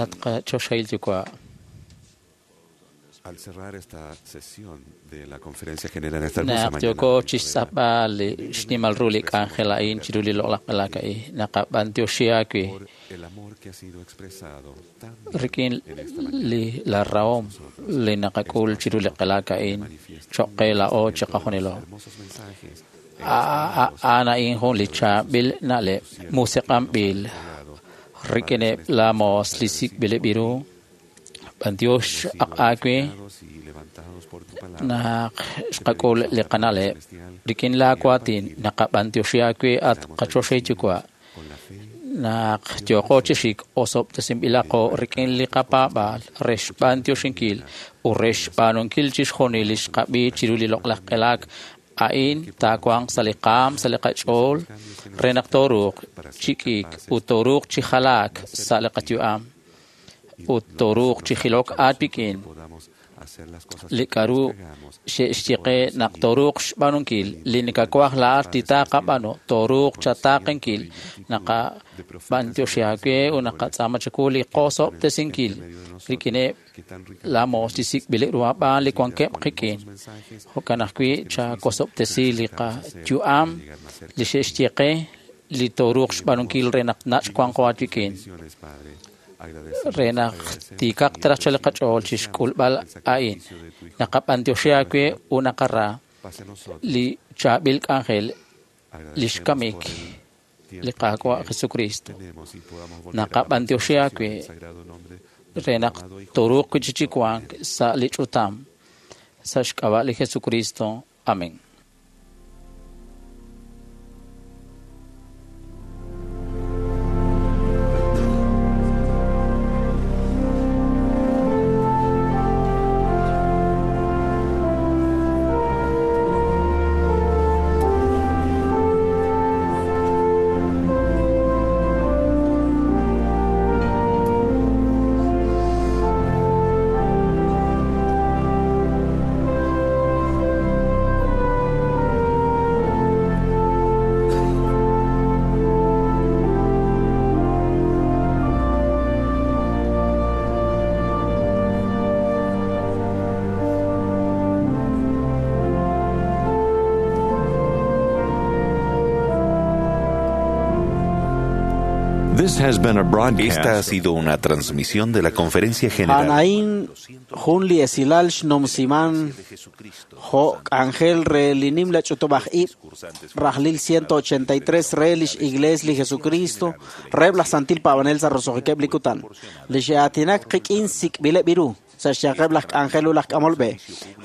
At qachoxahil yuwa'. Al cerrar esta sesión de la Conferencia General esta hermosa Naq mañana, yooko chixtz'apb'al li xnimal ru li k'anjel a'in chiru li loq'laj q'elak a'in naqab'antioxi aawe el amor que ha sido expresado tan rik'in li la rahom li naqak'ul chiru li q'elak a'in choq' qe laa'o chiqajunilo. A'an a'in jun li chaab'il na'leb' musiq'anb'il rik'ineb' la moos li sik'b'ileb' ru b'antiox aq aawe naq xqak'ul li qana'leb' rik'in laa waatin naqab'antioxi aawe at qachoxahil yuwa' naq yooqo chi xik osob'tesinb'ilaqo rik'in li qapaab'aal re xb'antioxinkil ut re xb'aanunkil chixjunil li xqab'i chiru li loq'laj q'elak a'in taawanq sa' li qaam sa' li qach'ool re naq tooruuq chi k'iik ut tooruuq chi jalaak sa' li qayu'am ut tooruuq chi jilok aawik'in li k'a'ru xe'xye qe naq tooruuq xb'aanunkil li nakawaj laa'at li taaqab'aanu tooruuq chataaqenkil naqab'antioxi aawe ut naqatz'aama chawu li qosob'tesinkil rik'ineb' la moos li sik'b'ileb' ru ab'aan li wankeb' qik'in jo'kan ajwi' chawosob'tesi li qayu'am li xe'xye qe li tooruuq xb'aanunkil re naq nach' wanqo aawik'in re naq tiikaq taraj chal li qach'ool chixk'ulb'al a'in naqab'antioxi aawe ut naqara li chaab'il k'anjel li xkamik li Qaawa' Jesucristo naqab'antioxi aawe re naq tooruuq wi' chi wank sa' li ch'utam sa' xk'ab'a' li Jesucristo. Amén. This has been a broadcast. Esta ha sido una transmisión de la Conferencia General. A'an jun li esilal xnumsiman jo' k'anjel re li nimla ch'utub'aj ib' rajlil 183 re lix Iglees li Jesucristo reheb' laj Santil Paab'anel sa' roso'jikeb' li kutan. Li xe'aatinak qik'in sik'b'ileb' ru sa' xyanqeb' laj k'anjel ut laj k'amol b'e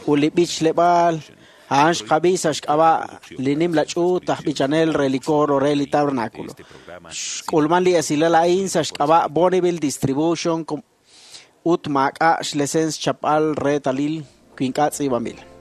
ut li b'ichleb'aal a'an xqab'i sa' xk'ab'a' li nimla ch'uut aj b'ichanel re li coro re li tabernáculo. Xk'ulman li esilal a'in sa' xk'ab'a' Bonneville Distribution ut maak'a' xlesens chap'al reetalil wi ink'a' tz'iib'anb'il.